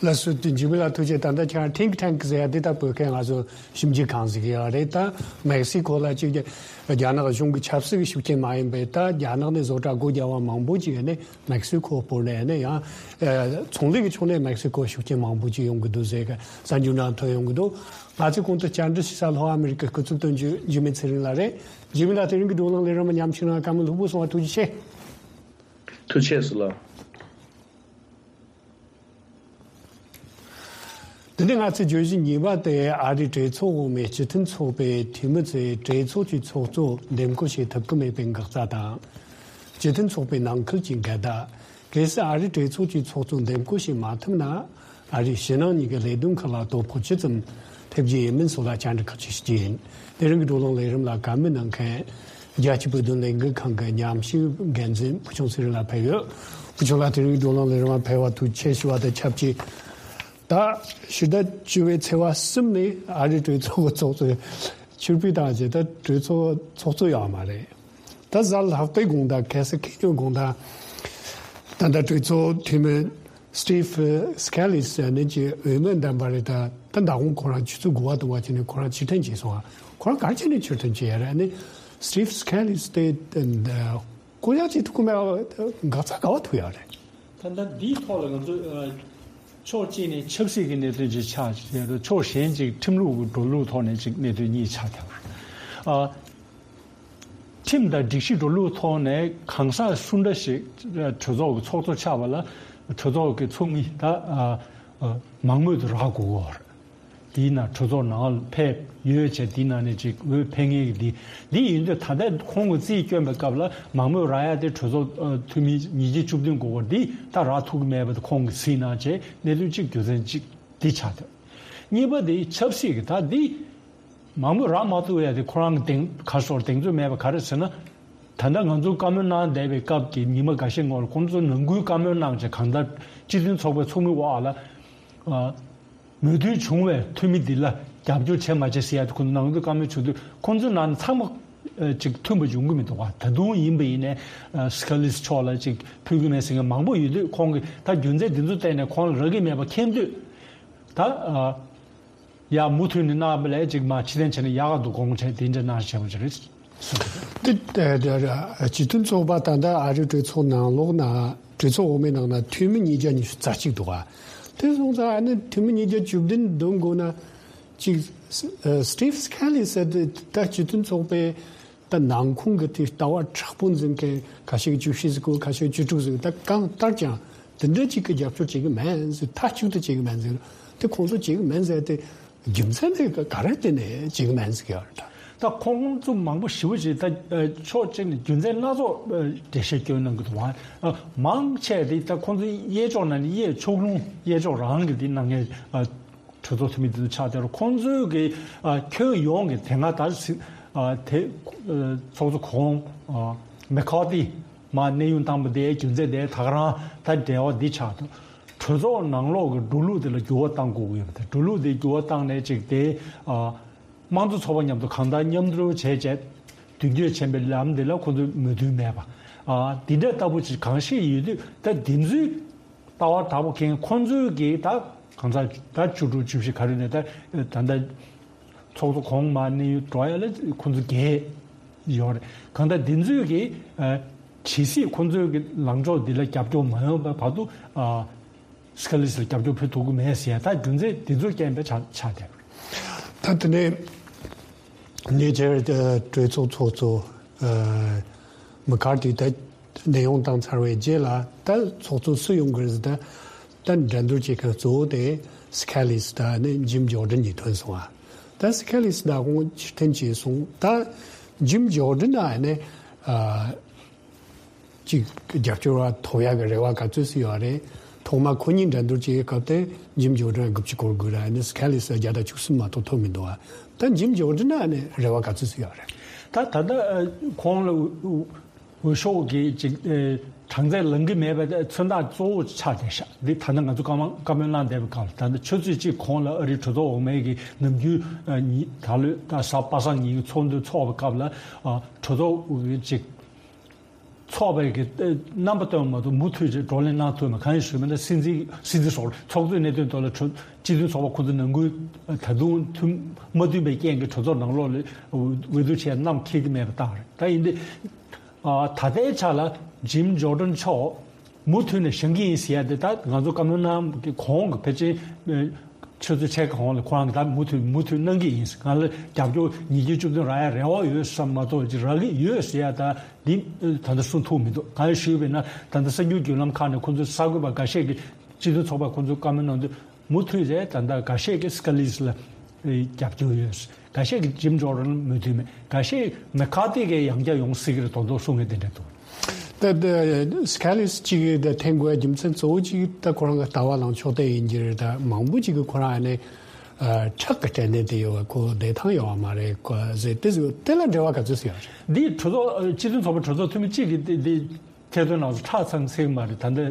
ལགས་སོ། དེ་འཇིགས་མེད་ལགས་ཐུགས་རྗེ། ད་ལྟ་ཁྱེད་རང་think tank ཟེར་ཡ་འདི་ལྟ་བུ་མཁན་ང་ཚོ་ཞིབ་འཇུག་ཁང་ཟིག་ཡོད་རེད། ད་མེག་སི་ཀོ་ལ་གཅིག་རྒྱ་ནག་གཞུང་གི་ཆབ་སྲིད་ཀྱི་ཤུགས་རྐྱེན་མ་ཡིན་པའི་ད་རྒྱ་ནག་ནས་བཟོ་གྲྭ་སྒོ་རྒྱག་པ་མང་པོ་ཅིག་ཡོད་ནས་མེག་སི་ཀོ་བོད་ནས་ནས་ཡང་ཚོང་ལས་ཀྱི་ཕྱོགས་ནས་མེག་སི་ཀོ་ཤུགས་རྐྱེན་མང་པོ་ཅིག་ཡོང་གི་འདུག་ཟེར་གི་གསར་འགྱུར་ནང་ཐོན་ཡོང་གི་འདུག་ང་ཚོས་གོང་དུ་བཅར་འདྲི་ཞུ་ས་ལྷོ་ཨ་མི་རི་ཀའི་སྐུ་ཚབ་དོན་གཅོད་འཇིགས་མེད་ཚེ་རིང་ལགས་རེད། འཇིགས་མེད་ལགས་དེ་རིང་གི་བགྲོ་གླེང་ལས་རིམ་མཉམ་ཞུགས་གནང་བཀའ་མོལ་ལྷུག་པོ་གསུངས་པ་ཐུགས་རྗེ་ཆེ། ཐུགས་རྗེ་ཆེ་ལགས། དེ་ནས་ང་ཚོའི་བརྗོད་གཞི་གཉིས་པ་དེ་ཨ་རིའི་གྲོས་ཚོགས་འོག་མའི་སྤྱི་མཐུན་ཚོགས་པའི་འཐུས་མི་ཚོས་གྲོས་ཚོགས་ཀྱི་ཚོགས་གཙོ་འདེམས་བསྐོ་བྱེད་ཐུབ་ཀྱི་མེད་པའི་འགག་རྩ་དང་། སྤྱི་མཐུན་ཚོགས་པའི་ནང་ཁུལ་གྱི་འགལ་ཟླ། གལ་སྲིད་ཨ་རིའི་གྲོས་ཚོགས་ཀྱི་ཚོགས་གཙོ་འདེམས་བསྐོ་བྱེད་མ་ཐུབ་ན། ཨ་རིའི་ཕྱི་ནང་གཉིས་ཀྱི་ལས་དོན་ཁག་ལ་དོ་ཕོག་ཇི་ཙམ་ཐེབས་རྒྱུ་ཡིན་མིན་སོགས་ལ་བཅར་འདྲི་ཁག་ཅིག་ཞུ་རྒྱུ་ཡིན། དེ་རིང་གི་བགྲོ་གླེང་ལས་རིམ་ལ་བཀའ་མོལ་གནང་མཁན། རྒྱལ་སྤྱིའི་བོད་དོན་ལས་འགུལ་ཁང་གི་ཉམས་ཞིབ་འགན་འཛིན་ཕུལ་བྱུང་ཚེ་རིང་ལགས་ཕེབས་ཡོད། ཕུལ་བྱུང་ལགས་དེ་རིང་གི་བགྲོ་གླེང་ལས་རིམ་ལ་ཕེབས་པར་ཐུགས་རྗེ་ཆེ་ཞུ་བ་དང་ཆབས་ཅིག་ད་ཕྱི་ཟླ་བཅུ་པའི་ཚེས་པ་གསུམ་ནས་ཨ་རིའི་གྲོས་ཚོགས་ཀྱི་ཚོགས་གཙོ་ཕྱིར་འབུད་བཏང་རྗེས་ད་གྲོས་ཚོགས་ཚོགས་གཙོ་ཡོད་མ་རེད། ད་གཟའ་ལྷག་པའི་དགོང་དག་གལ་སྲིད་ཁེ་ཉོན་དགོང་དག་ད་ལྟ་གྲོས་ཚོགས་འཐུས་མི་Steve Scalise ཟེར་ནས་ཀྱི་འོས་མི་འདེམས་པ་རེད། ད་ད་མདང་དགོང་ཁོ་རང་ཆུ་ཚོད་དགུ་པ་དུ་བ་བྱས་ནས་ཁོ་རང་ཕྱིར་འཐེན་བྱས་སོང་ང་། ཁོ་རང་ག་རེ་བྱས་ནས་ཕྱིར་འཐེན་བྱས་ཡ་རེད། ཨ་ནི་Steve Scalise དེ་ད་ད་བསྐོ་གཞག་བྱེད་ཐུབ་ཀྱི་མེད་པ་འགག་རྩ་ག་པར་ཐུག་ཡ་རེད། ད་ལྟ་འདིའི་ཐོག་ལ་ང་ཚོ་ཨ་ཕྱོགས་གཅིག་ནས་ཆབ་སྲིད་ཀྱི་གནད་དོན་ཅིག་ཆགས་བྱས་རེད། ཕྱོགས་གཞན་ཅིག་ཁྲིམས་ལུགས་ཀྱི་འགྲོ་ལུགས་ཐོག་ནས་ཅིག་གནད་དོན་གཉིས་ཆགས་བསྡད་པ་རེད། ཨ། ཁྲིམས་དང་སྒྲིག་གཞི་འགྲོ་ལུགས་ཐོག་ནས་གང་ཟག་སུ་འདྲ་ཞིག་གྲོས་ཚོགས་ཀྱི་ཚོགས་གཙོ་ཆགས་པ་ལ་གྲོས་ཚོགས་ཀྱི་ཚོགས་མི་ད་ཨ་ཨ་མང་མོས་དུ་རག་དགོས་ཀྱི་ཡོད་རེད། དེའི་ནང་གྲོས་ཚོགས་ནང་ཕེབས་ཡོད་བྱས་དེའི་ནང་ནས་ཅིག་འོས་འཕེན་མཁན་གྱི་འདི་འདི་ཡིན་དུས་ད་ལྟ་ཁོང་གི་རྩིས་བསྐྱོན་པའི་སྐབས་ལ་མང་མོས་རག་ཡ་དེ་གྲོས་ཚོགས་ཨ་འཐུས་མི་ཉིས་བརྒྱ་བཅུ་བདུན་དགོས་པ་འདི་ད་རག་ཐུབ་ཀྱི་མེད་པ་དེ་ཁོང་གིས་གཟིགས་གནང་བྱས་གནད་དོན་གཅིག་རྒྱུ་མཚན་གཅིག་འདི་ཆགས་ཐུབ། གཉིས་པ་དེ་ཆབ་སྲིད་ཀྱི་ད་འདི། མང་མོས་རག་མ་ཐུབ་ཡ་དེ་ཁོ་རང་གི་གདེང་ཁ་སོར་གདེང་ཚོད་མེད་པ་ག་རེ་ཟེར་ན། ད་ལྟ་ང་ཚོ་བཀའ་མོལ་གནང་བསྡད་པའི་སྐབས་ཀྱི་ཉི་མ་འགའ་ཤས་སྔོན་ལ་ཁོང་ཚོ་ནང་ཁུལ་བཀའ་མོལ་གནང་བྱས་གང་ལྟར་སྤྱི་མཐུན་ཚོགས་པའི་ཚོགས་མི་འོག་ལ། ཨ། མོས་མཐུན་བྱུང་བའི་འཐུས་མི་འདི་ལ་རྒྱབ་སྐྱོར་བྱས་མ་བྱས་ཟེར་ཡ་དེ་ཁོང་ཚོ་ནང་ཁུལ་བཀའ་མོལ་བྱུང་དུས་ཁོང་ཚོའི་ནང་ནས་ཚང་མ་ཨ་ཅིག་མཐུན་པ་ཡོང་གི་མི་འདུག་ག་ད་དུང་ཡིན་པ་ཡིན་ནའི་ཨ་སི་ཀ་ལིས་མཆོག་ལ་ཅིག་ཕུལ་གི་མེད་ཟེར་མཁན་མང་པོ་ཡོད་དུས་ཁོང་གིས་ད་རྒྱུ་མཚན་འདི་ཚོ་བལྟས་ནས་ཁོང་ལ་རག་གི་མེད་པ་མཁྱེན་དུས་ད་ཨ། ཡ་མུ་མཐུད་ནས་གནང་བ་ལས་ཅིག་མ་ཕྱི་འཐེན་བྱས་ན་ཡག་ག་འདུག་དགོངས་བྱས་དེ་འདྲ་གནང་བྱས་པ་ཅིག་རེད། དེ་དེ་དེ་སྤྱི་མཐུན་ཚོགས་པ་ད་ལྟ་ཨ་རིའི་གྲོས་ཚོགས་ནང་ལོགས་ན་གྲོས་ཚོགས་འོག་མའི་ནང་ན་འཐུས་མི་ཉིས་བརྒྱ་ཉི་ཤུ་རྩ་གཅིག་འདུག་ག་དེ་སོང་ཙང་ཨ་ནི་འཐུས་མི་ཉིས་བརྒྱ་བཅུ་བདུན་འདོན་དགོས་ན་ཅིག་Steve Scalise ཟེར་དེ་ད་སྤྱི་མཐུན་ཚོགས་པའི་ད་ནང་ཁོངས་ཀྱི་དེ་ལྟ་བ་མཁྲེགས་པོ་འཛིན་མཁན་ཁ་ཤས་བཅུ་བཞི་ཟིག་གོ་ཁ་ཤས་བཅུ་དྲུག་ཟིག་ད་གང་ལྟར་ཀྱང་དེ་འདྲ་ཅིག་གི་རྒྱབ་སྐྱོར་བྱེད་ཀྱི་མེད་ཟིག་མཐའ་གཅིག་ཏུ་བྱེད་ཀྱི་མེད་ཟིག་དེ་ཁོང་ཚོ་བྱེད་ཀྱི་མེད་ཟེར་དེ་རྒྱུ་མཚན་དེ་ག་རེ་བརྟེན་ནས་བྱེད་ཀྱི་མེད་ཟིག་ཡོད་རེད། ད་ཁོང་ཚོ་མང་པོ་ཞེ་པོ་ཅིག་ད་ཕྱོགས་གཅིག་ནས་རྒྱུ་མཚན་སྣ་ཚོགས་འགྲེལ་བཤད་སྐྱོན་གནང་གི་འདུག་བ། མང་ཆེ་དེ་ད་ཁོང་ཚོའི་གཡས་ཕྱོགས་ནང་ནས་གཡས་ཕྱོགས་ལྷུང་གཡས་ཕྱོགས་རང་གི་དེ་གནང་མཁན་གྲོས་ཚོགས་འཐུས་མི་དེ་ཚོ་ཆགས་བསྡད་རེད། ཁོང་ཚོའི་གི་ཁྱོན་ཡོངས་ཀྱི་དེ་སྔ་ད་དེ་ཚོགས་གཙོ་གོང་མེ་ཁ་ཏི་མར་གནས་དབྱུང་བཏང་པ་དེའི་རྒྱུ་མཚན་དེ་ད་ག་རང་ད་འབྲེལ་བ་འདི་ཆགས་འདུག་གྲོས་ཚོགས་ནང་ལོགས་ཀྱི་འགྲོ་ལུགས་དེ་ལ་འགྱུར་བ་གཏང་དགོས་ཀྱི་ཡོད་པ་དང་། འགྲོ་ལུགས་དེ་འགྱུར་བ་བཏང་ནས་ཅིག་དེ་དམངས་གཙོ་ཚོགས་པ་མཉམ་དུ་གང་ལྟར་མཉམ་རུབ་བྱས་བྱས་མདུན་སྐྱོད་བྱེད་པའི་ལམ་དེ་ལ་ཁོ་ཚོས་མོས་མཐུན་མེད་པ། འདི་འདྲ་ལྟ་བུ་ཅིག་གང་ཤེས་ཡོད་དུས་ད་འདི་ཚོའི་ལྟ་བ་དག་པོ་མཁན་ཁོ་ཚོའི་གི་ད་གང་ཟག་ད་བཅུ་དྲུག་བཅུ་བཞི་ག་རེ་ནས་ད་ད་ལྟ་ཚོགས་གཙོ་གོང་མ་གནས་དབྱུང་འགྲོ་ཡ་ལ་ཁོ་ཚོ་རྒྱལ་ཡོད་རེད། གང་ལྟར་འདི་ཚོའི་གི་ཇི་སྲིད་ཁོ་ཚོའི་གི་ལངས་ཕྱོགས་འདི་ལ་རྒྱབ་སྐྱོར་མ་ཡོང་བའི་བར་དུ་སི་ཀ་ལིས་ལ་རྒྱབ་སྐྱོར་ཕུལ་ཐུབ་ཀྱི་མེད་ཟེར་ཡ་ད་རྒྱུ་མཚན་འདི་ཚོ་རྐྱེན་པས་ཆགས་ཆགས་བསྡད་པ་རེད། ད་དེ་ནས་ཉེ་ཆར་གྲོས་ཚོགས་ཚོགས་གཙོ་མི་ཁར་ཏི་ད་གནས་དབྱུང་བཏང་ཚར་བའི་རྗེས་ལ་ད་ཚོགས་གཙོ་སུ་ཡོང་གི་རེད་ཟེར། ད་ད་འགྲན་བསྡུར་བྱེད་མཁན་གཙོ་བོ་དེ་སི་ཀ་ལིས་དང་ནི་ཇིམ་ཇོར་ཌན་གཉིས་ཐོན་སོང་ཨ། ད་སི་ཀ་ལིས་ད་ཁོང་ཕྱིར་འཐེན་བྱས་སོང་། ད་ཇིམ་ཇོར་ཌན་ཨ་ནི་ཨ། ཅིག་རྒྱབ་སྐྱོར་བ་ཐོབ་ཡག་གི་རེ་བ་ག་ཚོད་ཙམ་ཡོད་རེད། ཐོག་མ་ཁོ་གཉིས་འགྲན་བསྡུར་བྱེད་སྐབས་དེ་ཇིམ་ཇོར་ཌན་དགུ་བཅུ་སྐོར་དགོས་ར། ཨ་ནི་སི་ཀ་ལིས་བརྒྱ་དང་བཅུ་གསུམ་མ་གཏོགས་ཐོབ་མི་འདུག་ཨ། ད་ཇིམ་ཇོར་ཌན་ཨ་ནི་རེ་བ་ག་ཚོད་ཙམ་ཡོད་རེད། ད་ད་ལྟ་ཁོང་ལ་འོས་ཤོག་གི་ཅིག་གྲངས་ཚད་ལངས་ཀྱི་མེད་པའི་མཚོན་རྟགས་གཙོ་བོ་ཆགས་བསྡད་ཤག་འདི་ད་ལྟ་ང་ཚོ་བཀའ་མ་བཀའ་མོལ་གནང་བསྡད་པའི་སྐབས་ལ། ད་ལྟ་ཆུ་ཚོད་གཅིག་གོང་ལ་ཨ་རིའི་གྲོས་ཚོགས་འོག་མའི་གི་ནམ་རྒྱུན་ད་ལོའི་ད་གཟའ་པ་སངས་ཉིན་གྱི་ཚོགས་འདུ་འཚོགས་པའི་སྐབས་ལ་གྲོས་ཚོགས་ཀྱི་ཅིག་ཚོགས་པའི་གི་རྣམ་པ་སྟོན་མ་གཏོགས་མུ་མཐུད་ཀྱི་བགྲོ་གླེང་གནང་ཐུབ་མེད། གང་ཡིན་ཞུས་པ་ན་སྲིད་འཛིན་སྲིད་འཛིན་སོགས་ཚོགས་གཙོའི་གནད་དོན་ཐོག་ལ་གྲོས་སྤྱི་མཐུན་ཚོགས་པ་ཁོ་ཚོ་ནང་ཁུལ་ད་དུང་མཐུན་མ་མཐུན་པའི་རྐྱེན་གྱིས་གྲོས་ཚོགས་ནང་ལོགས་ལ་འོས་བསྡུ་བྱས་རྣམས་འཁེལ་གྱི་མེད་པ་བཏང་རེད། ད་ཡིན་དུས་ད་ལྟའི་ཆ་ལ་ཇིམ་ཇོར་ཌན་མཆོག་མུ་མཐུད་ནས་བཞེངས་ཀྱི་ཡིན་ཟེར་ཡ་དེ་ད་ང་ཚོ་བཀའ་མོལ་གནང་གི་གོང་གི་ཕལ་ཆེར་ཆུ་ཚོད་ཕྱེད་ཀ་གོང་ལ་ཁོ་རང་གིས་ད་མུ་མཐུད་མུ་མཐུད་གནང་གི་ཡིན། ང་ལ་རྒྱབ་སྐྱོར་ཉིས་བརྒྱ་བཅུ་བདུན་རག་ཡ་རེ་བ་ཡོད་བསམ་མ་གཏོགས་ཅིག་རག་གི་ཡོད་ཟེར་ཡ་ད་འདི་ད་ལྟ་གསུང་ཐུབ་མི་འདུག་གང་ཡིན་ཞུས་པས་ན་ད་ལྟ་གསར་འགྱུར་བརྒྱུད་ལམ་ཁག་ནས་ཁོ་ཚོའི་གསར་འགོད་པ་འགའ་ཤས་ཀྱིས་སྤྱི་མཐུན་ཚོགས་པ་ཁོ་ཚོའི་བཀའ་མོལ་གནང་དུས་མུ་མཐུད་རེད། ད་ལྟ་འགའ་ཤས་ཀྱིས་སི་ཀ་ལིས་ལ་རྒྱབ་སྐྱོར་ཡོད། འགའ་ཤས་ཀྱིས་ཇིམ་ཇོར་ཌན་མོས་མཐུན་མེད། འགའ་ཤས་མེ་ཁ་ཏི་གིས་ཡང་བསྐྱར་ཡོང་སྲིད་ཀྱི་རེད་མདོག་མདོག་གསུང་མཁན་དེ་འདྲ་འདུག་ད་ད་སི་ཀ་ལིས་གཅིག་གིས་ད་འཐེན་དགོས་རྒྱུ་མཚན་གཙོ་བོ་གཅིག་ད་ཁོ་རང་གི་ལྟ་བ་ལངས་ཕྱོགས་དེ་ཡིན་གྱི་རེད། ད་མང་པོ་གཅིག་གིས་ཁོ་རང་ཨ་ནི་ཁྲག་གི་སྐྲན་ནད་དེ་ཡོད་པ་ཁོ་བདེ་ཐང་ཡོད་པ་མ་རེད་ཁོ་ཟེར་དེ་ཟེར་དེ་ལ་འབྲེལ་བ་ག་ཚོད་ཟེར་ཡོད་རེད། འདི་གྲོས་ཚོགས་སྤྱི་མཐུན་ཚོགས་པ་གྲོས་ཚོགས་འཐུས་མི་གཅིག་གིས་འདི་འདི་ཐེར་འདོན་ནང་སུ་ཁྲག་ཚང་ཚིག་མ་རེད། ད་འདི་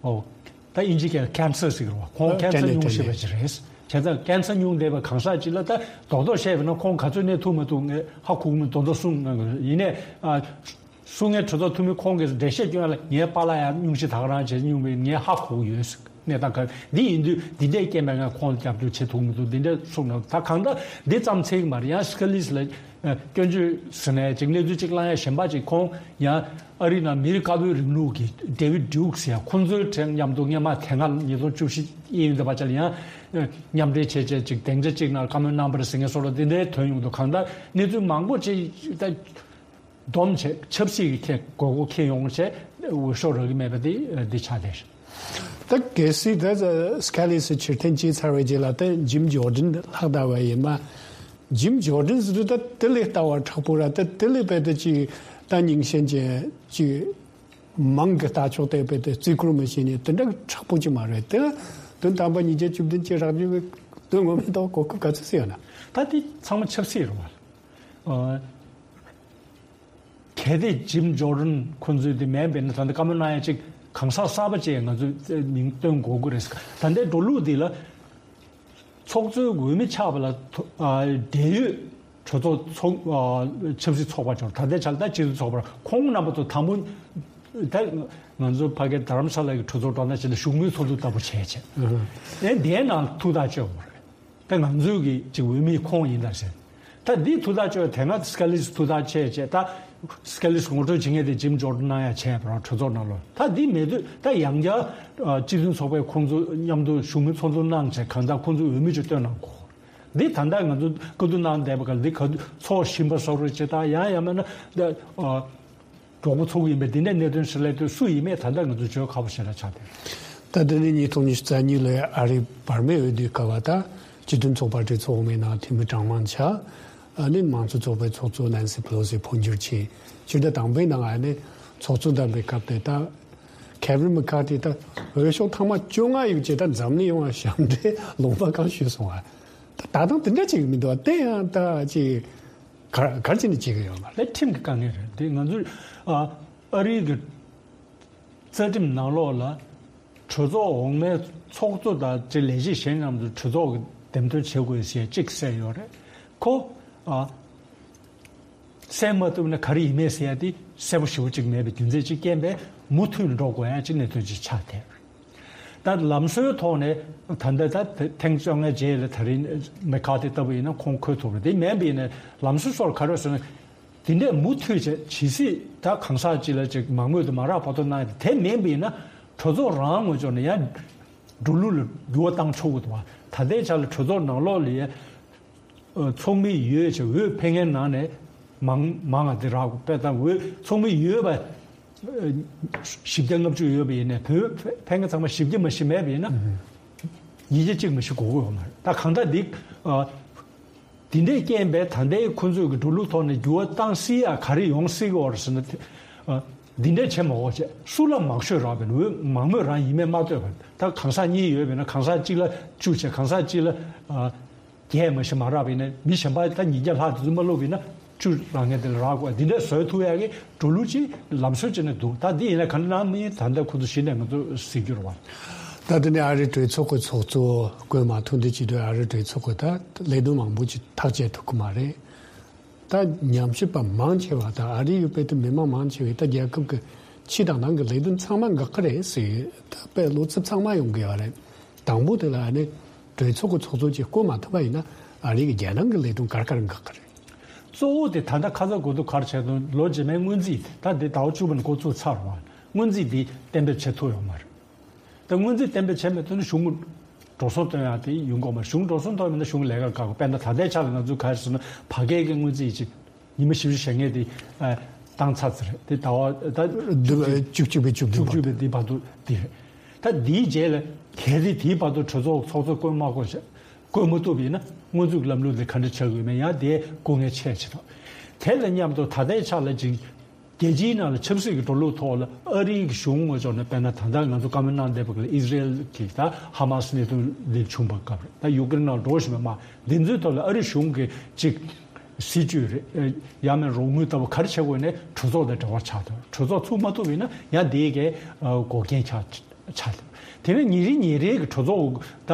ཨོ། ད་དབྱིན་ཇི་སྐད་ཀན་སར་ཟེར་གི་རེད་བ། ཁོང་ཨ་ཀན་སར་སྐྲན་ནད་ཉུང་ཤེས་པ་ཅིག་རེད། བྱས་ཙང་ཀན་སར་ཉུང་བསྡད་པའི་གང་ཟག་ཅིག་ལ་ད་རྡོག་རྡོག་བཤད་པ་ན་ཁོང་ག་ཚོད་གནས་ཐུབ་མ་ཐུབ་ངས་ཧ་གོ་གི་མི་མདོག་མདོག་གསུང་གནང་གི་རེད། ཡིན་ནའི་ཨ། གསུང་མཁན་གྲོས་ཚོགས་འཐུས་མི་ཁོང་གིས་འགྲེལ་བཤད་སྐྱོན་ལ་ངའི་པཱ་ལགས་ཡང་སྙུང་གཞི་ད་ག་རང་བྱས་སྙུང་བས་ངས་ཧ་གོ་གི་ཡོད་ཟེར། གནས་སྟངས་ག་འདི་ཡིན་དུས་འདི་འདྲའི་རྐྱེན་པས་ང་ཁོང་ལ་རྒྱབ་སྐྱོར་བྱེད་ཐུབ་མི་འདུག་འདི་འདྲ་གསུང་གནང་། ད་གང་ལྟར་འདི་ཙམ་ཚིག་མ་རེད། ཡང་སི་ཀ་ལིས་ལ་སྐྱོན་བརྗོད་ཟེར་ནས་ཅིག་གནས་ཚུལ་ཅིག་བླང་ཡ་གཞན་པ་ཅིག་ཁོང་ཡང་ཨ་རི་ནང་མི་རིགས་དཀར་པོའི་རིང་ལུགས་ཀྱི་ཌེ་ཝིཌ་ཌིའུག་ཟེར་ཡ་ཁོང་ཚོའི་གྲས་མཉམ་དུ་སྔོན་མ་དེ་སྔ་ཉིས་སྟོང་བཅུ་བཞི་དབྱིན་ཡུལ་འདི་པ་ཅག་ལ་ཡང་མཉམ་འབྲེལ་བྱས་བྱས་ཅིག་སྡིངས་ཆ་གཅིག་ནང་བཀའ་མོལ་གནང་བ་རེད་ཟེར་མཁན་སོགས་ལ་འདི་འདྲའི་ཐོན་ཡོང་འདུག་གང་ལྟར་གནས་ཚུལ་མང་པོ་ཅིག་ད་སྡོམ་བྱས་ཆབ་སྲིད་ཀྱི་ཁྱེད་དགོས་མཁོ་ཁྱེད་ཡོང་བྱས་འོས་ཤོག་རག་གི་མེད་པ་དེ་འདི་ཆགས་བསྡད་ཤག་ད་གལ་སྲིད་ད་སི་ཀ་ལིས་ཕྱིར་འཐེན་བྱས་ཚར་བའི་རྗེས་ལ་ད་ཇིམ་ཇོར་ཌན་ལྷག་བསྡད་པ་ཡིན་པ། ཇིམ་ཇོར་ཌན་ཟེར་དུས་ད་དེ་ལས་ལྟ་བ་མཁྲེགས་པོ་ར་ད་དེ་ལས་དཔེ་ད་ཅིག་ད་རྙིང་ཞེན་ཅན་ཅིག་མང་གི་ལྟ་ཕྱོགས་དེ་དཔེ་ད་བརྩི་བཀུར་མི་བྱེད་ནས་དེ་འདྲ་མཁྲེགས་པོ་ཅིག་མ་རེད། དེ་ལ་དོན་དམ་པ་ཉིས་བརྒྱ་བཅུ་བདུན་ཅིག་རག་རྒྱུ་གི་དོན་ངོ་མ་ད་གོ་སྐབས་ག་ཚོད་ཟེར་ཡོད་ན། ད་དེ་ཚང་མ་ཆབ་སྲིད་རེད་བ། ཨ། གལ་ཏེ་ཇིམ་ཇོར་ཌན་ཁོང་ཚོས་དེ་མིན་པས་ན་ད་ལྟ་བཀའ་མོལ་གནང་ཡ་ཅིག་གང་ཟག་གསར་པ་ཅིག་ང་ཚོས་མིང་བཏོན་དགོས་ཀྱི་རེད། ད་ལྟའི་འགྲོ་ལུགས་འདི་ལ་ཚོགས་གཙོའི་འོས་མི་ཆགས་པ་ལ་ཐོ་ཨ་འབྲེལ་ཡོད་གྲོས་ཚོགས་ཚོགས་ཨ་ཆབ་སྲིད་ཚོགས་པ་ཚོར་ད་ལྟའི་ཆ་ལ་ད་སྤྱི་མཐུན་ཚོགས་པར་ཁོང་རྣམ་པ་ཚོ་དང་པོ་ད་ང་ཚོ་ཕ་གི་དྷ་རམ་ས་ལ་གི་གྲོས་ཚོགས་འགྲོ་ན་ཅིག་ལ་བཞུགས་མོལ་ཚོགས་འདུ་ལྟ་བུ་བྱས་བྱས་ཨེ་འདིའི་ནང་ཐུགས་ཐག་གཅོད་དགོས་རེད། ད་ང་ཚོའི་གི་ཅིག་འོས་མི་ཁོང་ཡིན་ད་ཟེར། ད་འདི་ཐུགས་ཐག་གཅོད་དེ་སྔ་སི་ཀ་ལིས་ཐུགས་ཐག་བཅད་བྱས་ད་སི་ཀ་ལིས་ངོ་སྤྲོད་བྱེད་མཁན་དེ་ཇིམ་ཇོར་ཌན་གནང་ཡ་བྱས་པ་རང་གྲོས་ཚོགས་ནང་ལོགས་ད་འདི་མེད་དུས་ད་ཡང་བསྐྱར་སྤྱི་མཐུན་ཚོགས་པའི་ཁོང་ཚོ་མཉམ་དུ་བཞུགས་མོལ་ཚོགས་འདུ་གནང་བྱས་གང་ལྟར་ཁོང་ཚོའི་འོས་མི་ཅིག་བཏོན་གནང་དགོས། འདི་ད་ལྟ་ང་ཚོ་བཀའ་བསྡུར་གནང་བསྡད་པ་ག་འདི་ག་ཚོགས་བཞིན་པ་སོགས་རེད་ཅེས་ད་ཡང་ཡང་མིན་ན་འདི་གྲོགས་པོ་ཚོགས་ཡིན་པས་འདི་འདྲའི་གནད་དོན་ཞིག་སླེབས་དུས་སུ་ཡིན་མེད་ད་ལྟ་ང་ཚོ་བརྗོད་ཁག་པོ་ཞེ་དྲག་ཆགས་ཏེ། ད་དེ་ནི་ཉིས་སྟོང་ཉི་ཤུ་རྩ་གཉིས་ལོའི་ཨ་རིའི་བར་མའི་འོས་བསྡུའི་སྐབས་ད་སྤྱི་མཐུན་ཚོགས་པ་གྲོས་ཚོགས་འོག་མའི་ནང་འཐུས་མི་གྲངས་མང་ཆགས། ཨ་ནི་མང་གཙོ་ཚོགས་པའི་ཚོགས་གཙོ་ནན་སི་པེ་ལོ་སི་འཕོ་འགྱུར་བྱས། སྤྱི་ཟླ་དང་པོའི་ནང་ཨ་ནི་ཚོགས་གཙོ་བདམས་པའི་སྐབས་དེ་ད་ཁེ་བྷིན་མེ་ཁ་ཐི་ད་འོས་ཤོག་ཐེངས་མ་བཅོ་ལྔ་ཡོད་ཅེ་ད་འཛམ་གླིང་ཡོངས་ཞབས་འདྲེན་ལུང་པ་གང་ཞུས་སོང་བ། ད་ད་དུང་དེ་འདྲ་ཅིག་མི་འདུག་བ། དེ་ཡང་ད་ཅིག་གར་གར་ཅི་ནས་བྱེད་ཀྱི་ཡོད་མ་རེད། ལས་ཁྲིམས་ཀྱི་དཀའ་ངལ་རེད། དེ་ང་ཚོས་ཨ་ཨ་རིའི་གི་རྩ་ཁྲིམས་ནང་ལོགས་ལ་གྲོས་ཚོགས་འོག་མའི་ཚོགས་གཙོ་དང་ཅིག་ལས་བྱེད་གཞན་རྣམས་ཚོ་གྲོས་ཚོགས་ཀྱི་འདེམས་ཐོན་བྱེད་དགོས་ཞེས་གཅིག་གསལ་ཡོད་རེད། ཁོ་ཨ་གསལ་མ་ཐུབ་ན་ག་རེ་ཡིན་མེད་ཟེར་ཡ་དེ་གསལ་པོ་ཞེ་པོ་གཅིག་མེད་པའི་རྒྱུ་མཚན་གཅིག་རྐྱེན་པས་མུ་མཐུད་འགྲོ་དགོས་ཡ་གཅིག་གནད་དོན་གཅིག་ཆགས་བསྡད་རེད། ད་ལམ་སྲོལ་ཐོག་ནས་ད་ལྟ་ད་ཐེངས་བཅོ་ལྔའི་རྗེས་ལ་ད་རིང་མེ་ཁ་ཐི་ལྟ་བུ་ཡིན་ན་ཁོང་འཁོད་ཐུབ་རེད། དེ་མིན་པ་ཡིན་ན་ལམ་སྲོལ་སོགས་ག་རེ་ཟེར་ན། དེ་འདྲས་མུ་མཐུད་བྱས་ཇི་སྲིད་ད་གང་ཟག་གཅིག་ལ་ཅིག་མང་མོས་དང་མ་རག་བར་དུ་གནང་ཡ་དེ་མིན་པ་ཡིན་ན་གྲོས་ཚོགས་རང་ངོས་ཕྱོགས་ནས་ཡང་འགྲོ་ལུགས་ལ་འགྱུར་བ་བཏང་ཆོག་གི་འདུག་བ། ད་ལྟའི་ཆ་ལ་གྲོས་ཚོགས་ནང་ལོགས་ལ་ཡ་ཚོགས་མི་ཡོད་ཅེས་འོས་འཕེན་མཁན་ནང་ནས་མང་མང་ང་དེ་རག་དཔེ་ད་འོས་ཚོགས་མི་ཡོད་པ་བཞི་བརྒྱ་ལྔ་བཅུ་ཡོད་པ་ཡིན་ནའི་བོད་འཕེན་མཁན་ཚང་མ་བཞི་བརྒྱ་མ་ཞིག་མེད་པ་ཡིན་ན་ཉིས་བརྒྱ་གཅིག་མ་ཞིག་དགོས་ཀྱི་ཡོད་མ་རེད། ད་གང་ལྟར་འདི་འདི་འདྲའི་རྐྱེན་པས་ད་ལྟའི་ཁོང་ཚོས་ཀྱི་འགྲོ་ལུགས་ཐོག་ནས་འགྱུར་བ་བཏང་སྲིད་ཡ་ག་རེ་ཡོང་སྲིད་ཀྱི་ཡོད་རེད་ཟེར་ན། འདི་འདྲ་བྱེད་མ་དགོས་བྱས་སུ་ལ་མང་ཤོས་རག་པའི་འོས་མང་མོས་རང་ཡིན་མེད་མ་ལྟོས་པར་ད་གང་ཟག་གཉིས་ཡོད་པས་ན་གང་ཟག་གཅིག་ལ་བཅུ་བྱས་གང་ཟག་གཅིག་ལ་བརྒྱད་མ་ཞིག་མ་རག་པས་ན་མི་གཞན་པ་ད་ཉིས་བརྒྱ་ལྷག་དེ་ཚོ་མ་བླུགས་པས་ན་བཅུ་རག་མཁན་དེ་ལ་རག་དགོས། འདི་འདྲ་བཟོས་ཐུབ་ཡ་གི་འགྲོ་ལུགས་ཅིག་ལམ་སྲོལ་ཅིག་ནས་འདུག་ད་འདི་ཡིན་ན་ག་འདྲ་ནང་མི་ད་ལྟ་ཁོ་ཚོ་གཞི་ནས་ང་ཚོ་གཟིགས་རྒྱུ་རེད་བ། ད་དེ་ནས་ཨ་རིའི་གྲོས་ཚོགས་ཀྱི་ཚོགས་གཙོ་བསྐོས་མ་ཐུབ་འདི་བྱེད་དུས་ཨ་རིའི་གྲོས་ཚོགས་ཀྱི་ད་ལས་དོན་མང་པོ་ཅིག་ཐག་བཅད་ཐུབ་ཀྱི་མ་རེད། ད་ཉམས་ཞིབ་པ་མང་ཆེ་བ་དང་ཨ་རི་ཡོད་པའི་དུ་མི་མང་མང་ཆེ་བས་ད་རྒྱལ་ཁབ་ཀྱི་ཕྱི་དང་ནང་གི་ལས་དོན་ཚང་མ་འགག་གི་རེད་ཟེར། ད་དཔེ་བློ་འཚབ་ཚང་མ་ཡོང་གི་ཡོད་རེད། དང་པོ་དེ་ལ་ཨ་ནི་གྲོས་ཚོགས་ཀྱི་ཚོགས་གཙོ་ཅིག་བསྐོ་མ་ཐུབ་པ་ཡིན་ན་ཨ་རི་གི་རྒྱལ་ནང་གི་ལས་དོན་ག་རེ་ག་རེ་འགག་གི་རེད། གཙོ་བོ་དེ་ད་ལྟ་ཁ་ཚ་དགོས་གཏུག་ག་རེ་བྱས་དང་ལོ་རྗེས་མའི་སྔོན་རྩིས་ད་དེ་ཟླ་བ་བཅུ་པ་ནས་འགོ་བཙུགས་ཚར་བ། སྔོན་རྩིས་དེ་གཏན་འབེབས་བྱེད་ཐུབ་ཡོད་མ་རེད། ད་སྔོན་རྩིས་གཏན་འབེབས་བྱས་མེད་དུས་ནི་གཞུང་འགྲོ་སོང་བཏོན་ཡག་དེ་ཡོང་གི་མ་རེད། གཞུང་འགྲོ་སོང་བཏོན་མེད་ན་གཞུང་ལས་ཀ་བཀག་དགོས། དཔེར་ན་ད་ལྟའི་ཆ་ལ་ང་ཚོས་ག་རེ་ཟེར་ན་བར་བརྒལ་གྱི་སྔོན་རྩིས་ཅིག་ཉི་མ་བཞི་བཅུ་ཞེ་ལྔ་དེ་བཏང་ཚར་ཚར་རེད། དེ་ཟླ་བ་ད་བཅུ་གཅིག་པའི་བཅུ་བདུན་བཅུ་བཅུ་པའི་དེ་བར་དུ་དེ་རེད། ད་དེའི་རྗེས་ལ་གལ་སྲིད་དེའི་བར་དུ་གྲོས་ཚོགས་ཚོགས་གཙོ་བསྐོ་མ་དགོས་ཤག་བསྐོ་མ་ཐུབ་པ་ཡིན་ན་སྔོན་རྩིས་ཀྱི་ལམ་ལུགས་དེ་ག་འདྲ་ཆགས་ཀྱི་ཡོད་མེད་ཡང་དེ་སྐུ་ངལ་ཆེ་ཆེ་དང་། དེ་ལ་མཉམ་དུ་ད་ལྟའི་ཆ་ལ་ཅིག་རྒྱལ་སྤྱིའི་ནང་ལ་ཆབ་སྲིད་ཀྱི་འགྲོ་ལུགས་ཐོག་ལ་ཨ་རིའི་གཞུང་ངོས་ཕྱོགས་ནས་དཔེར་ན་ད་ལྟ་ང་ཚོ་བཀའ་མོལ་གནང་བསྡད་པ་ལ་ཨི་ཟི་རེལ་གྱི་ད་ཧ་མ་སི་གནད་དོན་འདི་བྱུང་བ་སྐབས་རེད། ད་ཡུ་ཀེ་རེན་ནང་འགྲོ་བཞིན་པ་མ་འདི་ཚོའི་ཐོག་ལ་ཨ་རི་གཞུང་གི་ཅིག་སྲིད་ཇུས་རེད། ཡང་མིན་རོགས་དངུལ་ལྟ་བུ་ག་རེ་བྱེད་དགོས་ནས་གྲོས་ཚོགས་དང་འབྲེལ་བ་ཆགས་ཐུབ། གྲོས་ཚོགས་ཚུགས་མ་ཐུབ་པ་ཡིན་ན་ཡང་དེའི་གའི་འགོག་རྐྱེན་ཆགས་ཆགས་ཐུབ། དེ་ནས་ཉིན་རེ་ཉིན་རེའི་གི་གྲོས་ཚོགས་ད་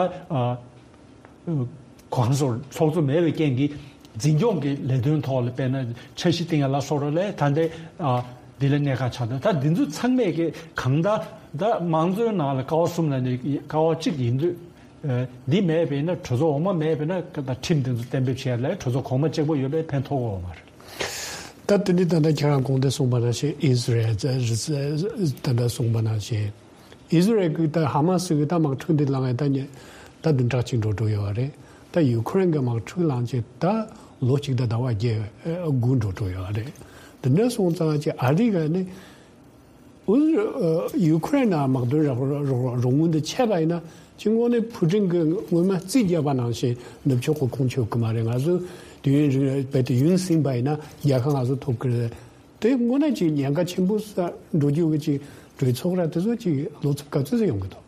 གང་སོར་ཚོགས་གཙོ་མེད་པའི་རྐྱེན་གྱིས་འཛིན་སྐྱོང་གི་ལས་དོན་ཐོག་ལ་དཔེར་ན་འཆར་གཞི་བཏིང་ཡ་ལ་སོགས་ར་ལས་ད་ལྟའི་འདི་ལ་གནད་འགག་ཆགས་འདུག་ད་འདི་ཚོ་ཚང་མས་ཀྱི་གང་ལྟར་ད་དམངས་གཙོའི་ནང་ལ་ཀ་བ་གསུམ་ལ་ནི་ཀ་བ་གཅིག་ཡིན་དུས་འདི་མེད་པས་ན་གྲོས་ཚོགས་འོག་མ་མེད་པས་ན་ད་ཁྲིམས་འདི་ཚོ་གཏན་འབེབས་བྱས་ལས་གྲོས་ཚོགས་གོང་མ་གཅིག་པོ་ཡོད་པས་ཕན་ཐོགས་ཀྱི་ཡོད་མ་རེད། ད་དེ་ནི་ད་ལྟ་ཁྱེད་རང་གོང་དུ་གསུངས་པ་ནང་བཞིན་ཨི་ཟི་རལ་ད་ལྟ་གསུངས་པ་ནང་བཞིན། ཨི་ཟི་རལ་གྱི་ད་ཧ་མ་སི་གི་ད་དམག་འཁྲུག་འདི་ལངས་ཡ་ད་ཉེ་ད་བདུན་ཕྲག་གཅིག་འགྲོ་འགྲོ་ཡོད་རེད། ད་ཡུ་ཁུ་རེན་གྱི་དམག་འཁྲུག་ལངས་རྗེས་ད་ལོ་གཅིག་དང་ཟླ་བ་བརྒྱད་དགུ་འགྲོ་འགྲོ་ཡོད་རེད། འདི་འདྲ་སོང་ཙང་ཅི་ཨ་རི་ག་ནི་ཨུ་ཡུ་ཁུ་རེན་ནང་དམག་དོན་རོགས་རོགས་རོགས་དངུལ་འདི་ཆད་པ་ཡིན་ན་ཅི་དངོས་གནས་ཕུ་ཀྲིན་གྱི་སྔོན་མ་རྩིས་བརྒྱབ་པ་ནང་བཞིན་ནུབ་ཕྱོགས་ཀྱི་ཁོངས་ཆོད་ཀྱི་མ་རེད། ང་ཚོ་དུས་ཡུན་རིང་རྦད་དེ་ཡུན་ཟིན་པ་ཡིན་ན་རྒྱལ་ཁ་ང་ཚོ་ཐོབ་ཀྱི་རེད། དེ་དངོས་གནས་ཀྱི་ཉེན་ཁ་ཆེན་པོ་ས་འགྲོ་རྒྱུ་གི་ཅིག་གྲོས་ཚོགས་ར་དེ་ཚོ་ཅིག་བློ་འཚབ་ག་ཚོད་ཙམ་ཡོང་གི་འདུག་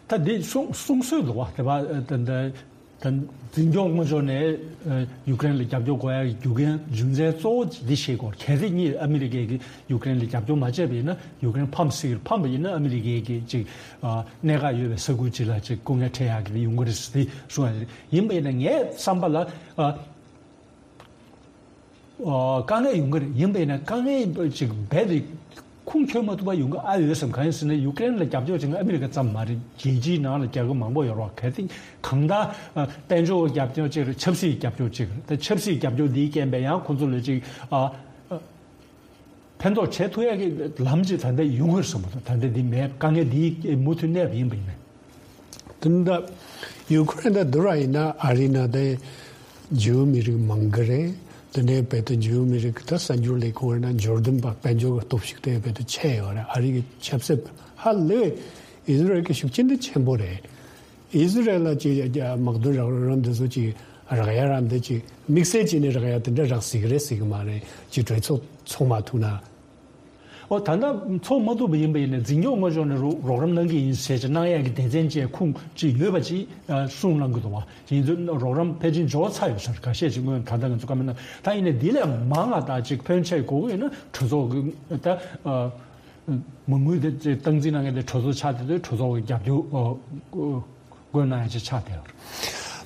ད་འདི་གསུང་གསུང་སྲོལ་འདུག་བ། དེ་བ་ད་ད་ད་འཛིན་སྐྱོང་དངོས་ཕྱོགས་ནས་ཡུ་ཀེ་རེན་ལ་རྒྱབ་སྐྱོར་དགོས་ཡ་གི་རྒྱུ་རྐྱེན་རྒྱུ་མཚན་གཙོ་བོ་འདི་ཤེས་དགོས། གལ་སྲིད་གཉིས་ཨ་མི་རི་ཀས་ཀྱི་ཡུ་ཀེ་རེན་ལ་རྒྱབ་སྐྱོར་མ་བྱས་པ་ཡིན་ན་ཡུ་ཀེ་རེན་ཕམ་སྲིད་ཀྱི་རེད། ཕམ་པ་ཡིན་ན་ཨ་མི་རི་ཀས་ཀྱི་ཅིག་གནད་འགག་ཡོད་པའི་ས་ཁུལ་ཅིག་ལ་ཅིག་སྐུ་ངལ་འཕྲད་ཡག་གི་ཡོང་གི་རེད་ཟེར་ཏེ་གསུངས་ཡ་རེད། ཡིན་པ་ཡིན་ན་ངའི་བསམ་པ་ལ་དཀའ་ངལ་ཡོང་གི་རེད། ཡིན་པས་ན་དཀའ་ངལ་ཅིག་རྦད་དེ་ཁུངས་འཁྱོལ་མ་ཐུབ་པ་ཡོང་གི་ཨ་ཡོད་བསམ། གང་ཡིན་ཟེར་ན་ཡུ་ཀེ་རེན་ལ་རྒྱབ་སྐྱོར་བྱེད་མཁན་ཨ་མི་རི་ཀ་ཙམ་མ་རེད། རྒྱལ་སྤྱིའི་ནང་ལ་རྒྱལ་ཁབ་མང་པོ་ཡོད་རེད། གལ་སྲིད་གང་ལྟར་དཔལ་འབྱོར་རྒྱབ་སྐྱོར་གཅིག་རེད། ཆབ་སྲིད་རྒྱབ་སྐྱོར་གཅིག་རེད། ད་ཆབ་སྲིད་རྒྱབ་སྐྱོར་འདིའི་རྐྱེན་པས་ཡང་ཁོང་ཚོ་ལ་ཅིག་ཨ་ཨ་ཕན་ཐོགས་བྱེད་ཐུབ་ཡ་གི་ལམ་ཅིག་ད་ལྟ་ཡོང་གི་རེད་བསམ་གི་འདུག་ད་ལྟ་འདི་མེད། དཀའ་ངལ་འདི་མུ་མཐུད་གནས་པ་ཡིན་པ་ཡིན་ན། དེ་འདྲ་ཡུ་ཁུ་རེན་དང་བསྡུར་བ་ཡིན་ན་ཨ་རི་ནང་དེ་འཇིའུ་མི་རིགས་མང་གི་རེད། དེ་ནས་བལ་དུ་འཇིའུ་མི་རིགས་ད་གསར་འགྱུར་ལས་ཁུངས་རེད་ན་འབྱོར་ལྡན་པ་དཔལ་འབྱོར་གྱི་སྟོབས་ཤུགས་དེ་བལ་དུ་ཆེ་ཡོད་རེད། ཨ་རི་གི་ཆབ་སྲིད་ཧ་ལས་ཨི་ཟི་རལ་གྱི་ཤུགས་རྐྱེན་དེ་ཆེན་པོ་རེད། ཨི་ཟི་རལ་ལ་ཅིག་དམག་དོན་རོགས་རམ་འདི་ཚོ་ཅིག་ རག་ཡ་རག་འདི་ཅིག་དམིགས་བསལ་བྱས་ནས་རག་ཡ་དེ་འདྲ་རག་སྲིད་ཀྱི་རེད་ཟེར་གི་མ་རེད། ཅིག་གྲོས་ཚོགས་ཚོགས་མ་ཐུབ་ན། ཨོ་ད་ལྟ་ཚོགས་མ་ཐུབ་པ་ཡིན་པ་ཡིན་ན་འཛིན་སྐྱོང་ངོས་ཕྱོགས་ནས་རོགས་རོགས་རམ་གནང་གི་ཡིན་ཟེར་ཅིག་གནང་ཡ་གི་སྡེ་ཚན་ཅིག་ཁུངས་ཅིག་ཡོད་པ་ཅིག་གསུངས་གནང་གི་འདུག་བ། ཡིན་ཚུལ་རོགས་རམ་ཕལ་ཆེར་འབྱོར་ཚར་ཡོད་ཟེར། ཁ་ཤས་ཅིག་སྔོན་ད་ལྟ་ང་ཚོ་བཀའ་མོལ་གནང་། ད་ཡིན་ནའི་འདི་ལས་མང་ང་ད་ཅིག་ཕོན་ཆེ་དགོས་ཀྱི་ཡིན་ན་གྲོས་ཚོགས་ཀྱི་ད་མ་དངུལ་དེ་ཅིག་སྟངས་འཛིན་གནང་མཁན་དེ་གྲོས་ཚོགས་ཆགས་བསྡད་དུས་གྲོས་ཚོགས་ཀྱི་རྒྱབ་སྐྱོར་དགོས་གནང་ཡ་ཅིག་ཆགས་བསྡད་ཡོད།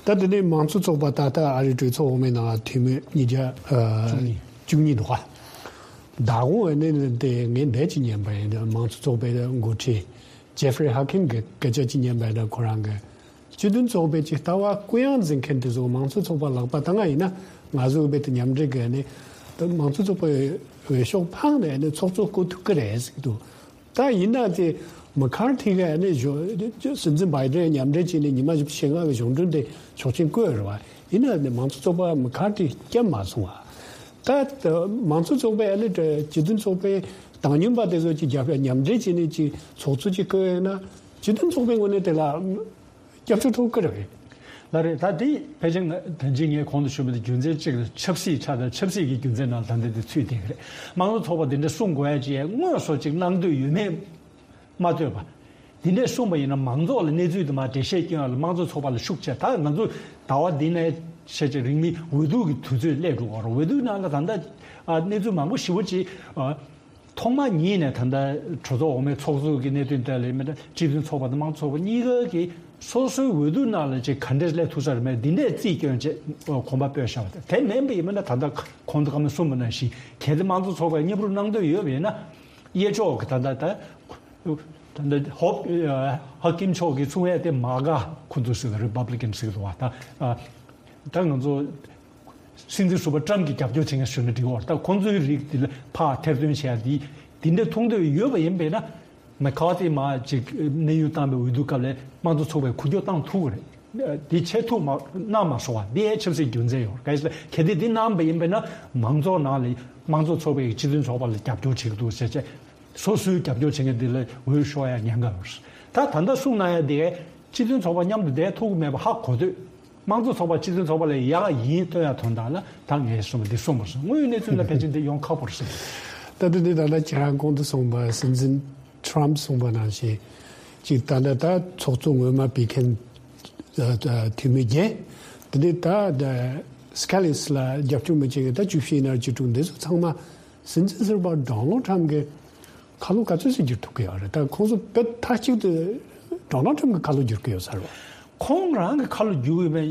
ད་དེ་ནས་མང་གཙོ་ཚོགས་པ་ད་ལྟ་ཨ་རིའི་གྲོས་ཚོགས་འོག་མའི་ནང་འཐུས་མི་ཉིས་བརྒྱ་བཅུ་གཉིས་འདུག་ག། ད་དགོང་ཨ་ནི་དེ་ངས་འདས་ཅིག་ཉན་པ་ཡིན། མང་གཙོ་ཚོགས་པའི་འགོ་ཁྲིད་ཇེ་ཧྥ་རི་ཧ་ཁིམ་གྱི་སྐད་ཆ་ཅིག་ཉན་པ་ཡིན། ཁོ་རང་གི་སྤྱི་མཐུན་ཚོགས་པའི་ཅིག་ལྟ་བ་གུ་ཡངས་འཛིན་མཁན་དེ་ཚོ་མང་གཙོ་ཚོགས་པ་ལག་པ་བཏང་ང་ཡིན་ན་ང་ཚོ་བོད་དུ་མཉམ་འབྲེལ་གྱི་ནི་ད་མང་གཙོ་ཚོགས་པའི་འོས་ཤོག་འཕངས་ནས་ནི་ཚོགས་གཙོ་བསྐོ་ཐུབ་ཀྱི་རེད་ཟེར་གྱི་འདུག། ད་ཡིན་ན་དེ་མ་ཁར་ཐི་ག་ནི་གཞུང་སྲིད་འཛིན་བྷའི་ཌེན་མཉམ་འབྲེལ་བྱས་ནས་ཉི་མ་བཞི་བཅུ་ཞེ་ལྔ་གི་གཞུང་འབྲེལ་དེ་ཆོག་མཆན་བཀོད་རེད་བ། ཡིན་ན་ནི་མང་གཙོ་ཚོགས་པ་མ་ཁར་ཐི་སྐྱབས་མ་སོང་བ། ད་མང་གཙོ་ཚོགས་པའི་ཨ་ནི་སྤྱི་མཐུན་ཚོགས་པའི་དང་མཉམ་པ་དེ་ཚོ་ཅིག་རྒྱབ་མཉམ་འབྲེལ་བྱས་ནས་ཅིག་ཚོགས་གཙོ་ཅིག་བསྐོས་ཡོད་ན་སྤྱི་མཐུན་ཚོགས་པའི་ངོས་ནས་དེ་ལ་སྐྱབས་བཅོལ་ཐོབ་ཀྱི་རེད། ལགས་རེད། ད་དེ་ཕལ་ཆེར་ང་ད་ཅི་ངས་གོང་དུ་ཞུས་པ་དེ་རྒྱུ་མཚན་གཅིག་ལ་ཆབ་སྲིད་ཆགས་དང་ཆབ་སྲིད་ཀྱི་རྒྱུ་མཚན་ནང་ད་ལྟ་དེ་ཚུད་བསྡད་ཀྱི་རེད། མང་གཙོ་ཚོགས་པ་དེ་འདྲ་གསུང་དགོས་ཡ་ཅིག་དངོས་སུ་ཅིག་གནང་འདོད་ཡོད་མེད་མ་ལྟོས་པ། དེ་འདྲས་གསུངས་པ་ཡིན་ན་མང་ཚོགས་ལ་གནས་ཚུལ་དུ་མ་འགྲེལ་བཤད་སྐྱོན་ཡ་ལ་དམངས་གཙོ་ཚོགས་པ་ལ་ཤུགས་ཆེ། ད་ང་ཚོ་ཟླ་བ་འདི་ནས་ཤེས་ཆེ་རིང་མིན་འོས་བསྡུ་གི་དུས་ཚོད་སླེབས་འགྲོ་གི་རེད། འོས་བསྡུ་ནང་ལ་ད་ལྟ་ཨ་གནས་ཚུལ་མང་པོ་ཞེ་པོ་ཅིག་ཨ་ཐོག་མ་ཉིད་ནས་ད་ལྟ་གྲོས་ཚོགས་འོག་མའི་ཚོགས་གཙོ་གི་གནད་དོན་ཐད་ལ་མི་འདྲ་སྤྱི་མཐུན་ཚོགས་པ་དང་དམངས་གཙོ་ཚོགས་པ་གཉིས་ཀ་གི་སོ་སོའི་འོས་བསྡུ་ནང་ལ་ཅིག་ག་འདྲས་སླེབས་ཐུབ་ས་རེད་མེད་འདི་འདྲས་རྩིས་སྐྱོན་བྱས་གོམ་པ་སྤོས་བཞག་པ་དེ་མིན་པ་ཡིན་མིན་ན་ད་ལྟ་གོང་དུ་བཀའ་མོལ་གསུངས་པ་ནང་བཞིན་གལ་ཏེ་དམངས་གཙོ་ཚོགས་པས་མཉམ་རུབ་གནང་འདོད་ཡོད་པ་ཡིན་ན། གཡས་ཕྱོགས་ཀྱི་ད་ལྟ་ད་ད་ལྟ་ཧོབ་ཧ་ཀིམ་མཆོག་གིས་གསུང་ཡས་དེ་མ་ག་ཁོ་ཚོ་ཟེར་རི་པབ་ལི་ཀན་ཟེར་གི་འདུག་བ། ད་ད་ང་ཚོ་སྲིད་འཛིན་ཟུར་པ་ཏྲམ་གྱིས་རྒྱབ་སྐྱོར་བྱེད་མཁན་ཞུ་ན་འགྲིག་གི་རེད། ད་ཁོ་ཚོའི་རིགས་དེ་ལ་ཕར་ཐེར་འདོན་བྱས་ཡ་དེ་དེ་འདྲ་མཐོང་འདོད་ཡོད་པ་ཡིན་པས་ན་མ་ཁ་དེ་མ་ཅིག་གནས་དབྱུང་བཏང་བའི་འོས་བསྡུ་སྐབས་ལ་དམངས་གཙོ་ཚོགས་པས་འགུལ་སྐྱོད་བཏང་ཐུབ་ཀྱི་རེད། འདི་ཆེད་ཐུག་མ་གནང་མ་སོང་བ་འདི་ཡའི་ཆབ་སྲིད་རྒྱུ་མཚན་ཡོད་རེད། གལ་ཏེ་འདི་གནང་བ་ཡིན་པས་ན་མང་ཚོགས་ནང་ལ་དམངས་གཙོ་ཚོགས་པའི་སྤྱི་མཐུན་ཚོགས་པ་ལ་རྒྱབ་སྐྱོར་བྱེད་ཀྱི་འདུག་ཟེར་བྱས་སོ་སོའི་རྒྱབ་སྐྱོར་བྱེད་མཁན་འདི་ལ་འོས་ཤོར་ཡ་ཉེན་ཁ་ཡོད་རེད། ད་ད་ལྟ་གསུངས་གནང་ཡ་འདི་གས་སྤྱི་མཐུན་ཚོགས་པ་མཉམ་དུ་བསྡད་ཐུབ་ཀྱི་མེད་པ་ཧ་གོ་དུས་དམངས་གཙོ་ཚོགས་པ་སྤྱི་མཐུན་ཚོགས་པ་ལ་ཡག་ཡིན་སྟོན་ཡ་དོན་དག་ལ་ད་ངས་གསུངས་པ་འདི་གསུངས་པ་རེད། དངོས་ཡོད་གནས་ཚུལ་ལ་ཕལ་ཆེར་འདི་ཡོང་ཁག་པོ་རེད། ད་ལྟ་འདི་ད་ལྟ་ཁྱེད་རང་གོང་དུ་གསུངས་པ་སྲིད་འཛིན་ཁྲམ་གསུངས་པ་ནང་བཞིན་ཅིག་ད་ལྟ་ད་ཚོགས་གཙོ་སྔོན་མ་བེད་མཁན་འཐུས་མི་བརྒྱད། དེ་ནས་ད་སྐེ་ལིས་ལ་རྒྱབ་སྐྱོར་མི་བྱེད་མཁན་ད་བཅུ་བཞི་ཡིན་ན་བཅུ་དྲུག་འདི་ཚོ་ཚང་མ་སྲིད་འཛིན་ཟུར་པ་ཌོ་ནལ་ཁྲམ་གྱི་ཁ་ལོ་ག་ཚོད་ཙམ་བསྒྱུར་ཐུབ་ཀྱི་ཡོད་རེད། ད་ཁོང་ཚོ་བོད་མཐའ་གཅིག་ཏུ་ཌོ་ནལ་ཁྲམ་གྱི་ཁ་ལོ་བསྒྱུར་གྱི་ཡོད་ས་རེད། ཁོང་རང་གི་ཁ་ལོ་བསྒྱུར་ཡོད་པའི་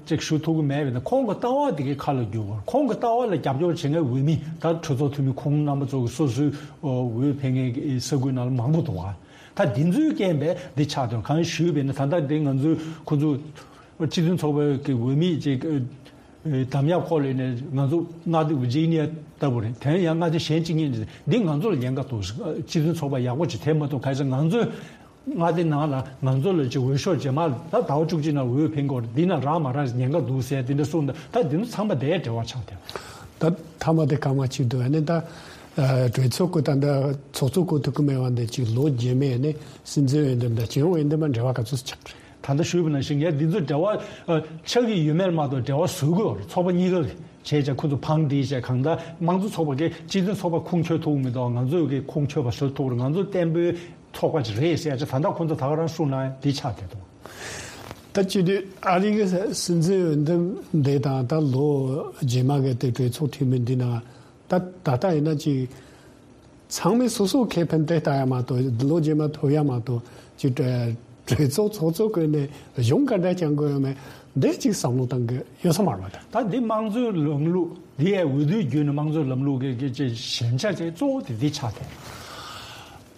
ཅིག་ཞུ་ཐུབ་ཀྱི་མེད་པས་ན་ཁོང་གི་ལྟ་བ་དེ་གའི་ཁ་ལོ་བསྒྱུར་དགོས། ཁོང་གི་ལྟ་བ་ལ་རྒྱབ་སྐྱོར་བྱེད་མཁན་འོས་མི་ད་གྲོས་ཚོགས་འཐུས་མི་ཁོང་རྣམ་པ་ཚོ་གི་སོ་སོའི་འོས་འཕེན་མཁན་གྱི་ས་ཁུལ་ནང་ལ་མང་པོ་འདུག་ག། ད་དེ་ཚོའི་རྐྱེན་པས་འདི་ཆགས་དོན་གང་ཞུས་པས་ན་ད་ལྟ་འདི་ང་ཚོའི་ཁོ་ཚོ་སྤྱི་མཐུན་ཚོགས་པའི་གི་འོས་མི་ཅིག་འདམ་ཡག་ཁོ་ལས་ནས་ང་ཚོ་མངའ་སྡེ་ཝི་ཇི་ནི་ཡ་ལྟ་བུ་རེད། དེ་ཡང་མངའ་སྡེ་གཞན་གཅིག་གཉིས་འདི་ང་ཚོ་ལ་ཉེན་ཁ་འདུག། སྤྱི་མཐུན་ཚོགས་པ་ཡག་པོ་ཅིག་དེ་མ་གཏོགས་ག་ས་ང་ཚོས་མངའ་སྡེ་ནང་ལ་ང་ཚོ་ལ་ཅིག་འོས་ཤོག་རྗེས་མ་ད་ཟླ་བ་བཅུ་གཅིག་ནང་འོས་འཕེན་དགོས་རེད། འདི་ན་རག་མ་རག་ཉེན་ཁ་འདུག་ཟེར་དེ་འདྲ་གསུངས་འདུག། ད་དེ་ཚོ་ཚང་མ་དེའི་འབྲེལ་བ་ཆགས་ཏེ། ད་མཐའ་མ་དེ་སྐར་མ་གཅིག་འདུག་ཨ་ནི་ད་གྲོས་ཚོགས་ཀྱི་ད་ད་ཚོགས་གཙོ་བསྐོ་ཐུབ་ཀྱི་མེད་པ་འདི་ཅིག་ལོ་རྗེས་མའི་ཨ་ནི་སྲིད་འཛིན་འོས་འདེམས་དང་རྒྱལ་ཡོངས་འོས་འདེམས་ལ་འབྲེལ་བ་ག་ཚོད་ཆགས་རེད། ད་ལྟ་ཞུས་པ་ནང་བཞིན་ངས་འདི་ཚོ་འབྲེལ་བ་ཆགས་ཀྱི་ཡོད་མེད་མ་གཏོགས་འབྲེལ་བ་བཟོ་དགོས་རེད། ཚོགས་པ་གཉིས་ཀ་གི་བྱས་བྱས་ཁོ་ཚོ་ཕངས་འདྲིས་བྱས་གང་ལྟར་དམངས་གཙོ་ཚོགས་པ་གིས་སྤྱི་མཐུན་ཚོགས་པ་ཁུངས་འཁྱོལ་ཐུབ་མི་འདུག། ང་ཚོས་ཀྱི་ཁུངས་འཁྱོལ་བ་བཟོ་ཐུབ་རེད། ང་ཚོ་བརྟན་པོའི་ཚོགས་པ་ཅིག་རེད་ཟེར་ཡ་ཅིག་ད་ལྟ་ཁོ་ཚོ་ད་ག་རང་གསུངས་ན་འདི་ཆགས་བསྡད་འདུག། ད་སྤྱི་འཐུས་ཨ་རི་གི་སྲིད་འཛིན་འོས་འདེམས་འདི་དང་ད་ལོ་རྗེས་མ་གི་དེ་གྲོས་ཚོགས་འཐུས་མི་འདི་ན་ད་ད་ལྟ་ཡིན་ན་ཅིག་ཚང་མས་སོ་སོ་ཁེ་ཕན་དེ་ལྟ་ཡ་མ་གཏོགས་ལོ་རྗེས་མ་ཐོབ་ཡ་མ་གཏོགས་ཅིག་གྲོས་ཚོགས་ཚོགས་གཙོ་བསྐོས་ནས་གཞུང་ག་འདྲ་བསྐྱང་དགོས་ཡོད་མེད་འདི་ཅིག་བསམ་བློ་བཏང་གི་ཡོད་ས་མ་རེད་པ། ད་འདི་དམངས་གཙོའི་ལམ་ལུགས་འདི་ཡའི་འོས་བསྡུའི་བརྒྱུད་ནས་དམངས་གཙོའི་ལམ་ལུགས་ཀྱི་ཀྱི་ཅིག་ཞན་ཆ་ཅིག་གཙོ་བོ་དེ་འདི་ཆགས་ཏེ།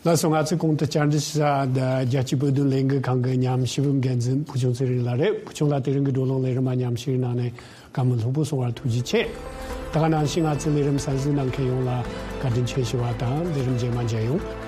ལགས་སོ། ང་ཚོའི་གོང་དུ་བཅར་འདྲི་ཞུ་ས་རྒྱལ་སྤྱིའི་བོད་དོན་ལས་འགུལ་ཁང་གི་ཉམས་ཞིབ་འགན་འཛིན་བུ་ཆུང་ཚེ་རིང་ལགས་རེད། བུ་ཆུང་ལགས་དེ་རིང་གི་བགྲོ་གླེང་ལས་རིམ་མ་ཉམས་ཞིབ་གནང་ནས་བཀའ་མོལ་ལྷུག་པོ་གསུང་བར་ཐུགས་རྗེ་ཆེ། ད་ག་ནང་བཞིན་ང་ཚོའི་ལས་རིམ་གསན་གཟིགས་གནང་མཁན་ཡོངས་ལ་བཀའ་དྲིན་ཆེ་ཞུ་བ་དང་ལས་རིམ་རྗེས་མ་མཇལ་ཡོང་།